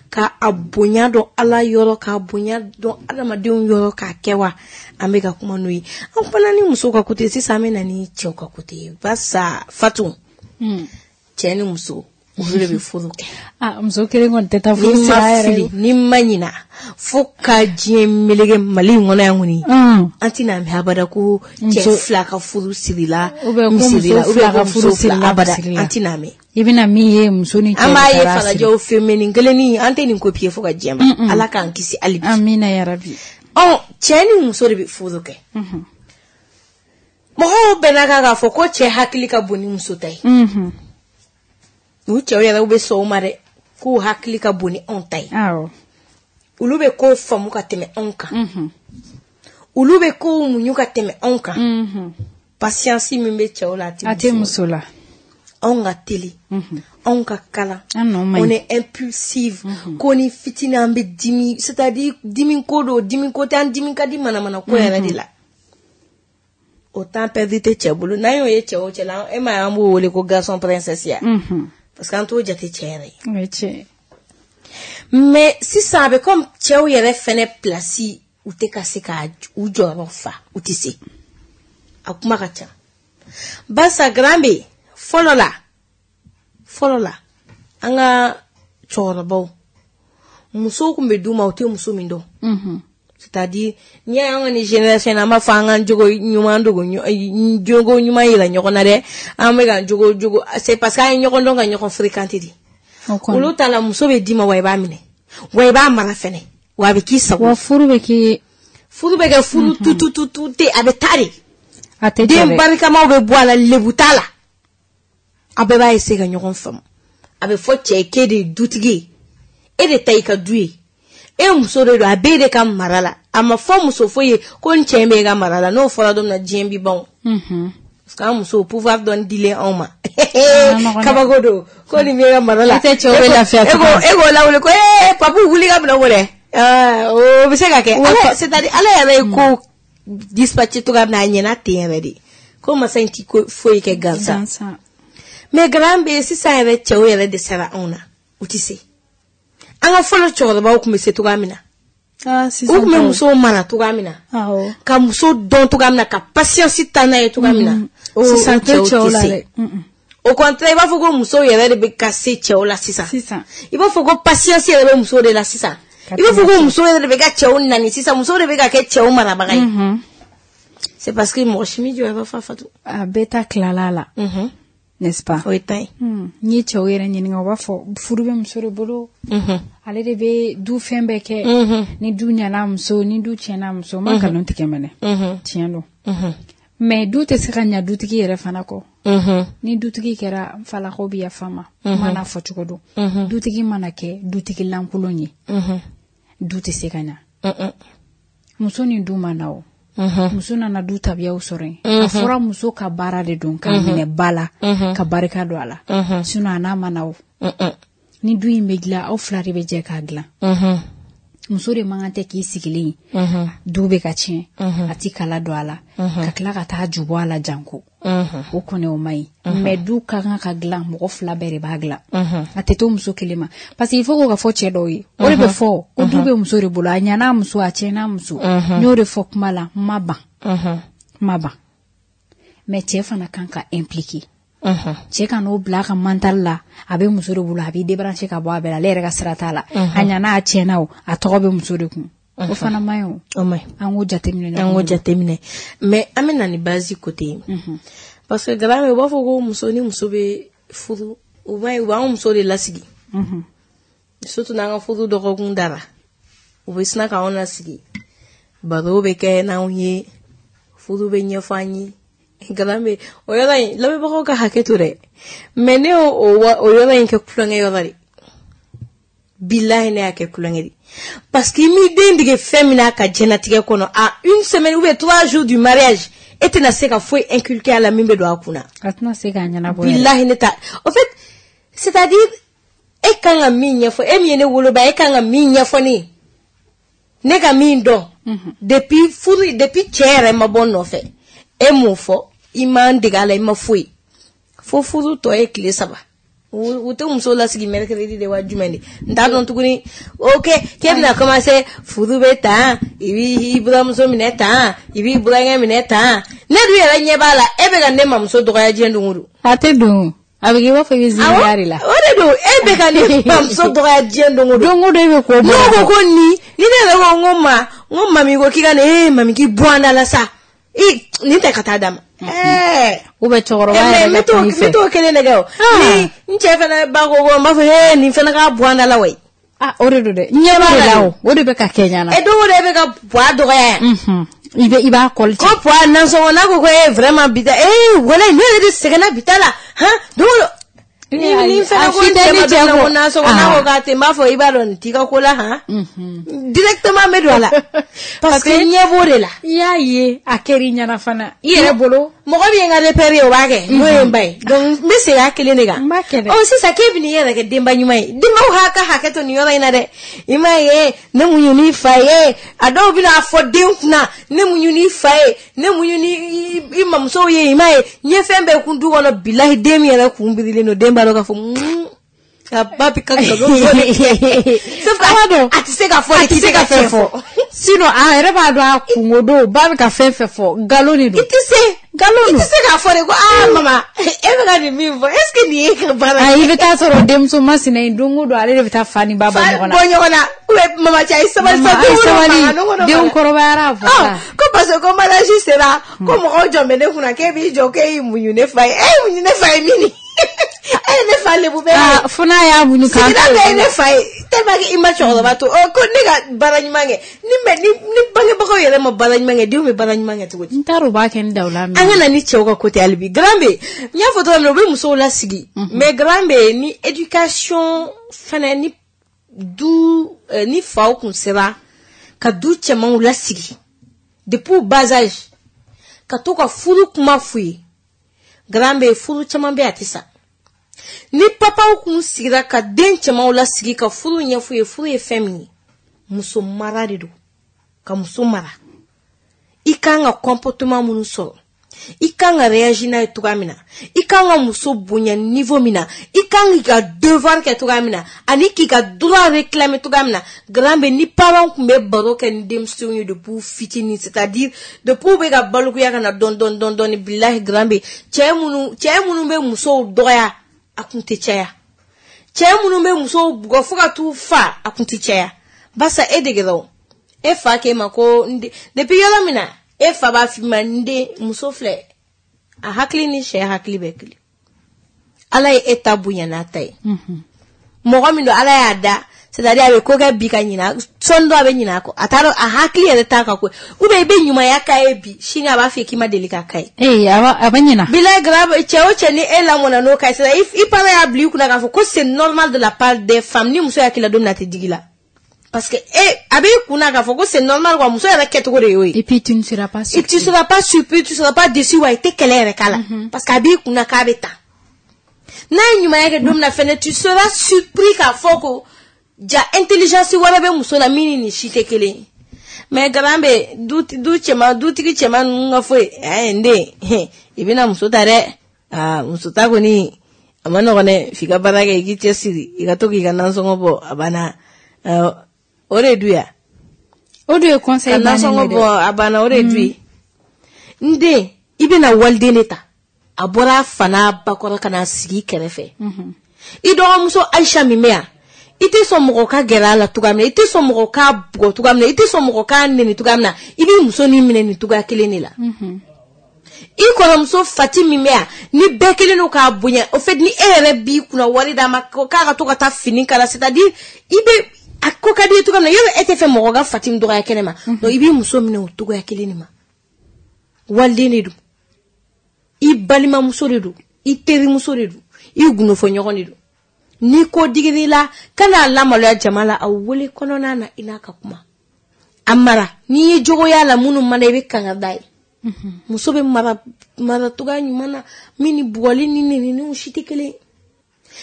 K'a a bonya dɔn Ala yɔrɔ, k'a bonya dɔn adamadenw yɔrɔ, k'a kɛ wa? An bɛ ka kuma n'o ye. An kumana ni musow ka côté, sisan an bɛ na ni cɛw ka côté ye. Barisa Fatu, cɛ ni muso olu de bɛ furu kɛ. Ah, muso kelen kɔni tɛ taa furu sira yɛrɛ. Ni ma ɲina fo ka diɲɛ meleke Mali in kɔnɔ yan kɔni, an tɛna mɛn abada ko cɛ fila ka furu sirila, ou bien ko muso fila ka furu sirila abada, an tɛna mɛn. I bɛna min ye muso ni cɛ, an b'a ye falajɛw fɛ mais nin kelennin an tɛ nin copier fo ka diɲɛ ma. Ala k'an kisi hali bi. Amina yarabi. Ɔ, cɛ ni muso de bɛ furu kɛ. Mɔgɔw bɛnna kan k'a fɔ ko cɛ hakili ka bon ni muso ta ye. U cɛw yɛrɛ bɛ sɔn o ma dɛ, k'u hakili ka bon ni anw ta ye. Olu bɛ kow faamu ka tɛmɛ anw kan. Olu bɛ kow muɲu ka tɛmɛ anw kan. Patience min bɛ cɛw la, a tɛ muso la. Anw ka teli, anw ka kalan, on est impulsive. Ko ni fitinin an bɛ dimi, c'est-à-dire dimi ko don, dimi ko tɛ, an dimi ka di manamana ko yɛrɛ de la. O temps perdu tɛ cɛ bolo. N'an y'o ye cɛ o cɛ la, e m'a ye an b'o wele ko garçon princesse ya. Parce qu'an t'o jate cɛ yɛrɛ ye. Mais sisan a bɛ comme cɛw yɛrɛ fɛnɛ place u tɛ ka se ka u jɔyɔrɔ fa, u tɛ se. A kuma ka ca. Barisa grand bɛ fɔlɔ la, fɔlɔ la an ka cɛkɔrɔbaw musow tun bɛ d'u ma u tɛ muso min dɔn. C'est-à-dire n'i y'a ye an ka nin génération na, an b'a fɔ an k'an jogo ɲuman dogo, jogo ɲuman yira ɲɔgɔn na dɛ, an bɛ ka jogo jogo, c'est parce que an ye ɲɔgɔn dɔn ka ɲɔgɔn fréquenter de. Olu ta la muso bɛ d'i ma wa i b'a minɛ, wa i b'a mara fɛnɛ, wa a bɛ k'i sago. Wa furu bɛ kɛ, furu bɛ kɛ furu tutututu tɛ, a bɛ taa de. A tɛ jɔ dɛ. Den barikamaw bɛ bɔ a la, lebu t'a la. A bɛɛ b'a essayer ka ɲɔgɔn faamu. A bɛ fɔ cɛ ye k'e de ye dutigi ye, e de ta y'i ka du ye. E muso de don, a b'e de ka mara la. A ma fɔ muso foyi ye ko n cɛ b'e ka mara la. N'o fɔra don min na, diɲɛ bi ban. Parce que an musow pouvoir dɔɔni dilen anw ma. Kabako don ko nin b'e ka mara la. E tɛ cɛw bɛ lafiya tugun. E k'o lawuli ko ee papu wuli ka bila o dɛ. O bɛ se ka kɛ. C'est-à-dire Ala yɛrɛ ye ko dispatché cogoya min na, a ɲɛna ten yɛrɛ de. Ko masa in ti foyi kɛ gansan. Mais grand bɛ sisan yɛrɛ cɛw yɛrɛ dɛsɛra anw na, u tɛ se. An ka fɔlɔ cɛkɔrɔbaw tun bɛ se cogoya min na, u tun bɛ musow mara cogoya min na, ka muso dɔn cogoya min na, ka patience ta n'a ye cogoya min na, sisan cɛw tɛ se. Au contraire, i b'a fɔ ko musow yɛrɛ de bɛ ka se cɛw la sisan. I b'a fɔ ko patience yɛrɛ bɛ musow de la sisan. I b'a fɔ ko musow yɛrɛ de bɛ ka cɛw nani sisan, musow de bɛ ka kɛ cɛw marabaga ye. C'est parce que mɔgɔ si m'i jɔ i b'a fɔ Fatu. A bɛɛ ta tilala la. N'est-ce pas? O ye tan ye. N'i ye cɛw yɛrɛ ɲininka, u b'a fɔ furu bɛ muso de bolo. Ale de bɛ du fɛn bɛɛ kɛ. Ni du ɲɛna muso, ni du tiɲɛna muso, ma nkalon tigɛ mɛnɛ. Tiɲɛ don. Mais du tɛ se ka ɲa dutigi yɛrɛ fana kɔ. Ni dutigi kɛra, n falakaw bɛ yafa ma. Kuma n'a fɔ cogo don. Dutigi mana kɛ dutigi lankolon ye, du tɛ se ka ɲa. Muso ni du ma na o. Muso nana du tabiyaw sɔrɔ yen. A fɔra muso ka baara de don k'a minɛ ba la, ka barika don a la. Sinon a n'a ma na o. Ni du in bɛ dilan, aw fila de bɛ jɛ k'a dilan. Muso de man kan tɛ k'i sigilen ye du bɛ ka tiɲɛ a ti kala don a la ka tila ka taa ju bɔ a la janko o kɔni o man ɲi mais du ka kan ka dilan mɔgɔ fila bɛɛ de b'a dilan a tɛ to muso kelen ma parce que il faut k'o ka fɔ cɛ dɔw ye o de bɛ fɔ ko du bɛ muso de bolo a ɲan'a muso a tiɲɛna muso n y'o de fɔ kuma la n ma ban n ma ban mais cɛ fana kan ka impliquer cɛ ka n'o bila a ka mental la a bɛ muso de bolo a b'i débrancher ka bɔ a bɛɛ la ale yɛrɛ ka sira t'a la a ɲana a tiɲɛna o a tɔgɔ bɛ muso de kun o fana man ɲi o an k'o jateminɛ an k'o jateminɛ mais an bɛ na ni base côté ye parce que grand u b'a fɔ ko muso ni muso bɛ furu u b'a ye u b'an muso de lasigi surtout n'an ka furu dɔgɔkun dara u bɛ sina k'anw lasigi baro bɛ kɛ n'anw ye furu bɛ ɲɛfɔ an ye grand bɛ o yɔrɔ in lamɛnbagaw ka hakɛ to dɛ mais ne y'o o yɔrɔ in kɛ kulonkɛ yɔrɔ de bilahi ne y'a kɛ kulonkɛ de parce que i m'i den dege fɛn min na a ka diɲɛnatigɛ kɔnɔ à une semaine ou bien trois jours du mariage e tɛna se ka foyi inculquer a la min bɛ don a kunna a tɛna se k'a ɲɛnabɔ bilahi ne ta en fait c'est-à-dire e kan ka min ɲɛfɔ e min ye ne woloba e kan ka min ɲɛfɔ ne ye ne ka min dɔn depuis furu depuis cɛ yɛrɛ ma bɔ n nɔfɛ e m'o fɔ i m'an dege a la i ma foyi fo furu tɔ ye tile saba u tɛ muso lasigi mercredi de wa jumɛn de n t'a dɔn tuguni ok k'e bɛna commencer furu bɛ tan i b'i buramuso minɛ tan i b'i burankɛ minɛ tan ne dun yɛrɛ ɲɛ b'a la e bɛ ka ne mamuso dɔgɔya diɲɛ don o don a tɛ don a bɛ k'i b'a fɔ i bɛ ziiriya de la o de don e bɛ ka ne mamuso dɔgɔya diɲɛ don o don don o don e bɛ ko bɔ n'o ko ko nin ni ne yɛrɛ ko n ko ma n ko mami ko k'i ka nin ee mami k'i bɔ an da la sa i nin tɛ ka taa d'a ma ɛɛ ou bien cɛkɔrɔba yɛrɛ ka kuma i fɛ n bɛ t'o kelen de kɛ o ni n cɛ fana ba ko ko n b'a fɔ ee nin fana ka bɔ an da la wayi ah o de don dɛ ɲɛ b'a la o o de bɛ ka kɛ ɲana e don o don e bɛ ka puwa dɔgɔya yan i bɛ i b'a kɔli ko puwa nasɔngɔ n'a ko ko ee vraiment bi ta ee walayi ne yɛrɛ de sɛgɛnna bi ta la han don o don ni ni fana ko n cɛ ma don ko nasɔngɔ n'a ko k'a tɛ n b'a fɔ i b'a dɔn nin t'i ka ko la han directement n bɛ don a la parce que ɲɛ b'o de la i y'a ye a kɛr'i ɲɛna fana i yɛrɛ bolo mɔgɔ min ye n ka repère ye o b'a kɛ n'o ye n ba ye donc n bɛ segin a kelen de kan n b'a kɛ dɛ ɔ sisan k'e bɛ n'i yɛrɛ kɛ denba ɲuman ye denbaw ha ka hakɛ to nin yɔrɔ in na dɛ i m'a ye ne muɲu n'i fa ye a dɔw bɛna fɔ den kunna ne muɲu n'i fa ye ne muɲu ni i mamusow ye i m'a ye n ye fɛn bɛɛ kun du kɔnɔ bilahi den min yɛrɛ kun birilen don den b'a dɔn k'a fɔ a ba bɛ ka nkalon fɔ de sauf que a tɛ se ka fɔ a tɛ se ka fɛn fɔ sinon a yɛrɛ b'a dɔn a kungo don ba bɛ ka fɛn fɛn fɔ nkalon de don i tɛ se nkalon don i tɛ se k'a fɔ de ko aa mama e bɛ ka nin min fɔ est ce que nin ye ka baara ye i bɛ taa sɔrɔ denmuso masina in don o don ale de bɛ taa fa ni ba bɔ ɲɔgɔn na bɔ ɲɔgɔn na ou bien mama cɛ a ye sabali sa don o don denw kɔrɔbayara a fɔ sa ko parce que ko mariage sera ko mɔgɔw jɔn bɛ ne kunna k'e b'i jɔ k'e y'i muɲu ne fa ye e y'i muɲu ne fa ye min e ye ne fa lebu bɛɛ ye fo n'a y'a muɲu k'an sigida bɛɛ ye ne fa ye tellement que i ma cɛkɔrɔba to ɔ ko ne ka baara ɲuman kɛ ni mɛ ni ni bangebagaw yɛrɛ ma baara ɲuman kɛ denw bɛ baara ɲuman kɛ cogo di n t'a dɔn u b'a kɛ ni dawula min an ka na ni cɛw ka côté hali bi grand bɛ n y'a fɔ cogo min na u bɛ musow lasigi mais grand bɛ ni éducation fɛnɛ ni du ni faw kun sera ka du cɛmanw lasigi depuis bas âge ka to ka furu kuma f'u ye grand bɛ furu caman bɛ a tɛ sa ni papaw kun sigira ka den cɛmanw lasigi ka furu ɲɛf'u ye furu ye fɛn min ye muso mara de don ka muso mara i kan ka comportement minnu sɔrɔ i kan ka réagir n'a ye cogoya min na i kan ka muso bonya niveau min na i kan k'i ka devoir kɛ cogoya min na ani k'i ka droit réclamer cogoya min na grand bɛ ni parents kun bɛ baro kɛ ni denmisɛnw ye depuis fitinin c'est-à-dire depuis u bɛ ka balikuya ka na dɔɔni dɔɔni dɔɔni dɔɔni bilahi grand bɛ cɛ minnu cɛ minnu bɛ musow dɔgɔya a kun tɛ caya cɛ minnu bɛ musow bugɔ fo ka t'u fa a kun tɛ caya barisa e degera o e fa k'e ma ko n den depuis yɔrɔ min na e fa b'a f'i ma n den muso filɛ a hakili ni sɛ hakili bɛ kelen ala ye e ta bonya n'a ta ye mɔgɔ min don ala y'a da c'est-à-dire a bɛ ko kɛ bi ka ɲinɛ sɔnni dɔ a bɛ ɲinɛ a kɔ a t'a dɔn a hakili yɛrɛ t'a ka ko ou bien i bɛ ɲumanya k'a ye bi sini a b'a fɔ k'i ma deli k'a k'a ye. Ee a b'a a bɛ ɲinɛ. Bilahi grave cɛ o cɛ ni e lamɔna n'o ka ye c'est-à-dire i parent y'a bila i kunna k'a fɔ ko c'est normal de la part des femmes ni muso y'a k'i la don min na a tɛ digi la. Parce que eh, a b'i kunna k'a fɔ ko c'est normal quoi muso yɛrɛ kɛcogo de y'o ye. Et puis tu ne seras pas surpris. Et tu seras pas surpris, tu seras pas déçu wa i tɛ kɛlɛ yɛrɛ k'a la. Parce que a b'i kunna k'a bɛ tan. N'a ye ɲumanya kɛ don min na fɛnɛ tu seras surpris k'a fɔ ko Ja intelligence wɛrɛ bɛ muso la min ni nin si tɛ kelen ye. Mais garan bɛ du du cɛman dutigi cɛman ninnu ka foyi ɛɛ n den i bɛna muso ta dɛ aa muso ta kɔni a ma nɔgɔn dɛ f'i ka baara kɛ i k'i cɛsiri i ka to k'i ka nasɔngɔ bɔ a banna o de du ya. O de ye conseil bannen ye dɛ. Ka nasɔngɔ bɔ a banna o de ye du ye. N den i bɛna waliden de ta a bɔra a fa n'a ba kɔrɔ ka na sigi i kɛrɛfɛ. I dɔgɔmuso Ayisa min bɛ yan i tɛ sɔn mɔgɔ ka gɛrɛ a la cogoya min na i tɛ sɔn mɔgɔ k'a bugɔ cogoya min na i tɛ sɔn mɔgɔ k'a nɛni cogoya min na i b'i muso nin minɛ nin cogoya kelen de la. I kɔrɔmuso Fati min bɛ yan ni bɛɛ kelen don k'a bonya au fait ni e yɛrɛ b'i kunna wari d'a ma k'a ka to ka taa fini kala c'est à dire i bɛ a ko ka di i ye cogoya min na yɔrɔ e tɛ fɛ mɔgɔ ka Fati min dɔgɔya kɛnɛ ma donc i b'i muso minɛ o cogoya kelen de ma. Waliden de don i balimamuso de don i terimuso de don i gundofɔɲɔgɔn de don. Ni ko digir'i la kan'a lamaloya jama la a wele kɔnɔna na i n'a ka kuma a mara n'i ye jogoya la minnu mana i bɛ kanga da ye. Muso bɛ mara mara cogoya ɲuman na min ni bugɔli ni neniniw si tɛ kelen ye.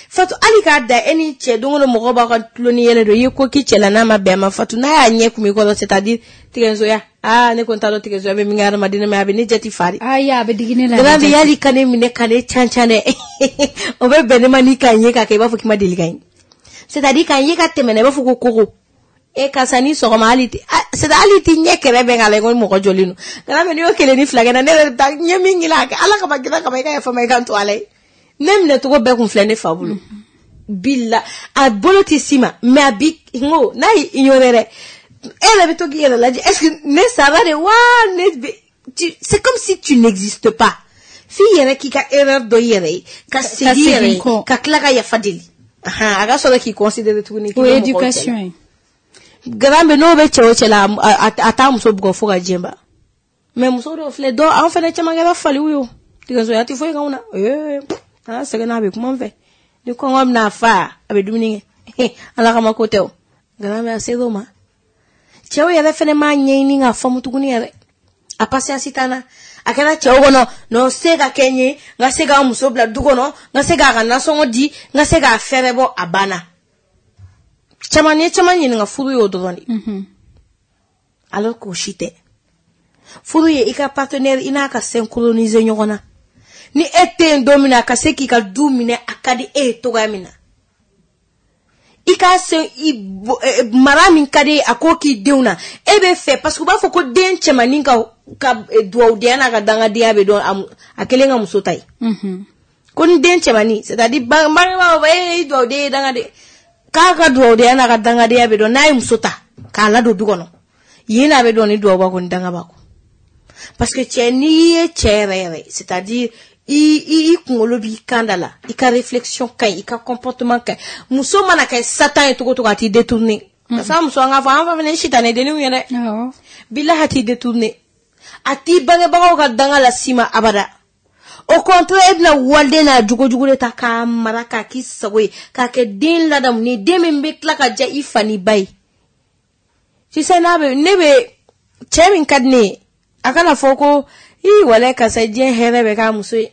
Fatu hali k'a da e ni cɛ don o don mɔgɔw b'aw ka tulon ni yɛlɛ don i ye ko k'i cɛ la n'a ma bɛn a ma Fatu n'a y'a ɲɛ kun i kɔrɔ c'est à dire tigɛnsoya aa ne kɔni t'a dɔn tigɛnsoya bɛ min kɛ hadamaden na a bɛ ne jate fa de. Ayi a bɛ digi ne la. Grave yali ka ne minɛ ka ne can can dɛ o bɛ bɛn ne ma n'i k'a ye k'a kɛ i b'a fɔ k'i ma deli ka ye c'est à dire k'a ye ka tɛmɛ na i b'a fɔ ko kogo e karisa ni sɔgɔma hali ti c'est à dire hali ti ɲɛ kɛrɛ bɛn k'a la i ko mɔgɔ jɔlen don. Grave n'i y'o kelen ni fila kɛ na ne yɛrɛ bɛ taa ɲɛ min ɲini a kɛ Ala kama kira kama i ka yafa n ma i ka n to Ala ye. Ne minɛ cogo bɛɛ kun filɛ ne fa bolo. Bila a bolo tɛ s'i ma mais a bi n ko n'a y'i ignorer dɛ e yɛrɛ bɛ to k'i yɛrɛ lajɛ est-ce que ne sara de wa ne bɛ tu c'est comme si tu n'existes pas f'i yɛrɛ k'i ka erreur dɔ i yɛrɛ ye ka segin i yɛrɛ ye ka tila ka yafa deli a ka sɔrɔ k'i considérer tuguni. O ye éducation ye. Garan bɛ n'o bɛ cɛ o cɛ la a t'a muso bugɔ fo ka diɲɛ ban mais muso dɔw filɛ dɔw an fana caman kɛra faliw ye o tigɛsoya tɛ foyi k'anw na ee. An sɛgɛnna a bɛ kuma n fɛ ni kɔngɔ bɛna fa a bɛ dumuni kɛ Ala kama ko tɛ o Garan bɛ a ser'o ma. Cɛw yɛrɛ fɛnɛ m'a ɲɛɲini k'a faamu tuguni yɛrɛ a patience t'an na a kɛra cɛw kɔnɔ non se ka kɛ n ye n ka se k'a muso bila du kɔnɔ n ka se k'a ka nasɔngɔ di n ka se k'a fɛrɛ bɔ a banna. Caman ye caman ɲininka furu y'o dɔrɔn de alors k'o si tɛ. Furu ye i ka partenaire i n'a ka synchroniser ɲɔgɔn na. Ni e tɛ yen don min na a ka se k'i ka du minɛ a ka di e ye cogoya min na i k'a se i mara min ka di a k'o k'i denw na e bɛ fɛ parce que u b'a fɔ ko den cɛmannin ka ka duwawudenya n'a ka dangadenya bɛ dɔn a kelen ka muso ta ye. Ko ni den cɛmannin c'est à dire bangebaaw b'a fɔ e ye duwawuden ye dangaden k'a ka duwawudenya n'a ka dangadenya bɛ dɔn n'a ye muso ta k'a ladon du kɔnɔ yen n'a bɛ dɔn ni duwawu b'a kɔ ni danga b'a kɔ parce que cɛ n'i ye cɛ yɛrɛ yɛrɛ c'est à dire i i i kunkolo b'i kan da la i ka réflexion ka ɲi i ka comportement ka ɲi muso mana kɛ satan ye cogo cogo a t'i détourner. Parce que muso an k'a fɔ an fa fana ye sitanɛ denninw ye dɛ. Bilahi a t'i détourner a t'i bangebagaw ka danga las'i ma abada. Au contraire e bɛna waliden n'a jogojugu de ta k'a mara k'a k'i sago ye k'a kɛ den ladamunen den min bɛ tila ka diya i fa n'i ba ye. Tu sais n'a bɛ ne bɛ cɛ min ka di ne ye a kana fɔ ko i walayi karisa diɲɛ hɛrɛ bɛ k'a muso ye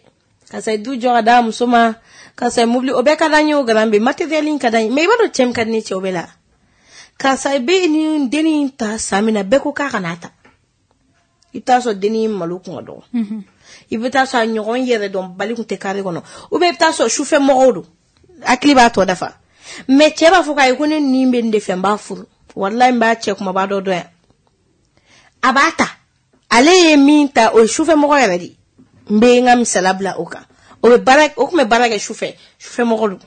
karisa du jɔ ka d'a muso ma karisa mobili o bɛɛ ka d'an ye o garan bɛ matériel in ka d'an ye mais i b'a dɔn cɛ min ka di ne cɛ o bɛɛ la karisa bɛ nin dennin ta san min na bɛɛ ko k'a kana ta i bɛ taa sɔrɔ dennin malo kun ka dɔgɔ i bɛ taa sɔrɔ a ɲɔgɔn yɛrɛ dɔn bali kun tɛ kare kɔnɔ ou bien i bɛ taa sɔrɔ sufɛ mɔgɔw don hakili b'a tɔ dafa mais cɛ b'a fɔ k'a ye ko ne nin bɛ nin de fɛ n b'a furu walayi n b'a cɛ kumaba dɔ dɔn yan a b'a ta. Ale ye min ta o ye sufɛmɔgɔ yɛrɛ de n bɛ n ka misala bila o kan o bɛ baara o tun bɛ baara kɛ sufɛ sufɛmɔgɔ don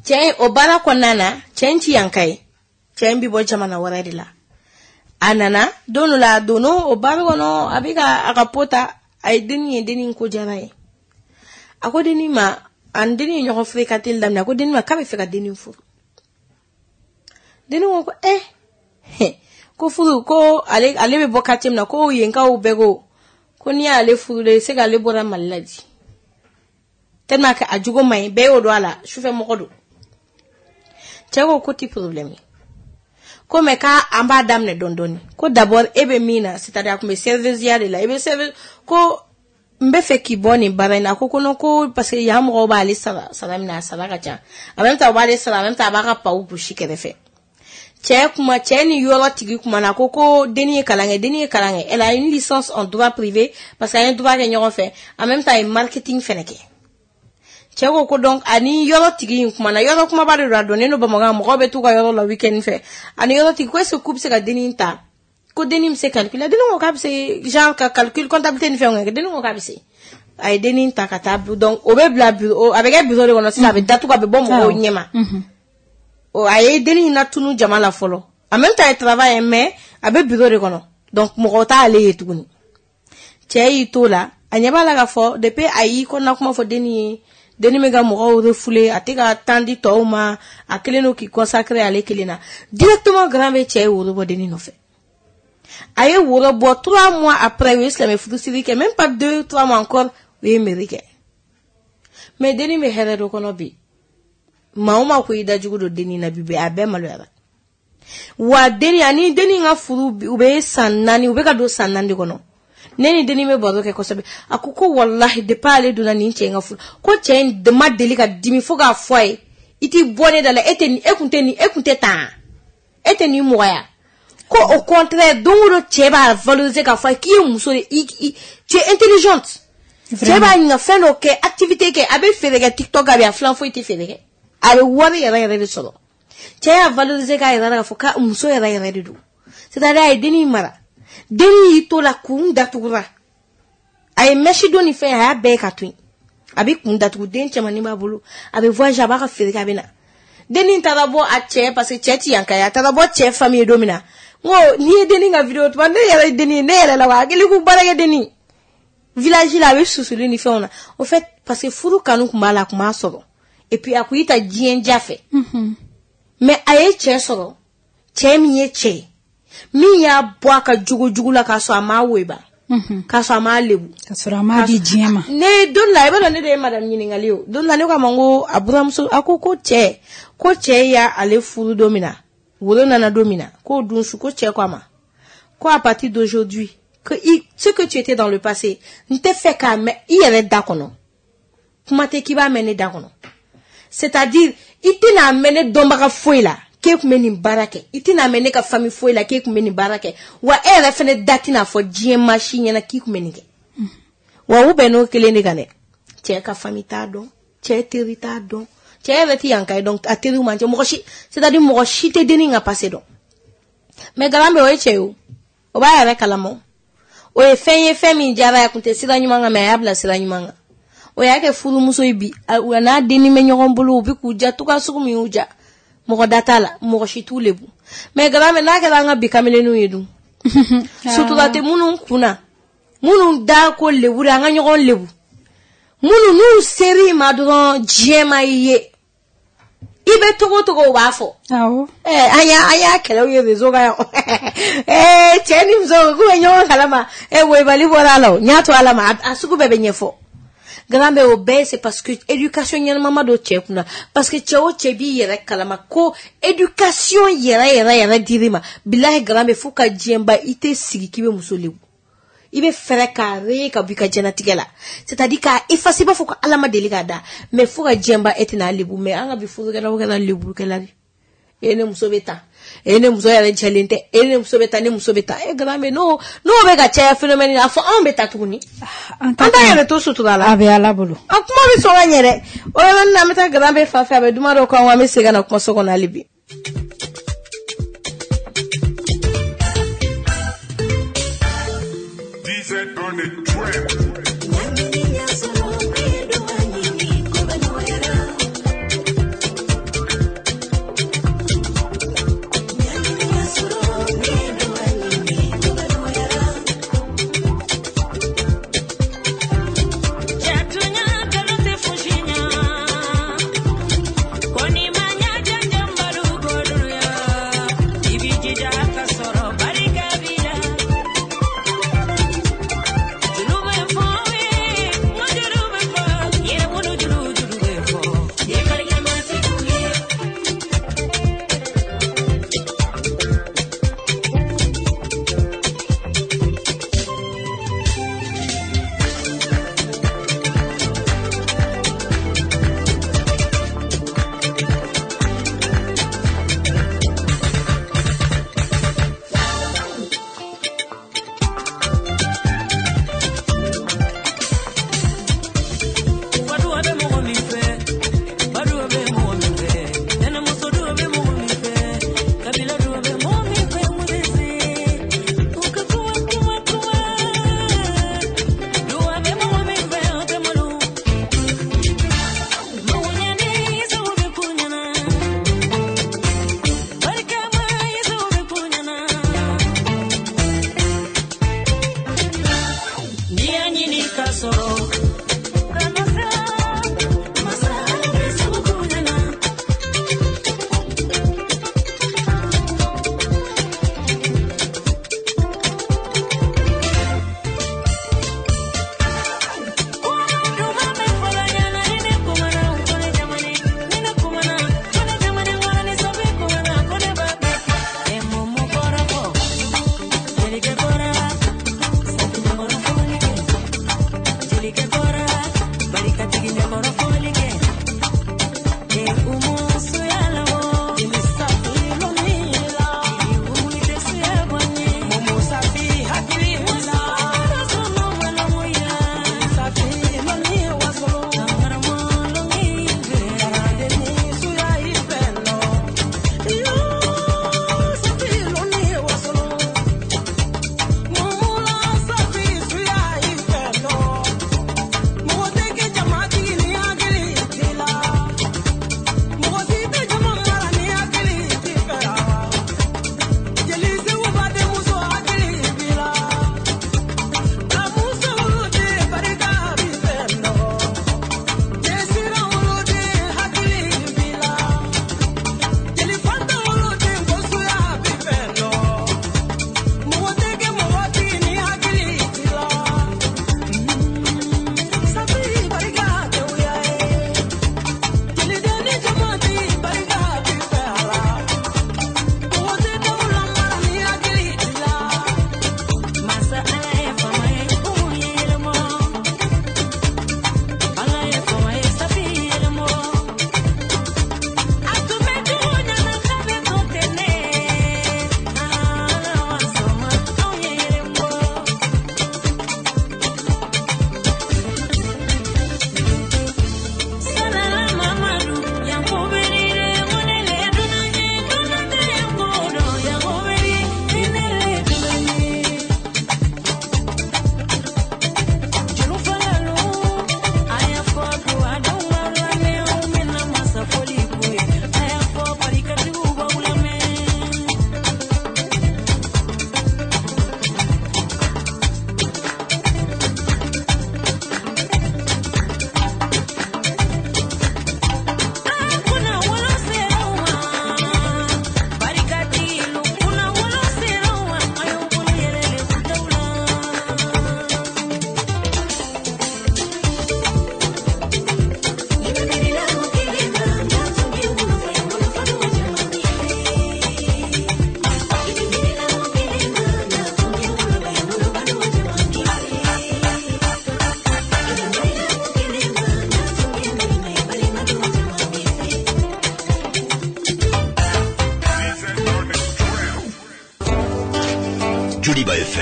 cɛ o baara kɔnɔna na cɛ in ti yan ka ye cɛ in bɛ bɔ jamana wɛrɛ de la a nana don dɔ la a donna o baara kɔnɔ a bɛ ka a ka po ta a ye dennin ye dennin ko diyara ye a ko dennin ma a ni dennin ye ɲɔgɔn fréquenter daminɛ a ko dennin ma k'a bɛ fɛ ka dennin furu dennin ko ko eh ko furu ko ale ale bɛ bɔ quartier min na ko yenkaw bɛɛ ko ko n'i y'ale furu de se k'ale bɔra Mali la di tellement que a jogo man ɲi bɛɛ y'o dɔn a la sufɛ mɔgɔ don cɛ ko ko ti problème ye ko mais k'an b'a daminɛ dɔɔni dɔɔni ko d'abord e bɛ min na c'est à dire a tun bɛ serveuse de la i bɛ serveuse ko N bɛ fɛ k'i bɔ nin baara in na. A ko ko non, ko parce que yan mɔgɔw b'ale sara sara min na, a sara ka ca. En même temps u b'ale sara, en même temps a b'a ka paw gosi kɛrɛfɛ. Cɛ kuma, cɛ ni yɔrɔ tigi kuma na, ko ko denni ye kalan kɛ, denni ye kalan kɛ. Elle a une licence en droit privé parce que an ye droit kɛ ɲɔgɔn fɛ. En même temps a ye marketing fɛnɛ kɛ. Cɛ ko ko donc ani yɔrɔ tigi in kumana, yɔrɔ kumaba de don, a donnen don Bamakɔ, mɔgɔw bɛ t'u ka yɔrɔ la week-end fɛ. Ani yɔrɔ tigi ko est-ce que k'u bɛ se ka denni ta, ko denni bɛ se calcul la. Denni ko k'a bɛ se genre ka calcul, comptabilité ni fɛnw kɛ. Denni ko k'a bɛ se. A ye denni ta ka taa, donc o bɛ bila bureau, a bɛ kɛ bureau de kɔnɔ sisan, a bɛ datugu, a bɛ bɔ mɔgɔw ɲɛma. O a ye denni in latunu jama la fɔlɔ. En même temps a ye travail, mais a bɛ bureau de kɔnɔ, donc mɔgɔ t'ale ye tuguni. Cɛ y'i t'o la, a ɲɛ b'a la k'a fɔ depuis a y'i kɔnɔna kuma fɔ denni ye, denni bɛ ka mɔgɔw refoulé, a tɛ ka temps di tɔw ma, a kelen don k'i consacrer ale kelen na. Directement grand bɛ cɛ ye woro bɔ denni nɔfɛ. A ye woro bɔ, trois mois après u ye silamɛ furusiri kɛ, même pas deux trois mois encore u ye mairie kɛ. Mais denni bɛ hɛrɛ dɔ kɔnɔ bi. Maa o maa ko i dajugu don denni na bi, a bɛɛ maloyara. Wa denni ani denni ka furu, u bɛ san naani, u bɛ ka don san naani de kɔnɔ. Ne ni denni bɛ baro kɛ kosɛbɛ. A ko ko walahi depuis ale donna nin cɛ in ka furu, ko cɛ in ma deli ka dimi fo k'a fɔ a ye, i t'i bɔ ne da la, e tɛ nin, e kun tɛ nin, e kun tɛ tan, e tɛ nin mɔgɔya. Ko au contraire, don o don cɛ b'a valoriser k'a fɔ a ye k'i ye muso de, i i tu es intelligente. Cɛ b'a ɲininka fɛn dɔ kɛ, activité kɛ, a bɛ feere kɛ TikTok, a bɛ a filan foyi tɛ feere kɛ. A bɛ wari yɛrɛ yɛrɛ de sɔrɔ. Cɛ y'a valoriser k'a yɛrɛ la k'a fɔ k'a muso yɛrɛ yɛrɛ de don. C'est-à-dire a ye denni mara. Denni y'i to la, kun datugura. A ye mèche don ni fɛn, a y'a bɛɛ ka to yen. A bɛ kun datugu, den cɛmannin b'a bolo. A bɛ voyager, a b'a ka feere kɛ, a bɛ na. Denni taara bɔ a cɛ, parce que cɛ ti yan ka ye, a taara bɔ cɛ famille ye don min na. N ko n'i ye denni ka vidéo tuma, ne yɛrɛ ye denni ye, ne yɛrɛ la wa hakili ko baarakɛ denni. Village la a bɛ susuli ni fɛnw na. Au fait parce que furu kanu tun b'a la, a tun b'a sɔrɔ. Et puis a kun y'i ta diɲɛ ja fɛ. Mais a ye cɛ sɔrɔ, cɛ min ye cɛ ye, min y'a bɔ a ka jogo jugu la k'a sɔrɔ a m'a woba, k'a sɔrɔ a m'a lebu, k'a sɔrɔ a m'a di diɲɛ ma. Ne don la, i b'a dɔn ne de ye madame ɲininkali ye o. Don la ne ko a ma, n ko a buramuso, a ko ko cɛ, ko cɛ y'ale furu don min na, woro nana don min na, k'o dun su, ko cɛ ko a ma, ko à partir d'aujourd'hui, que i, ce que tu étais dans le passé, n tɛ fɛ k'a mɛn i yɛrɛ da kɔnɔ. Kuma tɛ k'i b'a mɛn ne da kɔnɔ. C'est-à-dire i tɛna mɛn ne dɔnbaga foyi la k'e tun bɛ nin baara kɛ, i tɛna mɛn ne ka famille foyi la k'e tun bɛ nin baara kɛ, wa e yɛrɛ fɛnɛ da tɛna fɔ diɲɛ maa si ɲɛna k'i tun bɛ nin kɛ. Wa u bɛn n'o kelen de kan dɛ. Cɛ ka famille t'a dɔn, cɛ teri t'a dɔn, cɛ yɛrɛ tɛ yan ka ye, donc a teriw man cɛ, mɔgɔ si, c'est-à-dire mɔgɔ si tɛ denni ka passé dɔn. Mais garan bɛ o ye cɛ ye o, o b'a yɛrɛ kalama. O ye fɛn ye, fɛn min diyara a kun tɛ sira ɲuman kan, mais a y'a bila sira ɲuman kan. O y'a kɛ furumuso ye bi, a n'a denni bɛ ɲɔgɔn bolo, u bɛ k'u ja cogoya sugu min y'u ja. Mɔgɔ da t'a la, mɔgɔ si t'u lebu. Mais garan bɛ n'a kɛra an ka bi kamelenninw ye dun, sutura tɛ minnu kunna, minnu da ko lebu de, an ka ɲɔgɔn lebu, minnu n'u ser'i ma dɔrɔn diɲɛ ma i ye, i bɛ togo togo u b'a fɔ. Awɔ. Ɛɛ an y'a an y'a kɛlɛw ye réseau kan yan. Ɛɛ cɛ ni muso k'u bɛ ɲɔgɔn kalama, ɛ woyibali bɔra a la o, n y'a to Ala ma, a sugu bɛɛ bɛ ɲɛfɔ. Grand bɛ o bɛɛ c'est parce que éducation ɲɛnama ma don cɛ kunna, parce que cɛ o cɛ b'i yɛrɛ kalama ko éducation yɛrɛ yɛrɛ yɛrɛ dir'i ma, bilahi grand bɛ fo ka diɲɛ ban, i tɛ sigi k'i bɛ muso lebu. I bɛ fɛɛrɛ k'a re ka bɔ i ka diɲɛnatigɛ la, c'est-à-dire k'a effacer, i b'a fɔ ko Ala ma deli k'a da, mais fo ka diɲɛ ban e tɛna lebu. Mais an ka bi furukɛlaw kɛra leburukɛla de. E ne muso bɛ tan, e ne muso yɛrɛ jɛlen tɛ, e ne muso bɛ tan, ne muso bɛ tan. E grand bɛ n'o n'o bɛ ka caya phénomène, a fɔ anw bɛ taa tuguni. An An t'an yɛrɛ to sutura la. A bɛ Ala bolo. A kuma bɛ sɔn ka ɲɛ dɛ. O yɔrɔnin na an bɛ taa grand bɛ fan fɛ, a bɛ duman dɔ k'an kun, an bɛ segin ka na kumaso kɔnɔ hali bi. On the track. Barika bila. Julu bɛ fɔ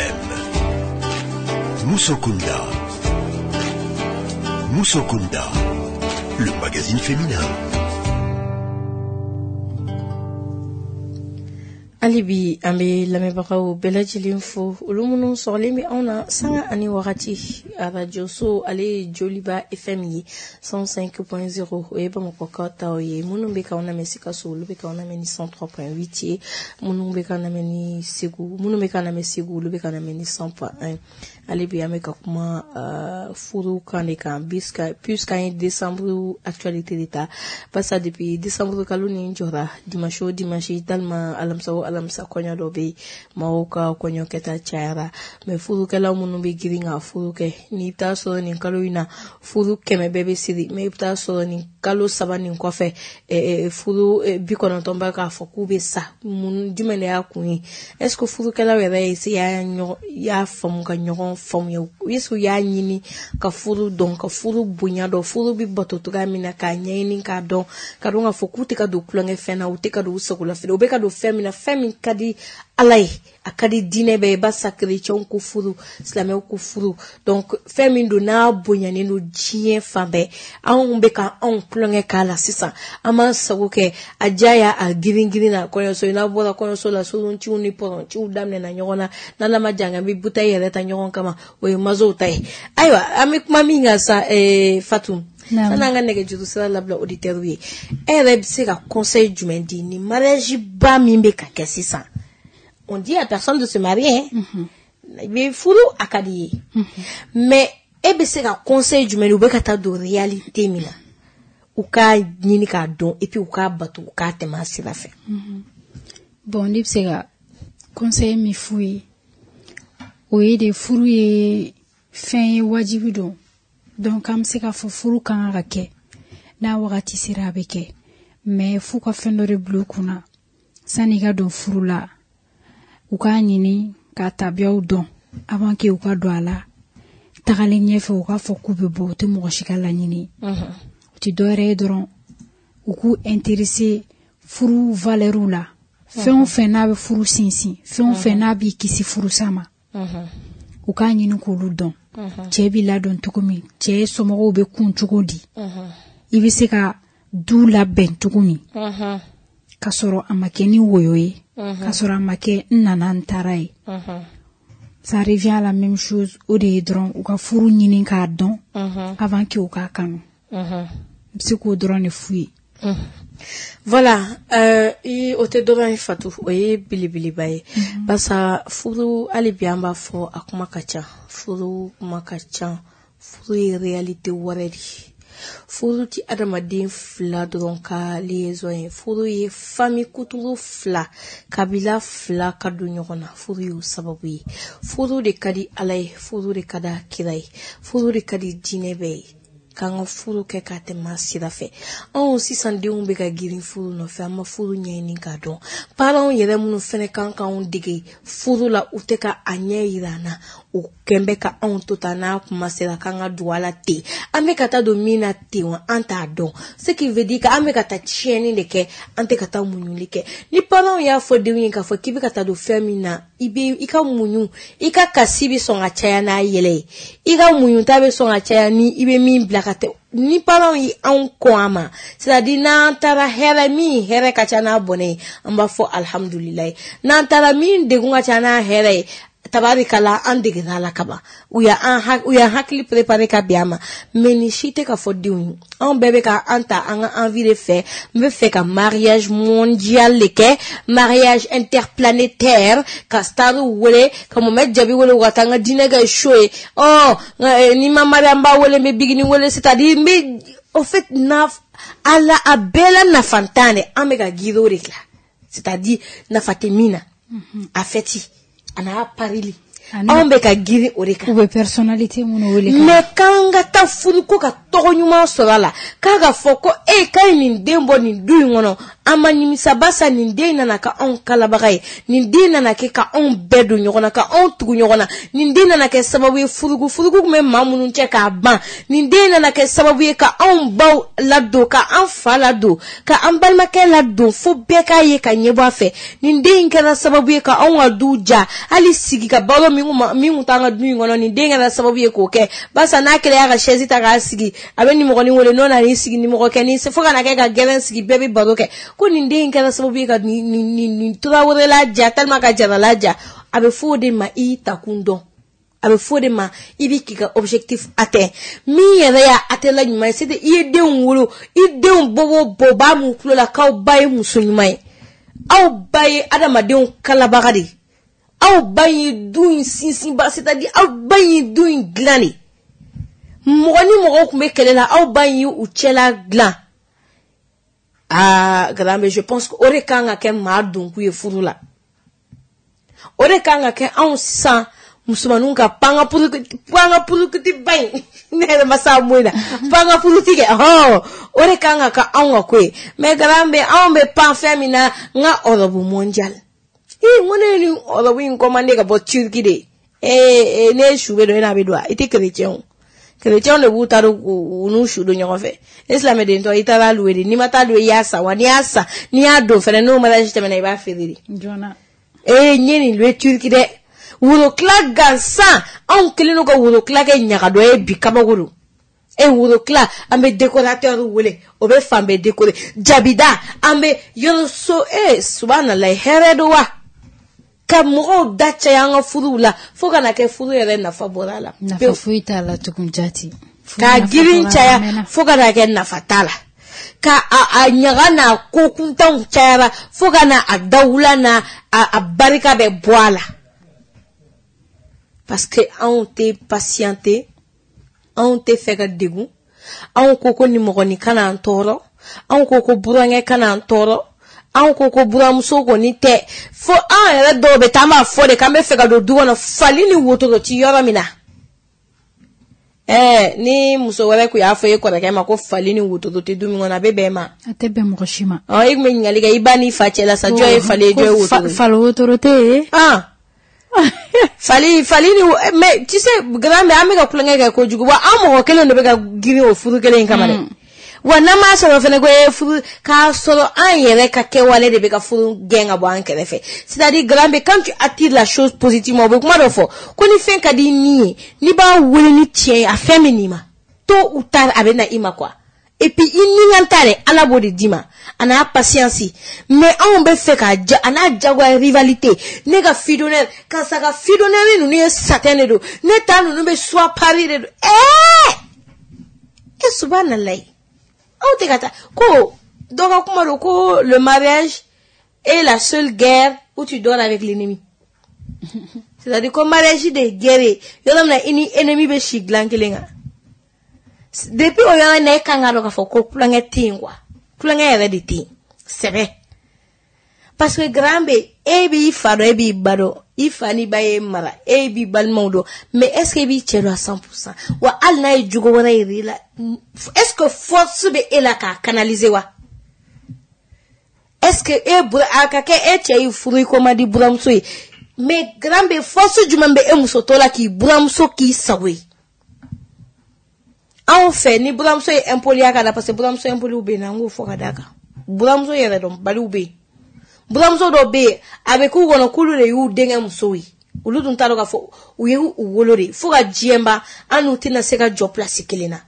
F M. Moussokunda. Moussokunda, le magazine féminin. Hali bi an bɛ lamɛnbagaw bɛɛ lajɛlen fo, olu minnu sɔgɔlen bɛ anw na sanga ani wagati. Arajo so ale ye Joliba F M ye cent cinq point zéro, o ye Bamakɔkaw taw ye. Minnu bɛ k'anw lamɛn Sikaso, olu bɛ k'anw lamɛn ni cent trois point huit ye. Minnu bɛ k'an lamɛn ni Segu, minnu bɛ k'an lamɛn Segu, olu bɛ k'an lamɛn ni cent point un. Hali bi an bɛ ka kuma uh, furu kan de kan, puisqu'an ye décembre actualité de ta, barisa depuis décembre kalo nin jɔra dimanche o dimanche, talima alamisa o alamisa kɔɲɔ dɔ bɛ yen, maaw ka kɔɲɔ kɛta cayara. Mais furukɛlaw minnu bɛ girin ka furu kɛ, n'i bɛ taa sɔrɔ nin kalo in na furu kɛmɛ bɛɛ bɛ siri, mais i bɛ taa sɔrɔ nin kalo saba nin kɔfɛ furu bi kɔnɔntɔn bɛ k'a fɔ k'u bɛ sa. Mun jumɛn de y'a kun ye? Est ce que furukɛlaw yɛrɛ ye se y'a ɲɔgɔn y'a faamu ka ɲɔgɔn faamuya? Est ce que u y'a ɲini ka furu dɔn, ka furu bonya dɔn, furu bɛ bato cogoya min na, k'a ɲɛɲini k'a dɔn, ka dɔn k'a fɔ k'u tɛ ka don tulonkɛ fɛn na, u tɛ ka don u sagola fɛn na, u bɛ ka don fɛn min na, fɛn min ka di Ala ye, a ka di diinɛ bɛɛ ye, barisa kerecɛnw ko furu, silamɛw ko furu. Donc fɛn min don n'a bonyanen don diɲɛ fan bɛɛ, anw bɛ ka anw tulonkɛ k'a la sisan, an b'an sago kɛ a diya y'a a girin girin na. Kɔɲɔso, n'a bɔra kɔɲɔso la, soronciw ni pɔrɔnciw daminɛna ɲɔgɔn na, n'Ala ma jan kɛ, an bɛ butɛyi yɛrɛ ta ɲɔgɔn kama, o ye mazow ta ye. Ayiwa, an bɛ kuma min kan sa, ee Fatou, sanni an ka nɛgɛjuru sira labila auditeurs ye, e yɛrɛ bɛ se ka conseil jumɛn di ni mariage ba min bɛ ka kɛ sisan? On dit à personne de se marier, mais furu a ka di ye, mais e bɛ se ka conseil jumɛn di u bɛ ka taa don réalité min na, u k'a ɲini k'a dɔn, et puis u k'a bato, u k'a tɛmɛ a sira fɛ? Bon, ne bɛ se ka conseil min f'u ye, o ye de furu ye fɛn ye, wajibi don. Donc an bɛ se k'a fɔ furu kan ka kɛ n'a wagati sera, a bɛ kɛ, mais f'u ka fɛn dɔ de bila u kunna sanni i ka don furu la. U k'a ɲini k'a tabiyaw dɔn avant que u ka don a la. Tagalen ɲɛfɛ, u k'a fɔ k'u bɛ bɔ, u tɛ mɔgɔ si ka laɲini, u tɛ dɔwɛrɛ ye dɔrɔn u k'u intéresser furu valeur la. Fɛn o fɛn n'a bɛ furu sinsin, fɛn o fɛn n'a b'i kisi furusa ma, u k'a ɲini k'olu dɔn. Cɛ b'i ladɔn cogo min, cɛ somɔgɔw bɛ kun cogo di, i bɛ se ka du labɛn cogo min, k'a sɔrɔ a ma kɛ ni woyo ye, k'a sɔrɔ a ma kɛ n nana n taara ye. Ça revient à la même chose, o de ye dɔrɔn u ka furu ɲini k'a dɔn avant que u k'a kanu. N bɛ se k'o dɔrɔn de f'u ye. Voilà, euh, i o tɛ dɔrɔn ye Fatou, o ye belebeleba ye. Barisa furu, hali bi an b'a fɔ a kuma ka ca, furu kuma ka ca, furu ye réalité wɛrɛ de ye. Furu ti adamaden fila dɔrɔn ka liaison ye, furu ye famille kuturu fila, kabila fila ka don ɲɔgɔn na, furu y'o sababu ye. Furu de ka di Ala ye, furu de ka di a kira ye, furu de ka di diinɛ bɛɛ ye, k'an ka furu kɛ k'a tɛmɛ a sira fɛ. Anw sisan denw bɛ ka girin furu nɔfɛ, an ma furu ɲɛɲini k'a dɔn. Parents yɛrɛ minnu fɛnɛ kan k'anw dege furu la, u tɛ ka a ɲɛ yira an na, u kɛn bɛ ka anw to tan, n'a kuma sera k'an ka don a la ten, an bɛ ka taa don min na ten wa, an t'a dɔn. Ce qui veut dire que an bɛ ka taa tiɲɛni de kɛ, an tɛ ka taa muɲuli kɛ. Ni parents y'a fɔ denw ye k'a fɔ k'i bɛ ka taa don fɛn min na, i bɛ i ka muɲu, i ka kasi bɛ sɔn ka caya n'a yɛlɛ ye, i ka muɲu ta bɛ sɔn ka caya ni i bɛ min bila ka tɛ. Ni parents ye anw kɔn a ma, c'est à dire n'an taara hɛrɛ min hɛrɛ ka ca n'a bɔnɛ ye, an b'a fɔ alihamudulilayi. N'an taara min degun ka ca n'a hɛrɛ ye, tabarikala, an degera la kaban, u y'an u y'an hakili préparé ka bɛn a ma. Mais nin si tɛ ka fɔ denw ye, anw bɛɛ bɛ ka an ta an ka envie de fɛ. N bɛ fɛ ka mariage mondial de kɛ, mariage interplanétaire, ka starw wele, ka Mohamed Jabi wele, u ka taa n ka diinɛ kɛ show ye. Ɔ ni ma mariage, n b'a wele, n bɛ bigini wele, c'est à dire n bɛ au fait na a la a bɛɛ la nafantan de, an bɛ ka girin o de la, c'est à dire nafa tɛ min na, a fɛti a n'a parili, anw bɛ ka girin o de kan. U bɛ personnalité minnu wele. Mais k'an ka taa furu ko ka tɔn tɔgɔ ɲuman sɔrɔ a la, k'a ka fɔ ko e k'a ye nin den bɔ nin du in kɔnɔ, an ma nimisa barisa nin den nana kɛ anw kalabaga ye, nin den nana kɛ ka anw bɛɛ don ɲɔgɔn na, ka anw tugu ɲɔgɔn na, nin den nana kɛ sababu ye furugu furugu tun bɛ maa minnu cɛ k'a ban, nin den nana kɛ sababu ye ka anw baw ladon, ka an fa ladon, ka an balimakɛ ladon, fo bɛɛ k'a ye ka ɲɛbɔ a fɛ. Nin den in kɛra sababu ye ka anw ka du ja, hali sigi ka balo min kun t'an ka du in kɔnɔ, nin den kɛra sababu ye k'o kɛ, barisa n'a kɛra y'a ka chaise ta k'a sigi, a bɛ nimɔgɔnin wele, n'o nana i sigi nimɔgɔkɛ ni fo ka na kɛ ka gɛrɛn sigi, bɛɛ bɛ baro kɛ, ko nin den in kɛra sababu ye ka nin nin nin Tarawele ja tellement ka Jarala ja. A bɛ fɔ o de ma i y'i takun dɔn, a bɛ fɔ o de ma i bɛ k'i ka objectif atteint. Min yɛrɛ y'a atteint la ɲuman ye, c'est i ye denw wolo, i denw bɔ o bɔ b'a mun tulo la k'aw ba ye muso ɲuman ye, aw ba ye adamadenw kalabaga de ye, aw ba ye du in sinsinba, c'est à dire aw ba ye du in dilan de. Mɔgɔ ni mɔgɔw tun bɛ kɛlɛ la, aw ba in ye u cɛla dilan. Aa Garambe, je pense que o de kan ka kɛ maa donkun ye furu la, o de kan ka kɛ anw sisan musomaninw ka panga panga purukuti ba in, ne yɛrɛ ma s'a mot in na, panga puruti kɛ, hɔn, o de kan ka kɛ anw ka ko ye. Mais Garambe, anw bɛ pan fɛn min na, n ka robe mondial, ee n ko ne ye nin robe in commandé ka bɔ Turquie de, ee ne ye su bɛ don, e n'a bɛ don wa? I tɛ chrétien o, chrétien de b'u ta don u n'u su don ɲɔgɔn fɛ. E silamɛden tɔ, i taara louer de, n'i ma taa louer i y'a san wa, n'i y'a san n'i y'a don fɛnɛ, n'o mariage tɛmɛna i b'a feere de. Joona. Ee n ye nin louer Turquie dɛ, worokila gansan, anw kɛlen don ka worokila kɛ ɲagadɔ ye bi, kabako don. E worokila, an bɛ décorateur wele, o bɛ fan bɛɛ décorer, jabida an bɛ yɔrɔ so, ee subahanallahi, hɛrɛ don wa, ka mɔgɔw da caya an ka furuw la fo ka na kɛ furu yɛrɛ nafa bɔra a la. Nafa foyi t'a la tugun jati. Ka girin caya fo ka na kɛ nafa t'a la, ka a, a ɲaga n'a ko kuntanw cayara fo ka na a dawula n'a a, a barika bɛ bɔ a la. Parce que anw tɛ patienter, anw tɛ fɛ ka degun, anw ko ko nimɔgɔnin kana an tɔɔrɔ, anw ko ko burankɛ kana an tɔɔrɔ, anw ko ko buramuso kɔni tɛ, fo an yɛrɛ dɔw bɛ taa an b'a fɔ de k'an bɛ fɛ ka don du kɔnɔ fali ni wotoro ti yɔrɔ min na. Ɛɛ ni muso wɛrɛ kun y'a fɔ e kɔrɔkɛ ma ko fali ni wotoro tɛ du min kɔnɔ, a bɛ bɛn ma? A tɛ bɛn mɔgɔ si ma. Ɔ e kun bɛ ɲininkali kɛ i ba n'i fa cɛ la sa, jɔn ye fali ye, jɔn ye wotoro ye? Fali wotoro tɛ yen. Ah. Fali fali ni, mais tu sais grand-mère, an bɛ ka kulonkɛ kɛ kojugu wa, an mɔgɔ kelen de bɛ ka girin o furu kelen in kama dɛ. Wa n'an m'a sɔrɔ fɛnɛ ko e furu k'a sɔrɔ an yɛrɛ ka kɛwale de bɛ ka furu gɛn ka bɔ an kɛrɛfɛ. C'est-à-dire grand-mère, quand tu attires la chose positivement, o bɛ kuma dɔ fɔ ko ni fɛn ka di ni ye, n'i b'a wele ni tiɲɛ ye, a fɛn bɛ n'i ma tôt ou tard, a bɛ na i ma quoi. Et puis i ni ka ta dɛ, Ala b'o de d'i ma, a n'a patience. Mais anw bɛ fɛ k'a ja, a n'a jagoya rivalité, ne ka fille d'honneur, karisa ka fille d'honneur ninnu ye satin de don, ne ta ninnu bɛ soie Paris de don. Ɛɛ e subahanallahi, aw tɛ ka taa ko dɔ ka kuma don ko le mariage est la seule guerre où tu dors avec l'ennemi. C'est-à-dire ko mariage de ye guerre ye, yɔrɔ min na i ni ennemi bɛ si dilan kelen kan. Depuis o yɔrɔ in na, e kan k'a dɔn k'a fɔ ko kulonkɛ tɛ yen quoi, kulonkɛ yɛrɛ de tɛ yen sɛbɛ. Parce que grand bɛ e b'i fa dɔn, e b'i ba dɔn, i fa n'i ba ye mara, e b'i balimaw dɔn, mais est ce que e b'i cɛ dɔn à cent pour cent? Wa hali n'a ye jogo wɛrɛ yir'i la, est ce que force bɛ e la k'a canaliser wa? Est ce que e bura a ka kɛ e cɛ y'i furu i ko man di buramuso ye, mais grand bɛ force jumɛn bɛ e muso tɔ la k'i buramuso k'i sago ye? Anw fɛ ni buramuso ye impoliya ka na, parce que buramuso impoliw bɛ yen, an k'o fɔ ka d'a kan, buramuso yɛrɛ dɔnbaliw bɛ yen, buramuso dɔw bɛ yen a bɛ k'u kɔnɔ k'olu de y'u denkɛ musow ye, olu dun t'a dɔn k'a fɔ u ye u wolo de, fo ka diɲɛ ban an n'u tɛna se ka jɔ place kelen na,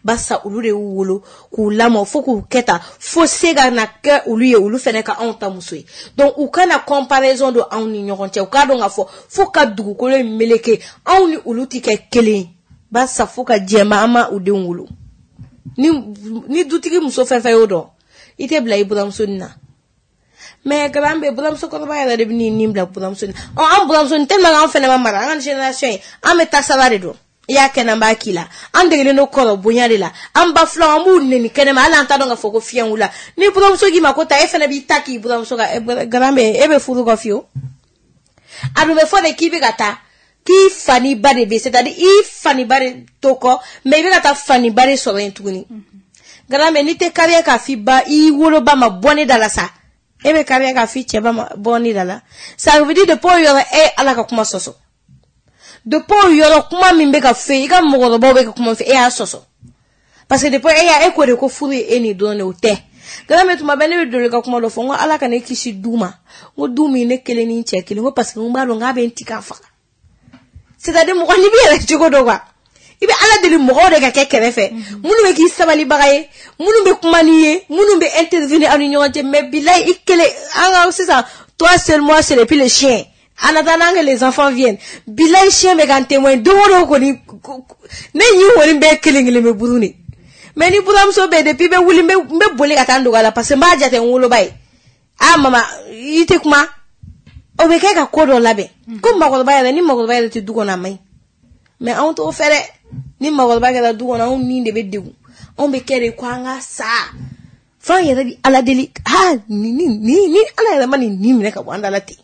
barisa olu de y'u wolo k'u lamɔ fo k'u kɛ tan, fo se ka na kɛ olu ye, olu fana ka anw ta muso ye. Donc u kana comparaison don anw ni ɲɔgɔn cɛ, u k'a dɔn k'a fɔ fo ka dugukolo in meleke, anw ni olu tɛ kɛ kelen ye, barisa fo ka diɲɛ ban an ma u denw wolo. Ni ni dutigi muso fɛn fɛn y'o dɔn, i tɛ bila i buramuso nin na. Mais grand bɛ buramuso kɔrɔba yɛrɛ de bɛ n'i nin bila buramuso nin. Ɔ an buramuso nin tellement que an fɛnɛ ma mara, an ka génération ye, an bɛ tasala de dɔn. I y'a kɛ n'an b'a k'i la, an degelen don kɔrɔ bonya de la, an ba filaw an b'u neni kɛnɛma, hali an t'a dɔn k'a fɔ ko fiɲɛ wulila. Ni buramuso k'i ma ko ta, e fɛnɛ b'i ta k'i buramuso ka grand bɛ e bɛ furu kɔ fiyewu. A dun bɛ fɔ de k'i bɛ ka taa K'i fa ni ba de bɛ, c'est-à-dire i fa ni ba de to kɔ, mais i bɛ ka taa fa ni ba de sɔrɔ yen tuguni. Grand-mère, n'i tɛ kariya k'a f'i ba, i woloba ma bɔ ne da la sa. E bɛ kariya k'a f'i cɛ ba ma bɔ ne da la. Ça veut dire depuis o yɔrɔ e Ala ka kuma sɔsɔ. Depuis o yɔrɔ kuma min bɛ ka fɔ i ka mɔgɔkɔrɔbaw bɛ ka kuma fɛ, e y'a sɔsɔ. Parce que depuis e y'a e ko de ko furu ye e ni dɔrɔn de, o tɛ. Grand-mère, tuma bɛɛ ne bɛ doli ka kuma dɔ fɔ, n ko Ala ka ne kisi du ma. N ko du min ne kelen ni n cɛ kelen, n ko parce que n b'a dɔn k'a bɛ n ti k'a faga. C'est-à-dire mɔgɔ n'i b'i yɛrɛ cogo dɔn quoi. I bɛ Ala deli mɔgɔw de ka kɛ kɛrɛfɛ, minnu bɛ k'i sabalibaga ye, minnu bɛ kuma n'i ye, minnu bɛ intervenir aw ni ɲɔgɔn cɛ. Mais bilayi i kelen, an ka sisan toi seul, moi seul et puis le chien. En attendant que les enfants viennent. Bilayi chien bɛ k'an témoin don o don kɔni, ne ɲin kɔni bɛɛ kelen kelen bɛ buru de. Mais ni buramuso bɛ yen, depuis n bɛ wuli n bɛ n bɛ boli ka taa n dogo a la parce que n b'a jate n woloba ye. Ah mama, i tɛ kuma. O bɛ kɛ ka ko dɔ labɛn. Ko mɔgɔkɔrɔba yɛrɛ, ni mɔgɔkɔrɔba yɛrɛ tɛ du kɔnɔ a man ɲi. Mais anw t'o fɛ dɛ. Ni mɔgɔkɔrɔba kɛra du kɔnɔ, anw ni de bɛ degun. Anw bɛ kɛ de ko an ka sa. F'an yɛrɛ bi Ala deli. Ha ni ni ni ni Ala yɛrɛ ma nin nin minɛ ka bɔ an da la ten.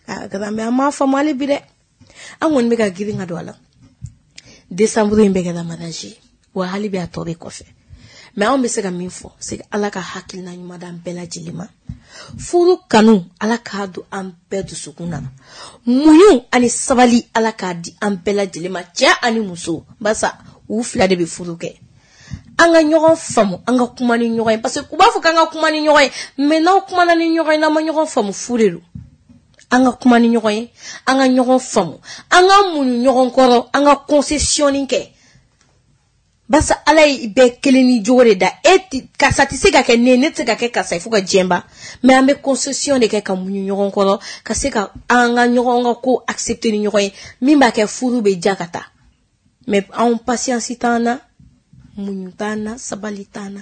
Ah grand-mère, an m'a faamu hali bi dɛ. An kɔni bɛ ka girin ka don a la. Décembre in bɛ kɛra mariage ye. Wa hali bi a tɔ bɛ kɔfɛ. Mais anw bɛ se ka min fɔ, c'est que Ala ka hakilina ɲuman d'an bɛɛ lajɛlen ma. Furu kanu, Ala k'a don an bɛɛ dusukun na. Muɲu ani sabali, Ala k'a di an bɛɛ lajɛlen ma, cɛ ani muso. Barisa u fila de bɛ furu kɛ. An ka ɲɔgɔn faamu, an ka kuma ni ɲɔgɔn ye. Parce que u b'a fɔ k'an ka kuma ni ɲɔgɔn ye, mais n'aw kumana ni ɲɔgɔn ye, n'aw ma ɲɔgɔn faamu, fu de don. An ka kuma ni ɲɔgɔn ye, an ka ɲɔgɔn faamu, an ka muɲu ɲɔgɔn kɔrɔ, an ka concession kɛ. Barisa Ala ye bɛɛ kelen ni jogo de da. E ti, karisa tɛ se ka kɛ ne ye, ne tɛ se ka kɛ karisa ye fo ka diɲɛ ban. Mais an bɛ concession de kɛ ka muɲu ɲɔgɔn kɔrɔ, ka se ka an ka ɲɔgɔn ka ko accepter ni ɲɔgɔn ye, min b'a kɛ furu bɛ diya ka taa. Mais anw patience t'an na, muɲu t'an na, sabali t'an na.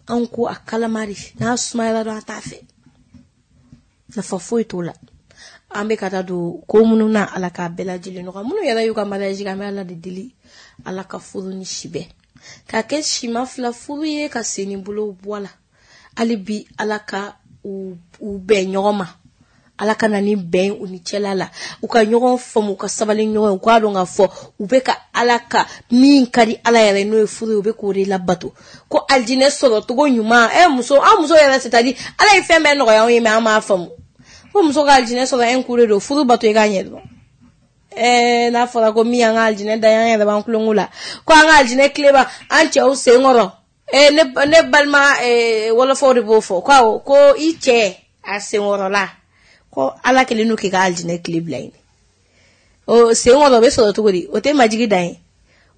Anw ko a kalama de, n'a sumayara dɔrɔn an t'a fɛ. Nafa foyi t'o la. An bɛ ka taa don ko minnu na, Ala k'a bɛɛ lajɛlen nɔgɔya. Minnu yɛrɛ y'u ka mariage kɛ, an bɛ Ala de deli. Ala ka furu ni si bɛɛ. K'a kɛ sima fila furu ye, ka sen ni bolo bɔ a la. Hali bi Ala ka u u bɛn ɲɔgɔn ma. Ala ka na ni bɛn u ni cɛla la. U ka ɲɔgɔn faamu, u ka sabali ɲɔgɔn ye, u k'a dɔn k'a fɔ u bɛ ka Ala ka min ka di Ala yɛrɛ n'o ye furu ye, u bɛ k'o de labato. Ko alijinɛ sɔrɔ cogo ɲuman, ɛ muso, an muso yɛrɛ c'est-à-dire Ala ye fɛn bɛɛ nɔgɔya anw ye, mais an m'a faamu. Ko muso ka alijinɛ sɔrɔ un coup de don, furu bato i k'a ɲɛ dɔrɔn. Eh, n'a fɔra ko min y'an ka alijinɛ da ye, an yɛrɛ b'an kulonkɛ la. Ko an ka alijinɛ tile b'a an cɛw sen kɔrɔ. Eh, ne, ne balima eh, wɔlɔfɔw de b'o fɔ. Ko awɔ, ko i cɛ a senkɔrɔla. Ko Ala kɛlen don k'i ka alijinɛ tile bila yen. O senkɔrɔ o bɛ sɔrɔ cogo di? O tɛ majigi dan ye.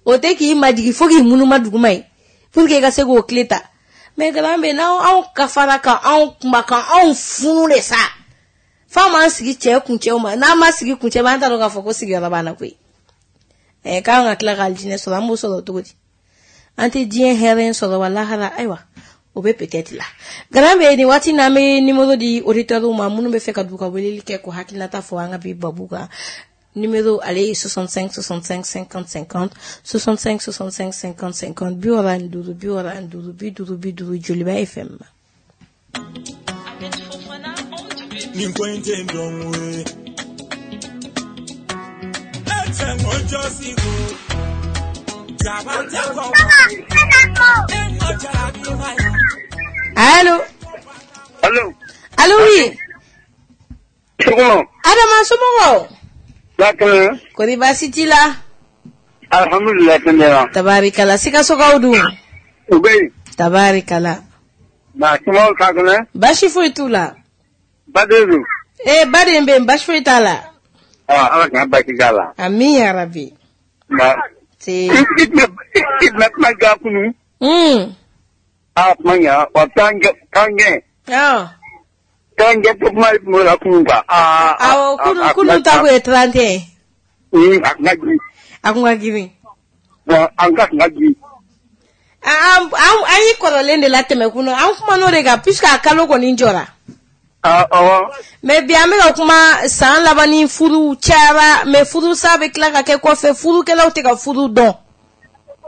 O tɛ k'i majigi fo k'i munuma duguma ye. Pour que i ka se k'o tile ta. Mais grand bɛ n'aw anw kafara ka anw kuma ka anw funu de sa. F'an m'an sigi cɛ kuncɛw ma, n'an ma sigi kuncɛ ma, an t'a dɔn k'a fɔ ko sigiyɔrɔ b'an na koyi. Ɛ k'an ka tila ka alijinɛ sɔrɔ, an b'o sɔrɔ cogo di? An tɛ diɲɛ hɛrɛ sɔrɔ wa lahara, ayiwa, o bɛ peut-être la. Grand bɛ nin waati n'an bɛ numéro di auditeurs ma minnu bɛ fɛ ka don ka weleli kɛ k'u hakilinata fɔ an ka bi babu kan. Numéro ale ye soixante-cinq soixante-cinq cinquante cinquante, soixante-cinq soixante-cinq cinquante cinquante, bi wɔɔrɔ ani duuru, bi wɔɔrɔ ani duuru, bi duuru bi duuru, Joliba F M. Nin ko in tɛ dɔn ye. E cɛ ŋo jɔ sigi. Jaba tɛ kɔ. E ŋo jarabi ma ye. Allô? Allô? Allô, oui. Sɔgɔma. Adama, somɔgɔw? Bakɛ. Kɔri baasi t'i la? Alhamdulilayi, kɛnɛya. Tabarikala, Sikasokaw dun? U bɛ yen. Tabarikala. Nka somɔgɔw ka kɛnɛ? Baasi foyi t'u la. Baden dun? Eh, baden bɛ yen, baasi foyi t'a la. Ah, Ala kana baasi k'a la. Amin ya rabi. Nka. Se. I tun bɛ i tun bɛ kuma ja kunun. Mm. Ah, kuma ɲa wa t'an gɛ t'an gɛn. Ah. T'an gɛ to kuma tun b'o la kunun quoi. Ah. Awɔ, kunun kunun ta kun ye trente et un. Un, a kun ka girin. A kun ka girin. Bon, an ka kun ka girin. An an an ye kɔrɔlen de latɛmɛ kunun, an kumana o de kan puisque a kalo kɔni jɔra. Ah, awɔ. Mais bi an bɛ ka kuma san laban ni furu cayara, mais furu sa bɛ tila ka kɛ kɔfɛ, furukɛlaw tɛ ka furu dɔn.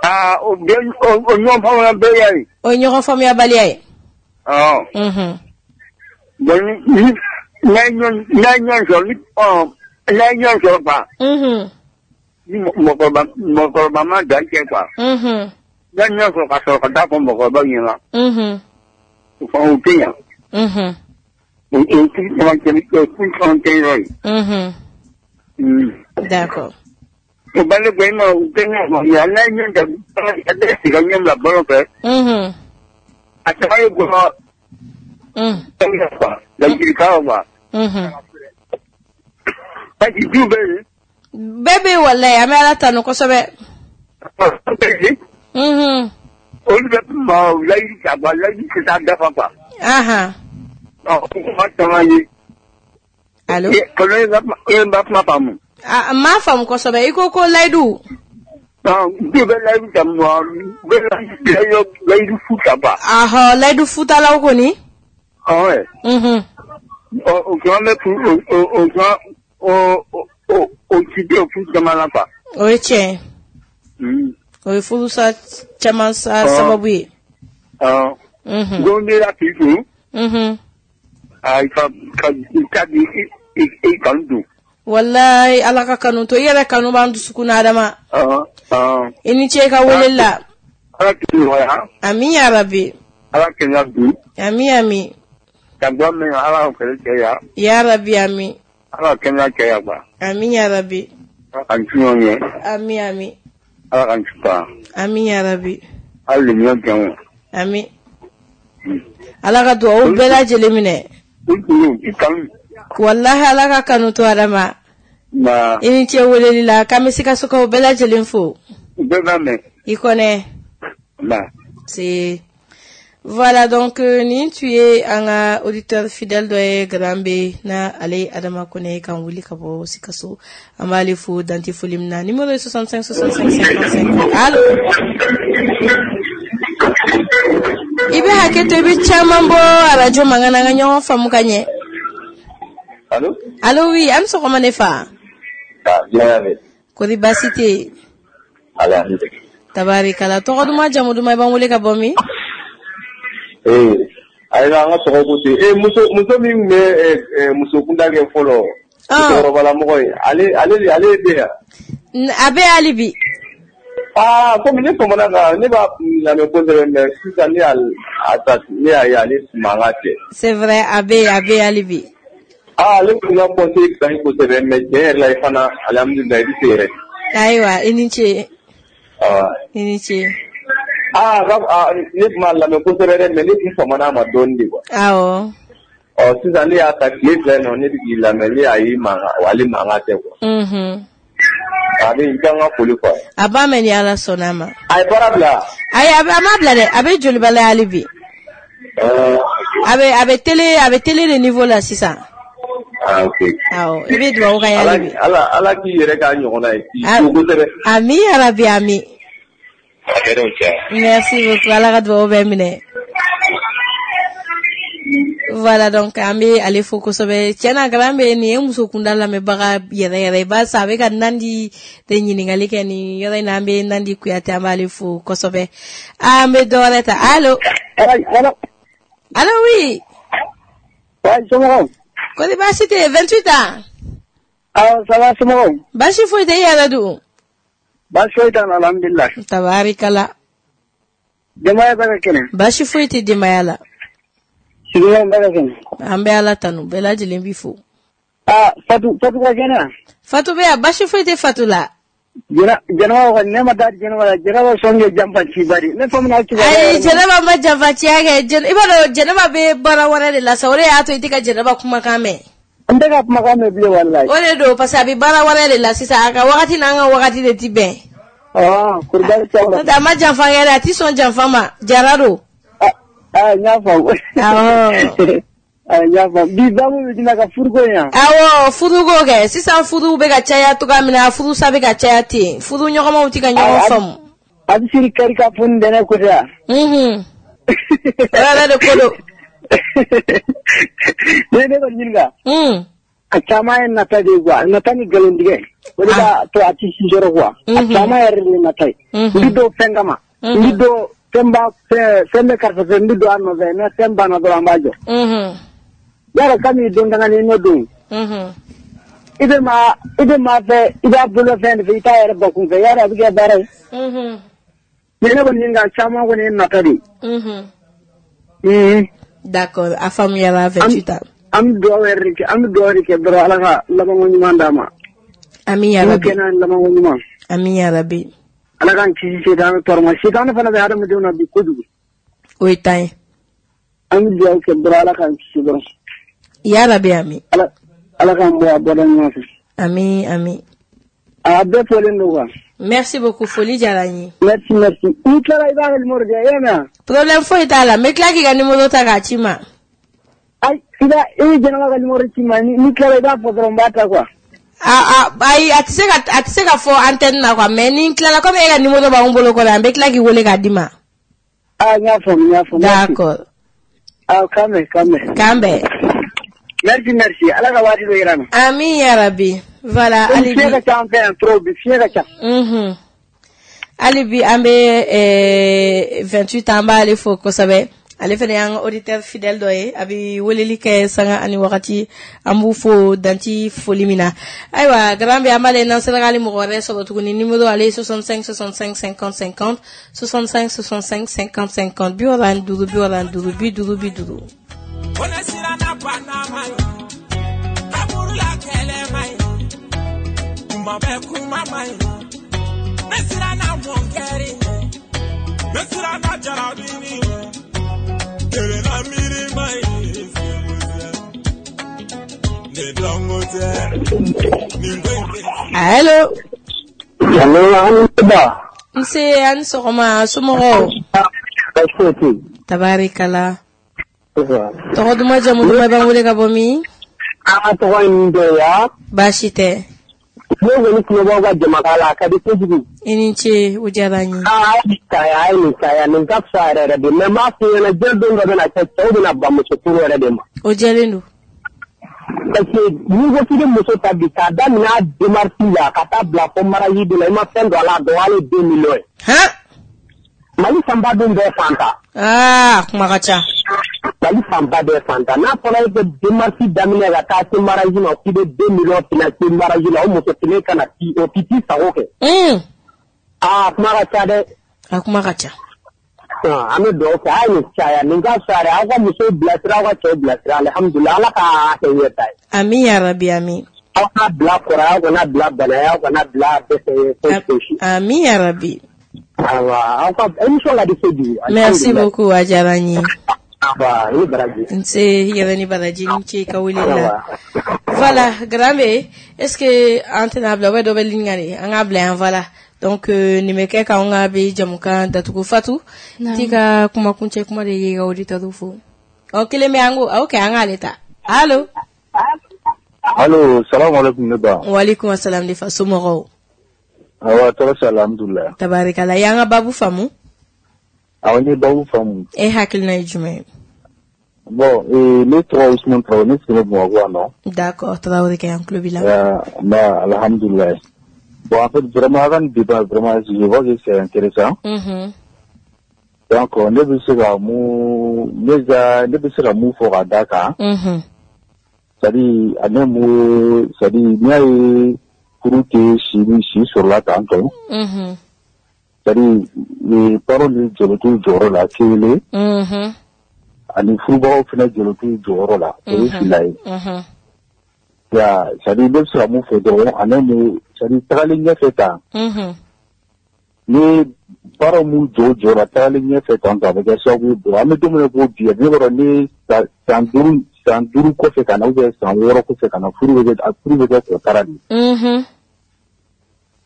Ah, o bɛ o ɲɔgɔn faamuyabaliya ye. O ye ɲɔgɔn faamuyabaliya ye. Awɔ. Unhun. Bon, ni n'a ye ɲɔgɔn n'a ye ɲɔgɔn sɔrɔ ni ɔ N'a ye ɲɔgɔn sɔrɔ quoi. Mhm. Ni mɔgɔkɔrɔba mɔgɔkɔrɔba ma dan kɛ quoi. Mhm. N'a ye ɲɔgɔn sɔrɔ ka sɔrɔ ka taa fɔ mɔgɔkɔrɔbaw ɲɛna. Mhm. O fana o tɛ ɲa. Mhm. O o furu caman kɛ o furu caman kɛ yɔrɔ ye. Mhm. Mm. D'accord. O bale ko i ma u tɛ ɲɔgɔn faamuya n'a ye ɲɔgɔn ta a bɛ sigi ka ɲɔgɔn bila balo fɛ. Mhm. A caman ye gɔlɔ Mm. fɛn quoi ladilikan quoi. Mhm. Parce que du bɛ yen. Bɛɛ bɛ yen walayi an bɛ Ala tanu kosɛbɛ. Du bɛ yen. Mhm. Olu bɛ ma layidu ta quoi layidu tɛ taa dafa quoi. Ahan. Ɔ o kuma caman ye. Allo. Kɔnɔ e b'a e b'a kuma faamu. A n m'a faamu kosɛbɛ i ko ko layidu. Ɔ du bɛ layidu ta mɔ u bɛ layidu layidu fu ta quoi. Ahɔ layidu futalaw kɔni. Ɔ Mhm. ɔ o caman bɛ furu o o o caman o o o ci tɛ o furu caman la quoi. O ye tiɲɛ ye. Mm. O ye furusa caman sa Ɔ. sababu ye. Ɔ. Mhm. Don bɛ la k'i kun. Mhm. A ka ka i ka di i i i kanu don. Walayi Ala ka kanu to i yɛrɛ kanu b'an dusukun na Adama. Ɔ ɔ. I ni ce i ka weleli la. Ala k'i nɔgɔya. Ami ya rabi. Ala kɛnɛya dun. Ami ami. Ka dɔ min Ala ka kɛlɛ cɛya. Ya rabi ami. Ala ka kɛnɛya cɛya quoi. Ami ya rabi. Ala k'an ci ɲɔgɔn ye. Ami ami. Ala k'an ci ban. Ami ya rabi. Hali le ɲɔgɔn jɛn o. Ami. Ala ka duwawu bɛɛ lajɛlen minɛ. I kun i kanu. Walahi Ala ka kanu to Adama. Nka I ni ce weleli la k'an bɛ Sikasokaw bɛɛ lajɛlen fo. u bɛɛ b'a mɛn. I kɔnɛ. Nba. C'est voilà donc euh, nin tun ye an ka auditeur fidèle dɔ ye Garambe na ale ye Adama Kone kan wuli ka bɔ Sikaso an b'ale fo dante foli min na numéro ye soixante-cinq soixante-cinq cinquante-cinq. Allo. I bɛ hakɛ to i bɛ caman bɔ arajo mankan na an ka ɲɔgɔn faamu ka ɲɛ. Allo? Allo oui, an ni sɔgɔma ne fa. Ah, bien avec. Kori baasi tɛ yen. Alhamdulillah. Tabarikala tɔgɔ duman jamu duman i b'an wele ka bɔ min? Eh, ayi an ka tɔgɔ ko ten. Eh, muso muso min tun bɛ eh, eh, muso kunda kɛ fɔlɔ. Ah. Musokɔrɔbalamɔgɔ ye. Ale ale de ale bɛ yan. N- A bɛ hali bi. Ah, komi ne famana ka ne b'a lamɛn kosɛbɛ mais sisan ne y'a a ta ne y'a ye ale mankan tɛ. C'est vrai a bɛ yen a bɛ yen hali bi. Ah, ale tun ka conseil ka ɲi kosɛbɛ mais tiɲɛ yɛrɛ la i fana alhamdulillah i bɛ se yɛrɛ. Ayiwa i ni ce Ah. i ni ce. Ah, ka ah, ne tun b'a lamɛn kosɛbɛ dɛ mais ne tun famana a ma dɔɔnin de quoi. Awɔ. Ɔ sisan ne y'a ta tile fila in na ne bɛ k'i lamɛn ne y'a ye mankan ale mankan tɛ quoi. Mhm. A bɛ i kan ka foli quoi. A b'a mɛn ni Ala sɔnna a ma. A ye baara bila. Ayi a bɛ a m'a bila dɛ a bɛ joliba la hali bi. Ɛɛ, A bɛ a bɛ télé a bɛ télé de niveau la sisan. ah ok. Awɔ i bɛ dugawu k'a ye Ala hali bi. ala ala k'i yɛrɛ k'a ɲɔgɔnna ye k'i Ah. to kosɛbɛ. Ami ya rabi ami. A kɛra o cɛ. Merci beaucoup Ala ka dugawu bɛɛ minɛ. Voilà donc an bɛ ale fo kosɛbɛ tiɲɛna Garambe nin ye muso kunda lamɛnbaga yɛrɛ yɛrɛ ye barisa a bɛ ka Nandi de ɲininkali kɛ nin yɔrɔ in na an bɛ Nandi Kuyate an b'ale fo kosɛbɛ an bɛ dɔ wɛrɛ ta allo Allo. allo oui Ouais, somɔgɔw. kɔri baasi tɛ yen vingt-huit ans Awɔ, ça va somɔgɔw. baasi foyi tɛ i yɛrɛ dun Baasi foyi t'an na alhamdulillah. tabarikala Denbaya bɛɛ ka kɛnɛ. baasi foyi tɛ denbaya la Sigiɲɔgɔnw bɛɛ ka kɛnɛ. an bɛ Ala tanu bɛɛ lajɛlen b'i fo Ah, Fatu Fatu ka kɛnɛ wa? Fatu bɛ yan baasi foyi tɛ Fatu la Jɛnɛ Jɛnɛba kɔni ne ma taa Jɛnɛba la Jɛnɛba sɔn kɛ janfa ci bari ne famana kibaruya ayi yɛrɛ ma. Jɛnɛba ma janfaciya kɛ Jɛnɛ i b'a dɔn Jɛnɛba bɛ baara wɛrɛ de la sa o de y'a to i tɛ ka Jɛnɛba kumakan mɛn N tɛ ka kumakan mɛn bilen walayi. o de don parce que a bɛ baara wɛrɛ de la sisan a ka wagati n'an ka wagati de ti bɛn Ah, kurubali t'aw la. n'o tɛ a ma janfa kɛ dɛ a ti sɔn janfa ma jara don Ah, ah, n y'a faamu. Awɔ. Ah, n y'a faamu. Bi baabu bɛ jumɛn kan furuko in yan? Awɔ furuko kɛ sisan furuw bɛ ka caya cogoya min na furusa bɛ ka caya ten furu ɲɔgɔnmaw ti ka ɲɔgɔn Ah, ah. faamu A bɛ siri kari ka fo ntɛnɛn ko tɛ wa? unhun o yɛrɛ de ko don Ne ne kɔni ɲininka. un A caman ye nata de ye quoi nata ni nkalontigɛ o de b'a to a ti si sɔrɔ quoi a Mhm. caman yɛrɛ de ye nata ye Mhm. n bi don fɛn kama n bi Mhm. don fɛn b'a fɛn fɛn bɛ karisa fɛ n bi don a nɔfɛ ni fɛn banna dɔrɔn an b'a jɔ unhun yarɔ kami don dangani n'o don unhun I bɛ maa i bɛ maa fɛ i b'a bolo fɛn de fɛ i t'a yɛrɛ bakun fɛ yarɔ a bɛ kɛ baara ye. Mhm. Mais ne kɔni ka caman kɔni ye nata de ye. Mhm. Mhm. D'accord, a faamuyara vingt-huit ans. An bɛ dugawu yɛrɛ de kɛ an bɛ dugawu de kɛ dɔrɔn Ala ka labanko ɲuman d'a ma. Amin ya N'o Rabbi. kɛ n'a labanko ɲuman. Amin ya Rabbi. Ala k'an kisi setanɛ tɔɔrɔ ma setanɛ fana bɛ hadamadenw na bi kojugu. O ye tan ye. An bɛ dugawu kɛ dɔrɔn Ala k'an kisi dɔrɔn. Ya Rabbi amin. Ala Ala k'an bɔ a bɔda ɲuman fɛ. Amin amin. A bɛɛ fɔlen don quoi. Merci beaucoup, foli diyara n ye. Merci merci. N'i tilala i b'a ka numéro di yan i y'a mɛn wa? Problème foyi t'a la, n bɛ tila k'i ka numéro ta k'a ci ma. Ayi i b'a i bɛ Jɛnɛba ka numéro ci n ma n'i tilala i b'a fɔ dɔrɔn n b'a ta quoi. A a ayi a tɛ se ka a tɛ se ka fɔ antenne na quoi, mais ni n tilala comme e ka numéro b'anw bolo kɔrɔ an bɛ tila k'i wele k'a d'i ma. Ah n y'a faamu n y'a faamu. D'accord. Ah k'an bɛn k'an bɛn. K'an bɛn. Merci merci Ala ka waati dɔ yira n na. Amin ya Rabbi. Voilà, Komi hali fiɲɛ bi. ka ca an fɛ yan trop bi fiɲɛ ka ca. Mhm. Hali bi an bɛ eh, vingt-huit an b'ale fo kosɛbɛ. Ale fana y'an ka auditeur fidèle dɔ ye, a bɛ weleli kɛ sanga ani wagati, an b'u fo danti foli min na. Ayiwa, Garan bɛ an b'ale n'an sera k'ale mɔgɔ wɛrɛ sɔrɔ tuguni, numéro ale ye soixante-cinq soixante-cinq cinquante cinquante, soixante-cinq soixante-cinq cinquante cinquante, bi wɔɔrɔ ani duuru bi wɔɔrɔ ani duuru bi duuru bi duuru. Kone siranna banna ma ye, kaburula kɛlɛ ma ye, kuma bɛ kuma ma ye, ne siranna mɔnkɛri ɲɛ, ne siranna jarabini ɲɛ, kelenna miiri ma ye, ne dɔnko tɛ, nin ko in tɛ. Allo. Allo, an ba. Nse, a ni sɔgɔma, somɔgɔw? Baasi foyi tɛ yen. Tabarikala. Tɔgɔ duman jamu duman i b'an wele ka bɔ min? An ka tɔgɔ ye nin dɔ ye ya. Baasi tɛ. Ne kɔni tulo b'aw ka jamakan la a ka di kojugu. I ni ce, o diyara n ye. Aa a ye nin caya a ye nin caya nin ka fisa yɛrɛ yɛrɛ de mais n b'a f'i ɲɛna diɲɛ don dɔ bɛna kɛ cɛw bɛna ban muso furu yɛrɛ de ma. O jɛlen don. Parce que n'i ko k'i bɛ muso ta bi k'a daminɛ a démarche la ka taa bila fo mariage de la i ma fɛn don a la a dɔgɔyalen deux millions ye. Han. Mali fanba dun bɛɛ fantan. Aa kuma ka ca. Mali fanba bɛɛ fantan n'a fɔra e bɛ démarche daminɛ ka taa se mariage ma k'i bɛ deux millions financer mariage la o muso kelen kana ti o ti t'i sago kɛ. Un. Aa kuma ka ca dɛ. A kuma ka ca. An bɛ dugawu kɛ a ye nin caya nin ka fisa dɛ aw ka musow bilasira aw ka cɛw bilasira alihamudulilayi Ala ka kɛ ɲɛta ye. Amin ya Rabbi amin. Aw ka bila kɔrɔ aw kana bila bana aw kana bila dɛsɛ ye foyi foyi. Amin ya Rabbi. Awa aw ka émission ka di kojugu. Merci beaucoup, a diyara n ye. Awa i ni baraji. Nse yɛrɛ ni baraji ni ce i ka wele la. Voilà, Garambe, est-ce que an tɛna bila ou dɔ bɛ ligne kan de an k'a bila yan voilà. Donc euh, nin bɛ kɛ k'anw ka bi jamukan datugu Fatu. T'i ka kuma kuncɛ kuma de ye i ka auditeur fo. Ɔ kelen bɛ an ko ok an k'ale ta. Allo. Allo, salamu alaikum ne ba. Waaleykum assalam ne fa somɔgɔw. Awa tɔɔrɔ si alhamdulilayi. Tabarikala, i y'an ka babu faamu? Awɔ n ye babu faamu. E hakilina ye jumɛn ye? Bon, eh, ne tɔgɔ Usman Traoré, ne sigilen Bamakɔ yan nɔ. D'accord, Traoré kɛ an tulo b'i la. Euh, bah, alhamdulilayi. Bon, en fait, vraiment, avant le débat, vraiment, je vois que c'est intéressant. Mhm. Donc, ne bɛ se ka mun, ne ka, ne bɛ se ka mun fɔ ka d'a kan. Mhm. C'est-à-dire, a ne mun, c'est-à-dire, n'i y'a ye furu tɛ si ni si sɔrɔla tan tɔ. Mhm. C'est-à-dire, les parents ni jɔyɔrɔ t'u jɔyɔrɔ la kelen. Mhm. Ani furubagaw fana jɔyɔrɔ t'u jɔyɔrɔ la. O ye fila ye. Mhm. Ya, c'est-à-dire, ne bɛ se ka mun fɔ dɔrɔn, a ne mun, c'est-à-dire, tagalen ɲɛfɛ tan. Mhm. Ni baara m'u jɔ jɔyɔrɔ la tagalen ɲɛfɛ tan a bɛ kɛ sababu ye bon an bɛ don min na ko bi ne b'a dɔn ni san duuru san duuru kɔfɛ ka na ou bien san wɔɔrɔ kɔfɛ ka na furu bɛ kɛ furu bɛ kɛ kɔtara de ye. Mhm.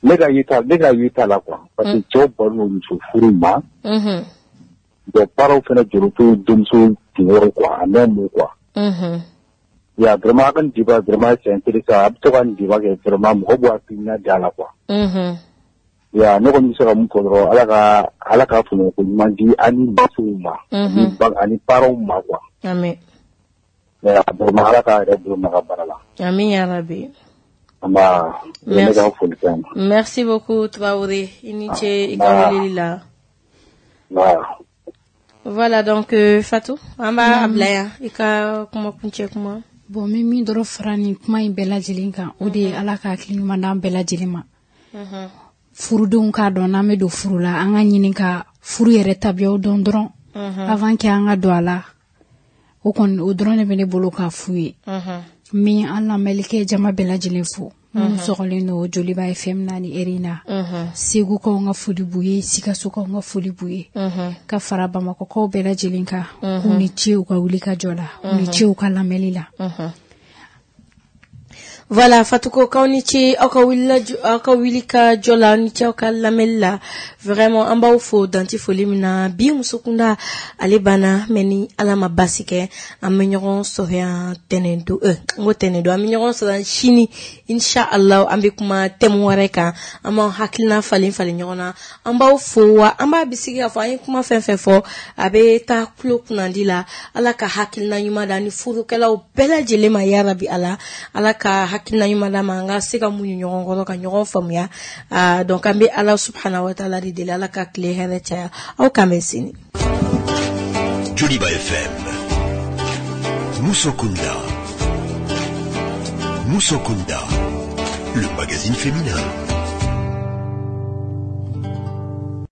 Ne ka yeta ne ka yeta la quoi parce que cɛw balo don muso furu ma. Mhm. Donc parents fana jɔyɔrɔ t'u denmuso kunkɔrɔ quoi a n'a mun quoi. Mhm. Ya vraiment a ka nin débat vraiment c'est intéressant a bɛ to ka nin débat kɛ vraiment mɔgɔ b'u hakilina di a la quoi. Mhm. Ya ne kɔni bɛ se ka mun fɔ dɔrɔn Ala ka Ala ka faamuyako ɲuman di an ni musow ma. Mhm. Ani parents ma quoi. Amin. Ya vraiment Ala k'a yɛrɛ bolo mɛn ka baara la. Amin ya Rabbi. Nba ne ka foli kɛ yan. Merci beaucoup Traoré, i ni ce i ka weleli la. Nba. Voilà donc euh, Fatou, an b'a bila yan i ka kuma kuncɛ kuma. Bon, n bɛ min dɔrɔn fara nin kuma in bɛɛ lajɛlen kan, o de ye Ala ka hakili ɲuman d'an bɛɛ lajɛlen ma. Furudenw k'a dɔn, n'an bɛ don furu la, an ka ɲini ka furu yɛrɛ tabiyaw dɔn dɔrɔn avant que an ka don a la. O kɔni, o dɔrɔn de bɛ ne bolo k'a f'u ye. N bɛ an lamɛnlikɛ jama bɛɛ lajɛlen fo, minnu sɔgɔlen don Joliba F M na ni heure in na. Segukaw ka foli b'u ye, Sikasokaw ka foli b'u ye, ka fara Bamakɔkaw bɛɛ lajɛlen kan, k'u ni ce u ka wuli ka jɔ la, u ni ce u ka lamɛnli la. Voilà, Fatou, k'aw ni ce aw ka wuli aw ka wuli ka jɔ la, aw ni ce aw ka lamɛnli la. Vraiment, an b'aw fo danti foli min na. Bi Musokunda, ale banna, mais ni Ala ma basi kɛ, an bɛ ɲɔgɔn sɔrɔ yan tɛnɛn don, euh, n ko tɛnɛn don, an bɛ ɲɔgɔn sɔrɔ yan sini, inshallah. An bɛ kuma thème wɛrɛ kan, an b'an hakilina falen falen ɲɔgɔn na. An b'aw fo wa an b'a bisigi k'a fɔ an ye kuma fɛn fɛn fɔ, a bɛ taa tulo kunnandi la. Ala ka hakilina ɲuman da ni furukɛlaw bɛɛ lajɛlen ma, yarabi Ala. Ala ka hakilina ɲuman d'a ma, an ka se ka muɲu ɲɔgɔn kɔrɔ ka ɲɔgɔn faamuya. Ah, donc an bɛ Ala subhanahu wa taala de deli, Ala ka tile hɛrɛ caya. Aw k'an bɛn sini. Joliba F M. Musokunda. Musokunda. Le magazine féminin.